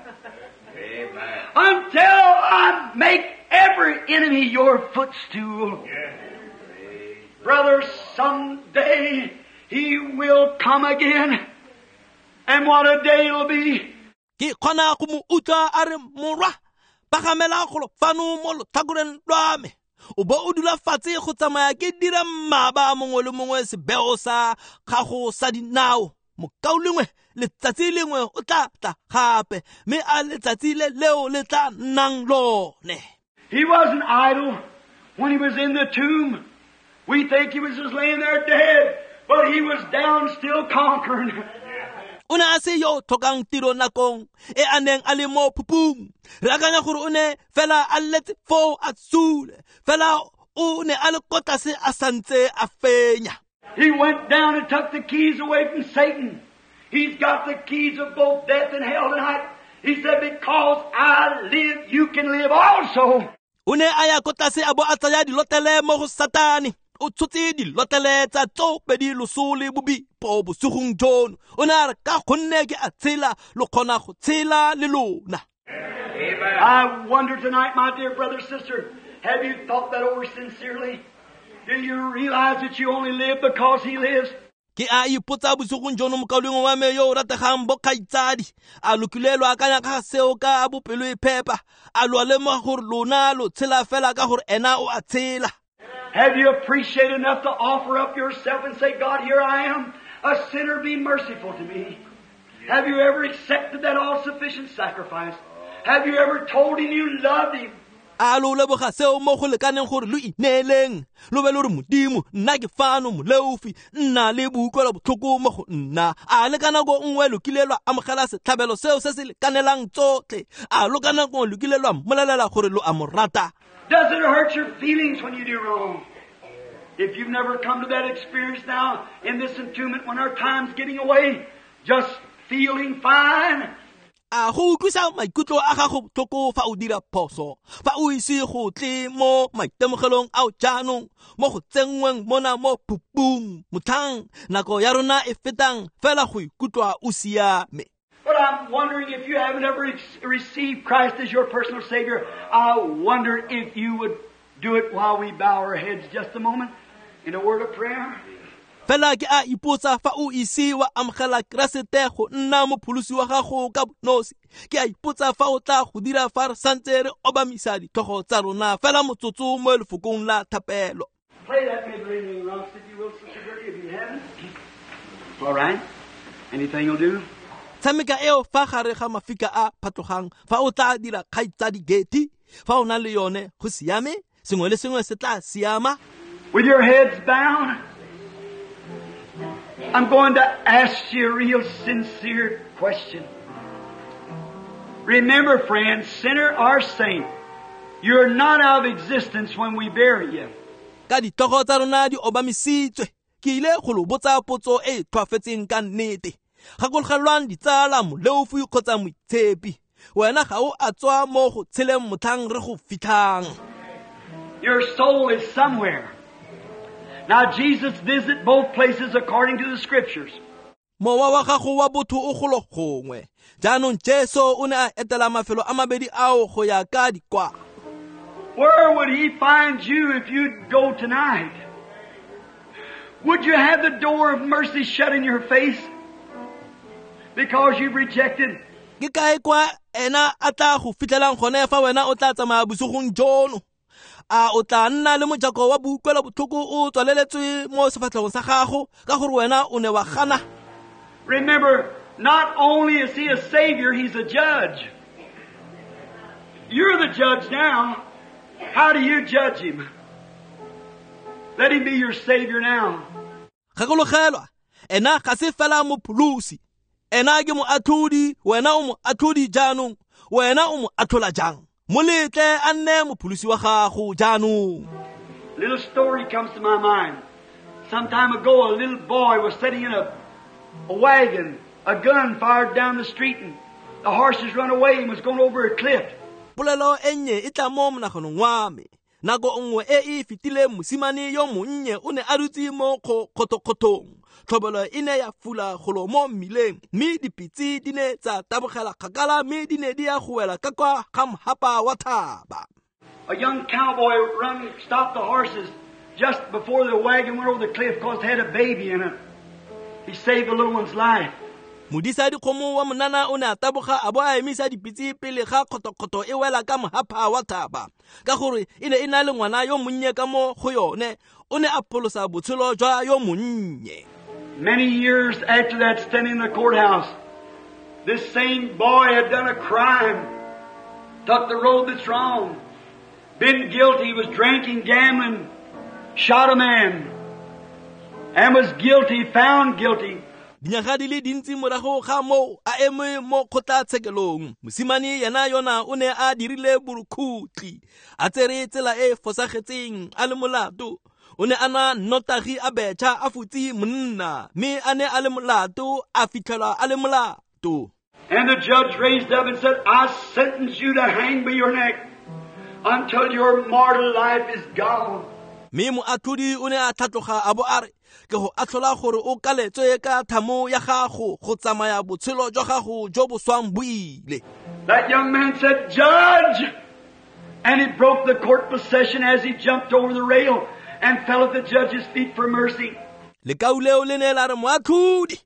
Amen. Until I make every enemy your footstool. Yeah. Brother, someday he will come again. And what a day it'll be. Ke kgona go mo utlwa a re, Morwa, pagamela golo fano mo lotlhakoreng lwa me, o bo o dula fatshe go tsamaya ke dira mmaba mongwe le mongwe sebeo sa gago sa dinao. Mokaulengwe, letsatsi lengwe o tla tla gape, mme a letsatsi le leo le tla nnang lone. He wasn't idle when he was in the tomb. We think he was just laying there dead, but he was down still conquering. O ne a se yo tlhokang tiro nakong e a neng a le mo phupung. Re akanya gore o ne fela a letse foo a tsule, fela o ne a le ko tlase a santse a fenya. He went down and took the keys away from Satan. He's got the keys of both death and hell tonight. He said, because I live, you can live also. O ne a ya ko tlase a bo a tsaya dilotlele mo go Satane. O tshotse dilotlele tsa tsoopedi loso le bobipo bosigong jono. O ne a re, ka gonne ke a tshela, lo kgona go tshela le lona. Amen. I wonder tonight, my dear brother, sister, Have you thought that over sincerely? Do you realize that you only live because He lives? Ke a ipotsa bosigong jono mokaulengwe wa me yo o rategang bo kgaitsadi, a lo kile lo akanya ka seo ka bopelo e phepa? A lo lemoga gore lona lo tshela fela ka gore ena o a tshela? Have you appreciated enough to offer up yourself and say, God, here I am, a sinner, be merciful to me? Have you ever accepted that all-sufficient sacrifice? Have you ever told Him you loved Him? A lo leboga seo mo go lekaneng gore lo ineeleng, lo be lo re Modimo, nna ke fano moleofi, nna le boutlwelo botlhoko mo go nna. A le ka nako nngwe lo kile lwa amogela setlhabelo seo se se lekanelang tsotlhe? A lo ka nako lo kile lwa mmolelela gore lo a mo rata? Does it hurt your feelings when you do wrong? If you've never come to that experience now in this entombment when our time's getting away, just feeling fine. A go utlwisa maikutlo a gago botlhoko fa o dira phoso, fa o ise go tle mo maitemogelong ao jaanong, mo go tsenngweng mona mo phupung, motlhang nako ya rona e fetang fela go ikutlwa o siame. But I'm wondering if you haven't ever received Christ as your personal Savior, I wonder if you would do it while we bow our heads just a moment in a word of prayer. Fela ke a ipotsa fa o ise wa amogela Keresete go nna mopholosi wa gago ka bonosi. Ke a ipotsa fa o tla go dira fa re santse re obamisa ditlhogo tsa rona fela motsotso mo lefokong la thapelo. Play that mid-ringing rocks if you will, Sister Gertie, if you haven't. All right. Anything will do. Tshameka eo fa gare ga mafika a phatlogang fa o tla dira kgaitsadi Getty, fa o na le yone go siame, sengwe le sengwe se tla siama. With your heads bowed, I'm going to ask you a real sincere question. Remember, friends, sinner or saint, you're not out of existence when we bury you. Ka ditlhogo tsa rona di obamisitswe, ke ile go lo botsa potso e e tlhwafetseng ka nnete. Gakologelwang ditsala, moleofi kgotsa moitshepi, wena ga o a tswa mo go tsheleng motlhang re go fitlhang. Your soul is somewhere. Now Jesus visited both places according to the Scriptures. Mowa wa gago wa botho o golo gongwe. Jaanong Jesu o ne a etela mafelo a mabedi ao go ya ka dikwalo. Where would He find you if you'd go tonight? Would you have the door of mercy shut in your face because you've rejected? Ke kae kwa ena a tla go fitlhelang gone fa wena o tla tsamaya bosigong jono? A o tla nna le mojako wa boutlwelo botlhoko o tswaleletswe mo sefatlhegong sa gago ka gore wena o ne wa gana? Remember, not only is He a Savior, He's a judge. You're the judge now. How do you judge Him? Let Him be your Savior now. Gakologelwa, ena ga se fela mopholosi, ena ke moatlhodi, wena o moatlhodi jaanong, wena o mo atlhola jang? Mo letle a nne mopholosi wa gago jaanong. Little story comes to my mind. Some time ago, a little boy was sitting in a, a wagon, a gun fired down the street, and the horses run away and was going over a cliff. Polelo e nnye e tla mo monaganong wa me. Nako nngwe e e fetileng mosimane yo monnye o ne a dutse mo kgothokgothong. Tlhobolo e ne ya fula golo mo mmileng, mme dipitse di ne tsa tabogela kgakala mme di ne di ya go wela ka kwa ga mhapa wa thaba. A young cowboy run stopped the horses just before the wagon went over the cliff because it had a baby in it. He saved the little one's life. Modisa dikgomo wa monana o ne a taboga a bo a emisa dipitse pele ga kgothokgotho e wela ka mhapa wa thaba, ka gore e ne e na le ngwana yo monnye ka mo go yone. O ne a pholosa botshelo jwa yo monnye. Many years after that, standing in the courthouse, this same boy had done a crime, took the road that's wrong, been guilty, was drinking, gambling, shot a man, and was guilty, found guilty. Dinyaga di le dintsi morago ga moo a eme mo kgotlatshekelong, mosimane yena yona o ne a dirile borukhutlhi, a tsere tsela e fosagetseng, a le molato. O ne a na nnotagi a betšha a futse monna, mme a ne a le molato, a fitlhelwa a le molato. And the judge raised up and said, I sentence you to hang by your neck until your mortal life is gone. Mme moatlhodi o ne a tlhatloga a bo a re, ke go atlhola gore o kaletswe ka thamo ya gago go tsamaya botshelo jwa gago jo bo swang bo ile. That young man said, Judge, And he broke the court procession as he jumped over the rail and fell at the judge's feet for mercy. Lekau leo le ne la re moatlhodi,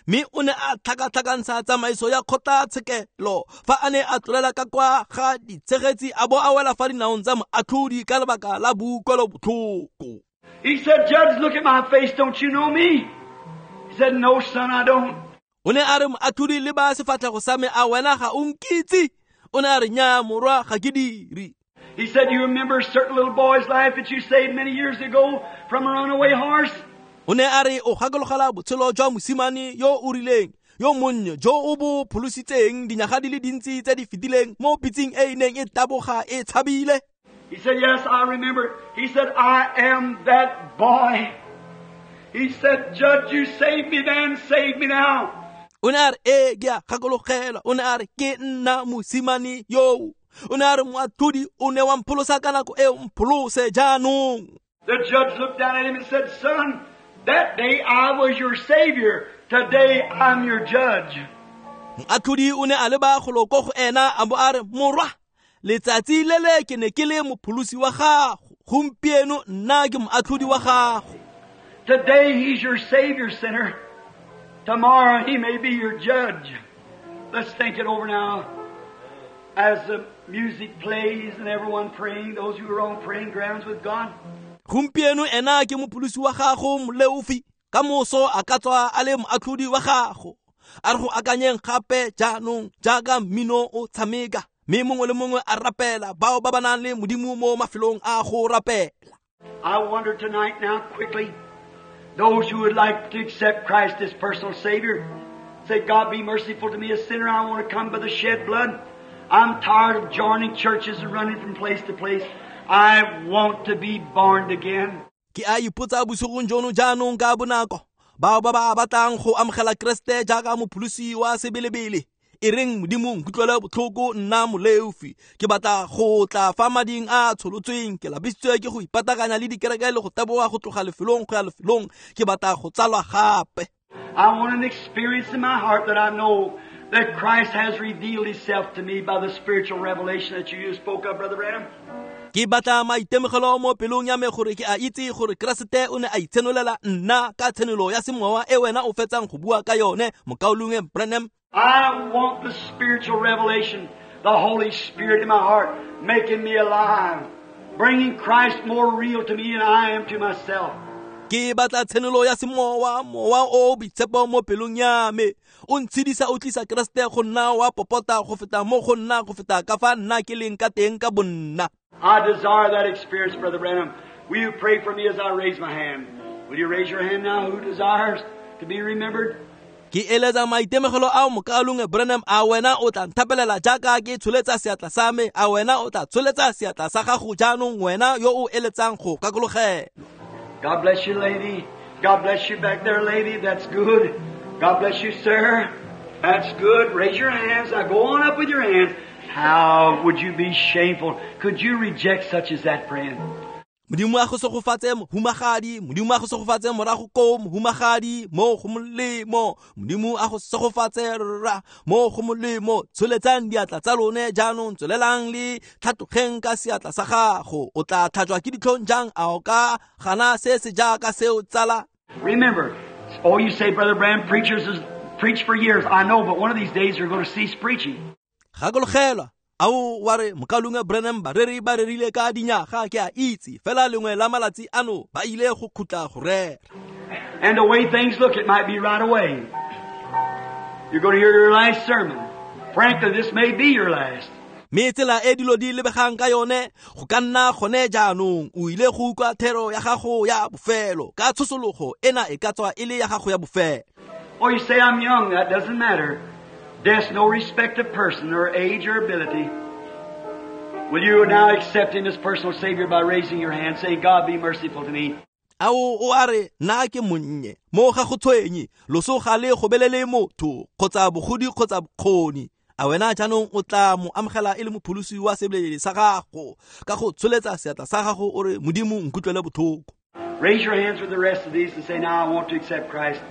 mme o ne a tlhakatlhakantsha tsamaiso ya kgotlatshekelo fa a ne a tlolela ka kwa ga ditshegetsi a bo a wela fa dinaong tsa moatlhodi ka lebaka la boutlwelobotlhoko. He said, Judge, look at my face. Don't you know me? He said, No, son, I don't. O ne a re moatlhodi le ba sefatlhego sa me a wena ga o nkitse. O ne a re nnyaa morwa ga ke dire. He said, You remember a certain little boy's life that you saved many years ago from a runaway horse? O ne a re o gakologela botshelo jwa mosimane yo o rileng yo monnye jo o bo pholositseng dinyaga di le dintsi tse di fetileng mo pitseng e e neng e taboga e tshabile. He said, Yes, I remember. He said, I am that boy. He said, Judge, you saved me then, save me now. O ne a re ee ke a gakologelwa. O ne a re ke nna mosimane yo. O ne a re moatlhodi o ne wa mpholosa ka nako e o mpholose jaanong. The judge looked down at him and said, Son, that day I was your savior. Today I'm your judge. Moatlhodi o ne a leba golo ko go ena a bo a re morwa, letsatsi le le ke ne ke le mopholosi wa gago, gompieno nna ke moatlhodi wa gago. Today he's your savior, sinner. Tomorrow he may be your judge. Let's think it over now. As the music plays and everyone praying, those who are on praying grounds with God. Gompieno ena ke mopholosi wa gago moleofi, ka moso a ka tswa a le moatlhodi wa gago. A re go akanyeng gape jaanong jaaka mmino o tshameka, mme mongwe le mongwe a rapela bao ba ba nang le modimo mo mafelong a go rapela. I wonder tonight now quickly, those who would like to accept Christ as personal Savior, say, God be merciful to me, a sinner. I want to come by the shed blood. I'm tired of joining churches and running from place to place. I want to be born again. Ke a ipotsa bosigong jono jaanong ka bonako bao ba ba batlang go amogela Kreste jaaka mopholosi wa sebelebele, e reng modimo nkutlwele botlhoko nna moleofi, ke batla go tla fa mading a tsholotsweng, ke lapisitswe ke go ipatakanya le dikereke le go taboga go tloga lefelong go ya lefelong, ke batla go tsalwa gape. I want an experience in my heart that I know that Christ has revealed himself to me by the spiritual revelation that you just spoke of, Brother Branham. Ke batla maitemogelo mo pelong ya me gore ke a itse gore Keresete o ne a itshenolela nna ka tshenolo ya semowa e wena o fetsang go bua ka yone, mokaulengwe Branham. I want the spiritual revelation, the Holy Spirit in my heart, making me alive, bringing Christ more real to me than I am to myself. Ke batla tshenolo ya semowa, mowa o boitshepo mo pelong ya me, o ntshedisa o tlisa Keresete go nna wa popota go feta mo go nna go feta ka fa nna ke leng ka teng ka bonna. I desire that experience, Brother Branham. Will you pray for me as I raise my hand? Will you raise your hand now who desires to be remembered? Ke eletsa maitemogelo ao mokaulengwe Branham, a wena o tla nthapelela jaaka ke tsholetsa seatla sa me, a wena o tla tsholetsa seatla sa gago jaanong wena yo o eletsang go kakologela. God bless you, lady. God bless you back there, lady. That's good. God bless you, sir. That's good. Raise your hands. Now go on up with your hands. How would you be shameful? Could you reject such as that, friend? Modimo a go segofatse mohumagadi, modimo a go segofatse morago ko mohumagadi, mo go molemo, modimo a go segofatse rra, mo go molemo. Tsholetsang diatla tsa lone jaanong, tswelelang le tlhatlogeng ka seatla sa gago. O tla tlhajwa ke ditlhong jang a o ka gana se se jaaka seo tsala? Remember, oh, you say, Brother Branham, preachers has preached for years. I know, but one of these days you're going to cease preaching. Gakologelwa, ao wa re mokaulengwe Branham bareri ba rerile ka dinyaga, ke a itse fela lengwe la malatsi ano ba ile go khutla go rera. And the way things look, it might be right away. You're going to hear your last sermon. Frankly, this may be your last. Mme tsela e dilo di lebegang ka yone go ka nna gone jaanong o ile go utlwa thero ya gago ya bofelo ka tshosologo ena e ka tswa e le ya gago ya bofelo. Or you say, I'm young. That doesn't matter. Death's no respect of person or age or ability. Will you now accept Him as personal Savior by raising your hand, saying, God be merciful to me? Ao o a re nna ke monnye mo ga go tshwenye, loso ga le gobelele motho kgotsa bogodi kgotsa bokgoni. A wena jaanong o tla mo amogela e le mopholosi wa sebelele sa gago ka go tsholetsa seatla sa gago o re modimo nkutlwele botlhoko. Raise your hands with the rest of these and say, now I want to accept Christ.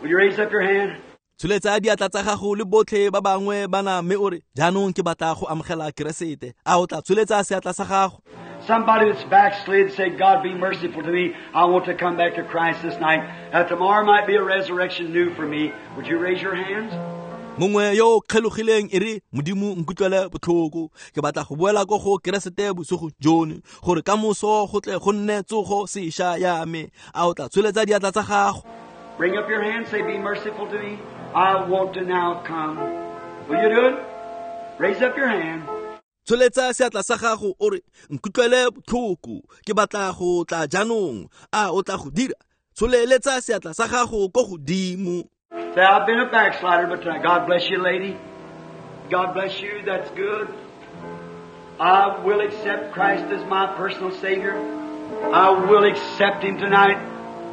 Will you raise up your hand? Tsholetsa diatla tsa gago le botlhe ba bangwe bana mme o re jaanong ke batla go amogela Keresete. A o tla tsholetsa seatla sa gago? Somebody that's backslid, say, God be merciful to me. I want to come back to Christ this night. Uh, tomorrow might be a resurrection new for me. Would you raise your hands? Mongwe yo o kgelogileng e re Modimo nkutlwele botlhoko, ke batla go boela ko go Keresete bosigo jono gore ka moso go tle go nne tsogo sešwa ya me. A o tla tsholetsa diatla tsa gago? Bring up your hand, say, be merciful to me. I want to now come. Will you do it? Raise up your hand. Tsholetsa seatla sa gago o re nkutlwele botlhoko, ke batla go tla jaanong. A o tla go dira? Tsholeletsa seatla sa gago ko godimo. Say, I've been a backslider, but tonight, God bless you, lady. God bless you. That's good. I will accept Christ as my personal Savior. I will accept Him tonight.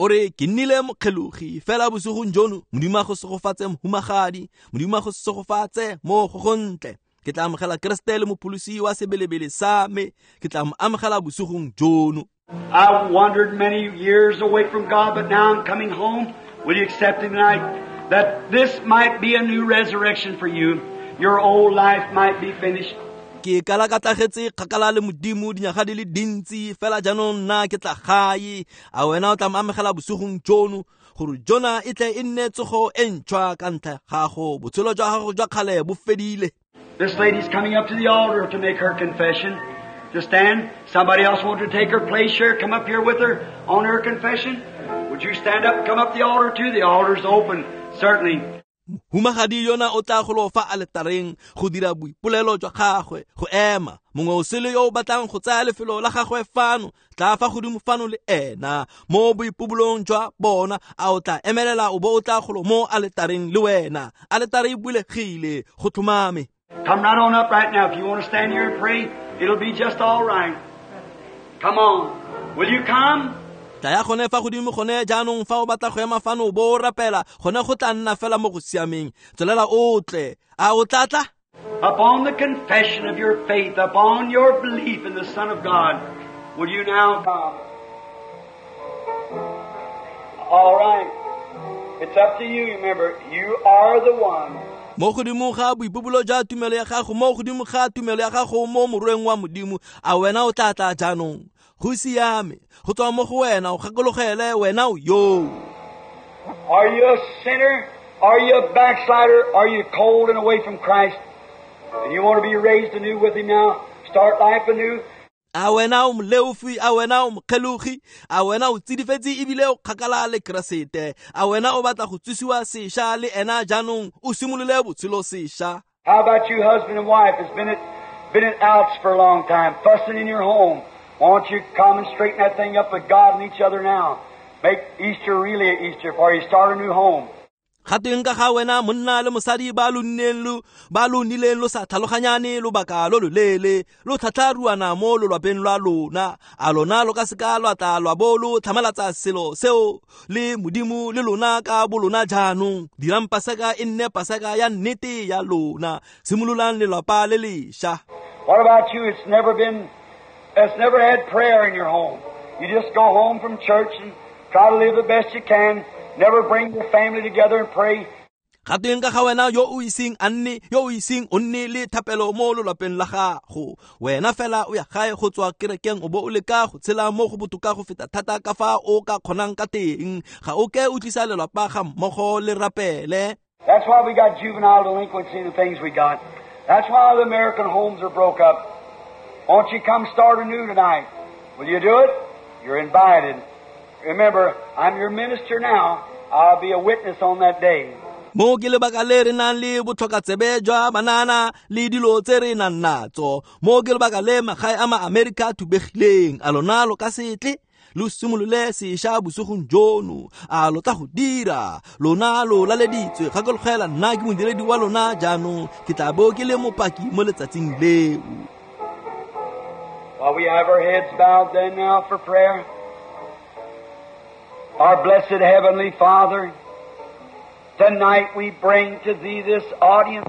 O re ke nnile mokgelogi fela bosigong jono, Modimo a go segofatse mohumagadi, Modimo a go segofatse mo go gontle. Ke tla amogela Keresete le mopholosi wa sebelebele sa me, ke tla mo amogela bosigong jono. I wandered many years away from God, but now I'm coming home. Will you accept Him tonight? That this might be a new resurrection for you. Your old life might be finished. Ke kala ka tlagetse kgakala le Modimo dinyaga di le dintsi fela jaanong nna ke tla gae. A wena o tla mo amogela bosigong jono gore jona e tle e nne tsogo e ntšhwa ka ntlha gago, botshelo jwa gago jwa kgale bo fedile. This lady's coming up to the altar to make her confession. To stand. Somebody else want to take her place here? Come up here with her on her confession. Would you stand up and come up the altar too? The altar's open, certainly. Humagadi yona o tla golo fa aletareng go dira boipolelo jwa gagwe go ema. Mongwe o sele yo o batlang go tsaya lefelo la gagwe fano, tla fa godimo fano le ena mo boipobolong jwa bona. A o tla emelela o bo o tla golo mo aletareng le wena. Aletare e bulegile go tlhomame. Come right on up right now. If you want to stand here and pray, it'll be just all right. Come on. Will you come? Tla ya gone fa godimo gone jaanong fa o batla go ema fano o bo o rapela, gone go tla nna fela mo go siameng. Tswelela o tle. A o tla tla? Upon the confession of your faith, upon your belief in the Son of God, will you now come? All right. It's up to you. Remember, you are the one. Mo godimo ga boipobolo jwa tumelo ya gago, mo godimo ga tumelo ya gago mo morweng wa Modimo, a wena o tla tla jaanong? Go siame, go tswa mo go wena, o gakologele wena o yo. Are you a sinner? Are you a backslider? Are you cold and away from Christ? And you want to be raised anew with Him now? Start life anew? A wena o moleofi, a wena o mokgelogi, a wena o tsidifetse ebile o kgakala le Keresete, a wena o batla go tsosiwa sešwa le ena jaanong o simolole botshelo sešwa. How about you, husband and wife, has been at, been at outs for a long time, fussing in your home? Won't you come and straighten that thing up with God and each other now? Make Easter really an Easter for you. Start a new home. Ga tweng ka ga wena monna le mosadi ba lo nneng lo ba lo nnileng lo sa tlhaloganyane lobaka lo loleele, lo tlhatlharuana mo lolwapeng lwa lona, a lona lo ka seka lwa tla lwa bo lo tlhamalatsa selo seo le Modimo le lona ka bolona jaanong. Dirang Paseka e nne Paseka ya nnete ya lona, simololang lelapa le lešwa. What about you? It's never been, it's never had prayer in your home. You just go home from church and try to live the best you can. Never bring your family together and pray. Ga tweng ka ga wena yo o iseng a nne, yo o iseng o nne le thapelo mo lolwapeng la gago, wena fela o ya gae go tswa kerekeng o bo o leka go tshela mo go botoka go feta thata ka fa o ka kgonang ka teng, ga o ke o tlisa lelapa ga mmogo le rapele. That's why we got juvenile delinquency and the things we got. That's why the American homes are broke up. Won't you come start anew tonight? Will you do it? You're invited. Remember, I'm your minister now. I'll be a witness on that day. Mo ke lebaka le re nang le botlhokatsebe jwa banana le dilo tse re nang natso. Mo ke lebaka le magae a ma-Amerika thubegileng. A lona lo ka se tle lo simolole sešwa bosigong jono? A lo tla go dira? Lona lo laleditswe. Gakologela nna ke modiredi wa lona jaanong, ke tla bo ke le mopaki mo letsatsing leo. While we have our heads bowed then now for prayer, our blessed Heavenly Father, tonight we bring to Thee this audience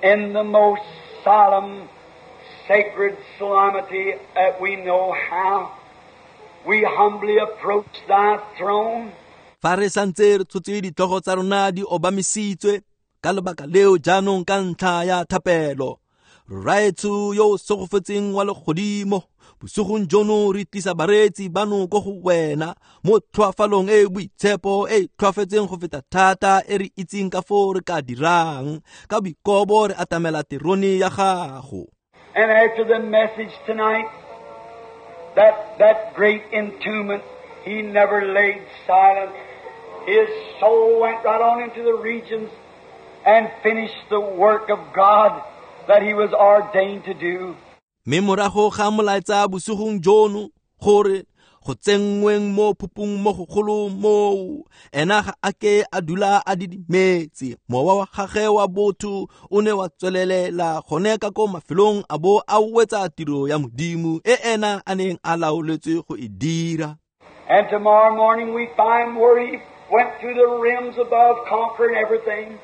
in the most solemn, sacred solemnity that we know how. We humbly approach Thy throne. Fa re santse re tshotse ditlhogo tsa rona di obamisitswe ka lebaka leo jaanong ka ntlha ya thapelo. Rraetsho yo o segofetseng wa legodimo, bosigong jono re tlisa bareetsi bano ko go wena mo tlhoafalong e e boitshepo e e tlhoafetseng go feta thata e re itseng ka foo re ka dirang. Ka boikobo re atamela terone ya gago. And after the message tonight, that, that great entombment, he never laid silent. His soul went right on into the regions and finished the work of God that he was ordained to do. Mme morago ga molaetsa bosigong jono gore go tsenngweng mo phupung mo gogolo moo, ena ga a ke a dula a didimetse. Mowa wa gagwe wa botho o ne wa tswelelela gone ka ko mafelong a bo a wetsa tiro ya Modimo e ena a neng a laoletswe go e dira. And tomorrow morning we find where he went through the realms above, conquering everything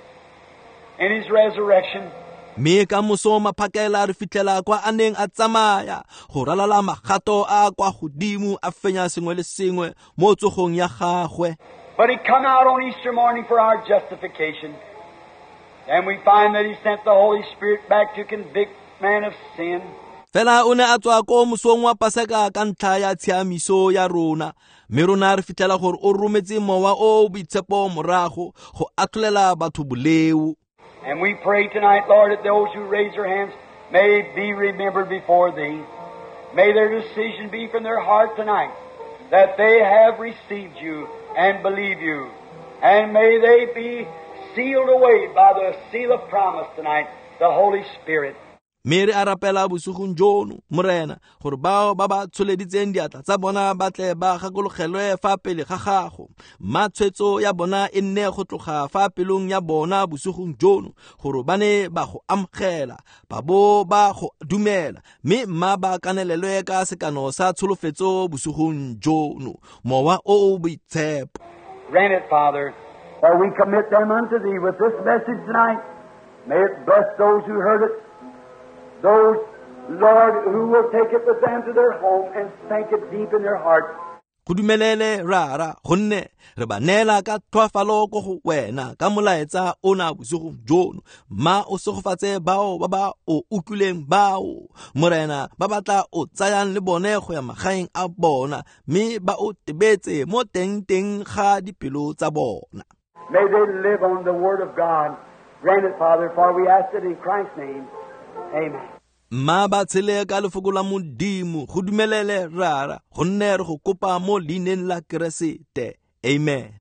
in his resurrection. Mme ka moso maphakela re fitlhela kwa a neng a tsamaya go ralala magato a kwa godimo a fenya sengwe le sengwe mo tsogong ya gagwe. But he come out on Easter morning for our justification. And we find that he sent the Holy Spirit back to convict man of sin. Fela o ne a tswa ko mosong wa Paseka ka ntlha ya tshiamiso ya rona, mme rona re fitlhela gore o rometse mowa o o boitshepo morago go atlholela batho boleo. And we pray tonight, Lord, that those who raise their hands may be remembered before Thee. May their decision be from their heart tonight that they have received You and believe You. And may they be sealed away by the seal of promise tonight, the Holy Spirit. Mme re a rapela bosigong jono, Morena, gore bao ba ba tsholeditseng diatla tsa bona ba tle ba gakologelwe fa pele ga gago. Mma tshwetso ya bona e nne go tloga fa pelong ya bona bosigong jono, gore ba ne ba go amogela, ba bo ba go dumela, mme mma ba kanelelwe ka sekano sa tsholofetso bosigong jono, Mowa o o Boitshepo. Grant it, Father, for we commit them unto Thee with this message tonight. May it bless those who heard it, those, Lord, who will take it with them to their home and sink it deep in their heart. Go dumelele rara, gonne re ba neela ka tlhoafalo ko go wena ka molaetsa ona bosigong jono. Mma o segofatse bao ba ba o utlwileng bao, Morena, ba ba tla o tsayang le bone go ya magaeng a bona, mme ba o tebetse mo teng-teng ga dipelo tsa bona. May they live on the Word of God. Grant it, Father, for we ask it in Christ's name. Amen. Mma ba tshele ka lefoko la Modimo, go dumelele rara, gonne re go kopa mo leineng la Keresete. Amen.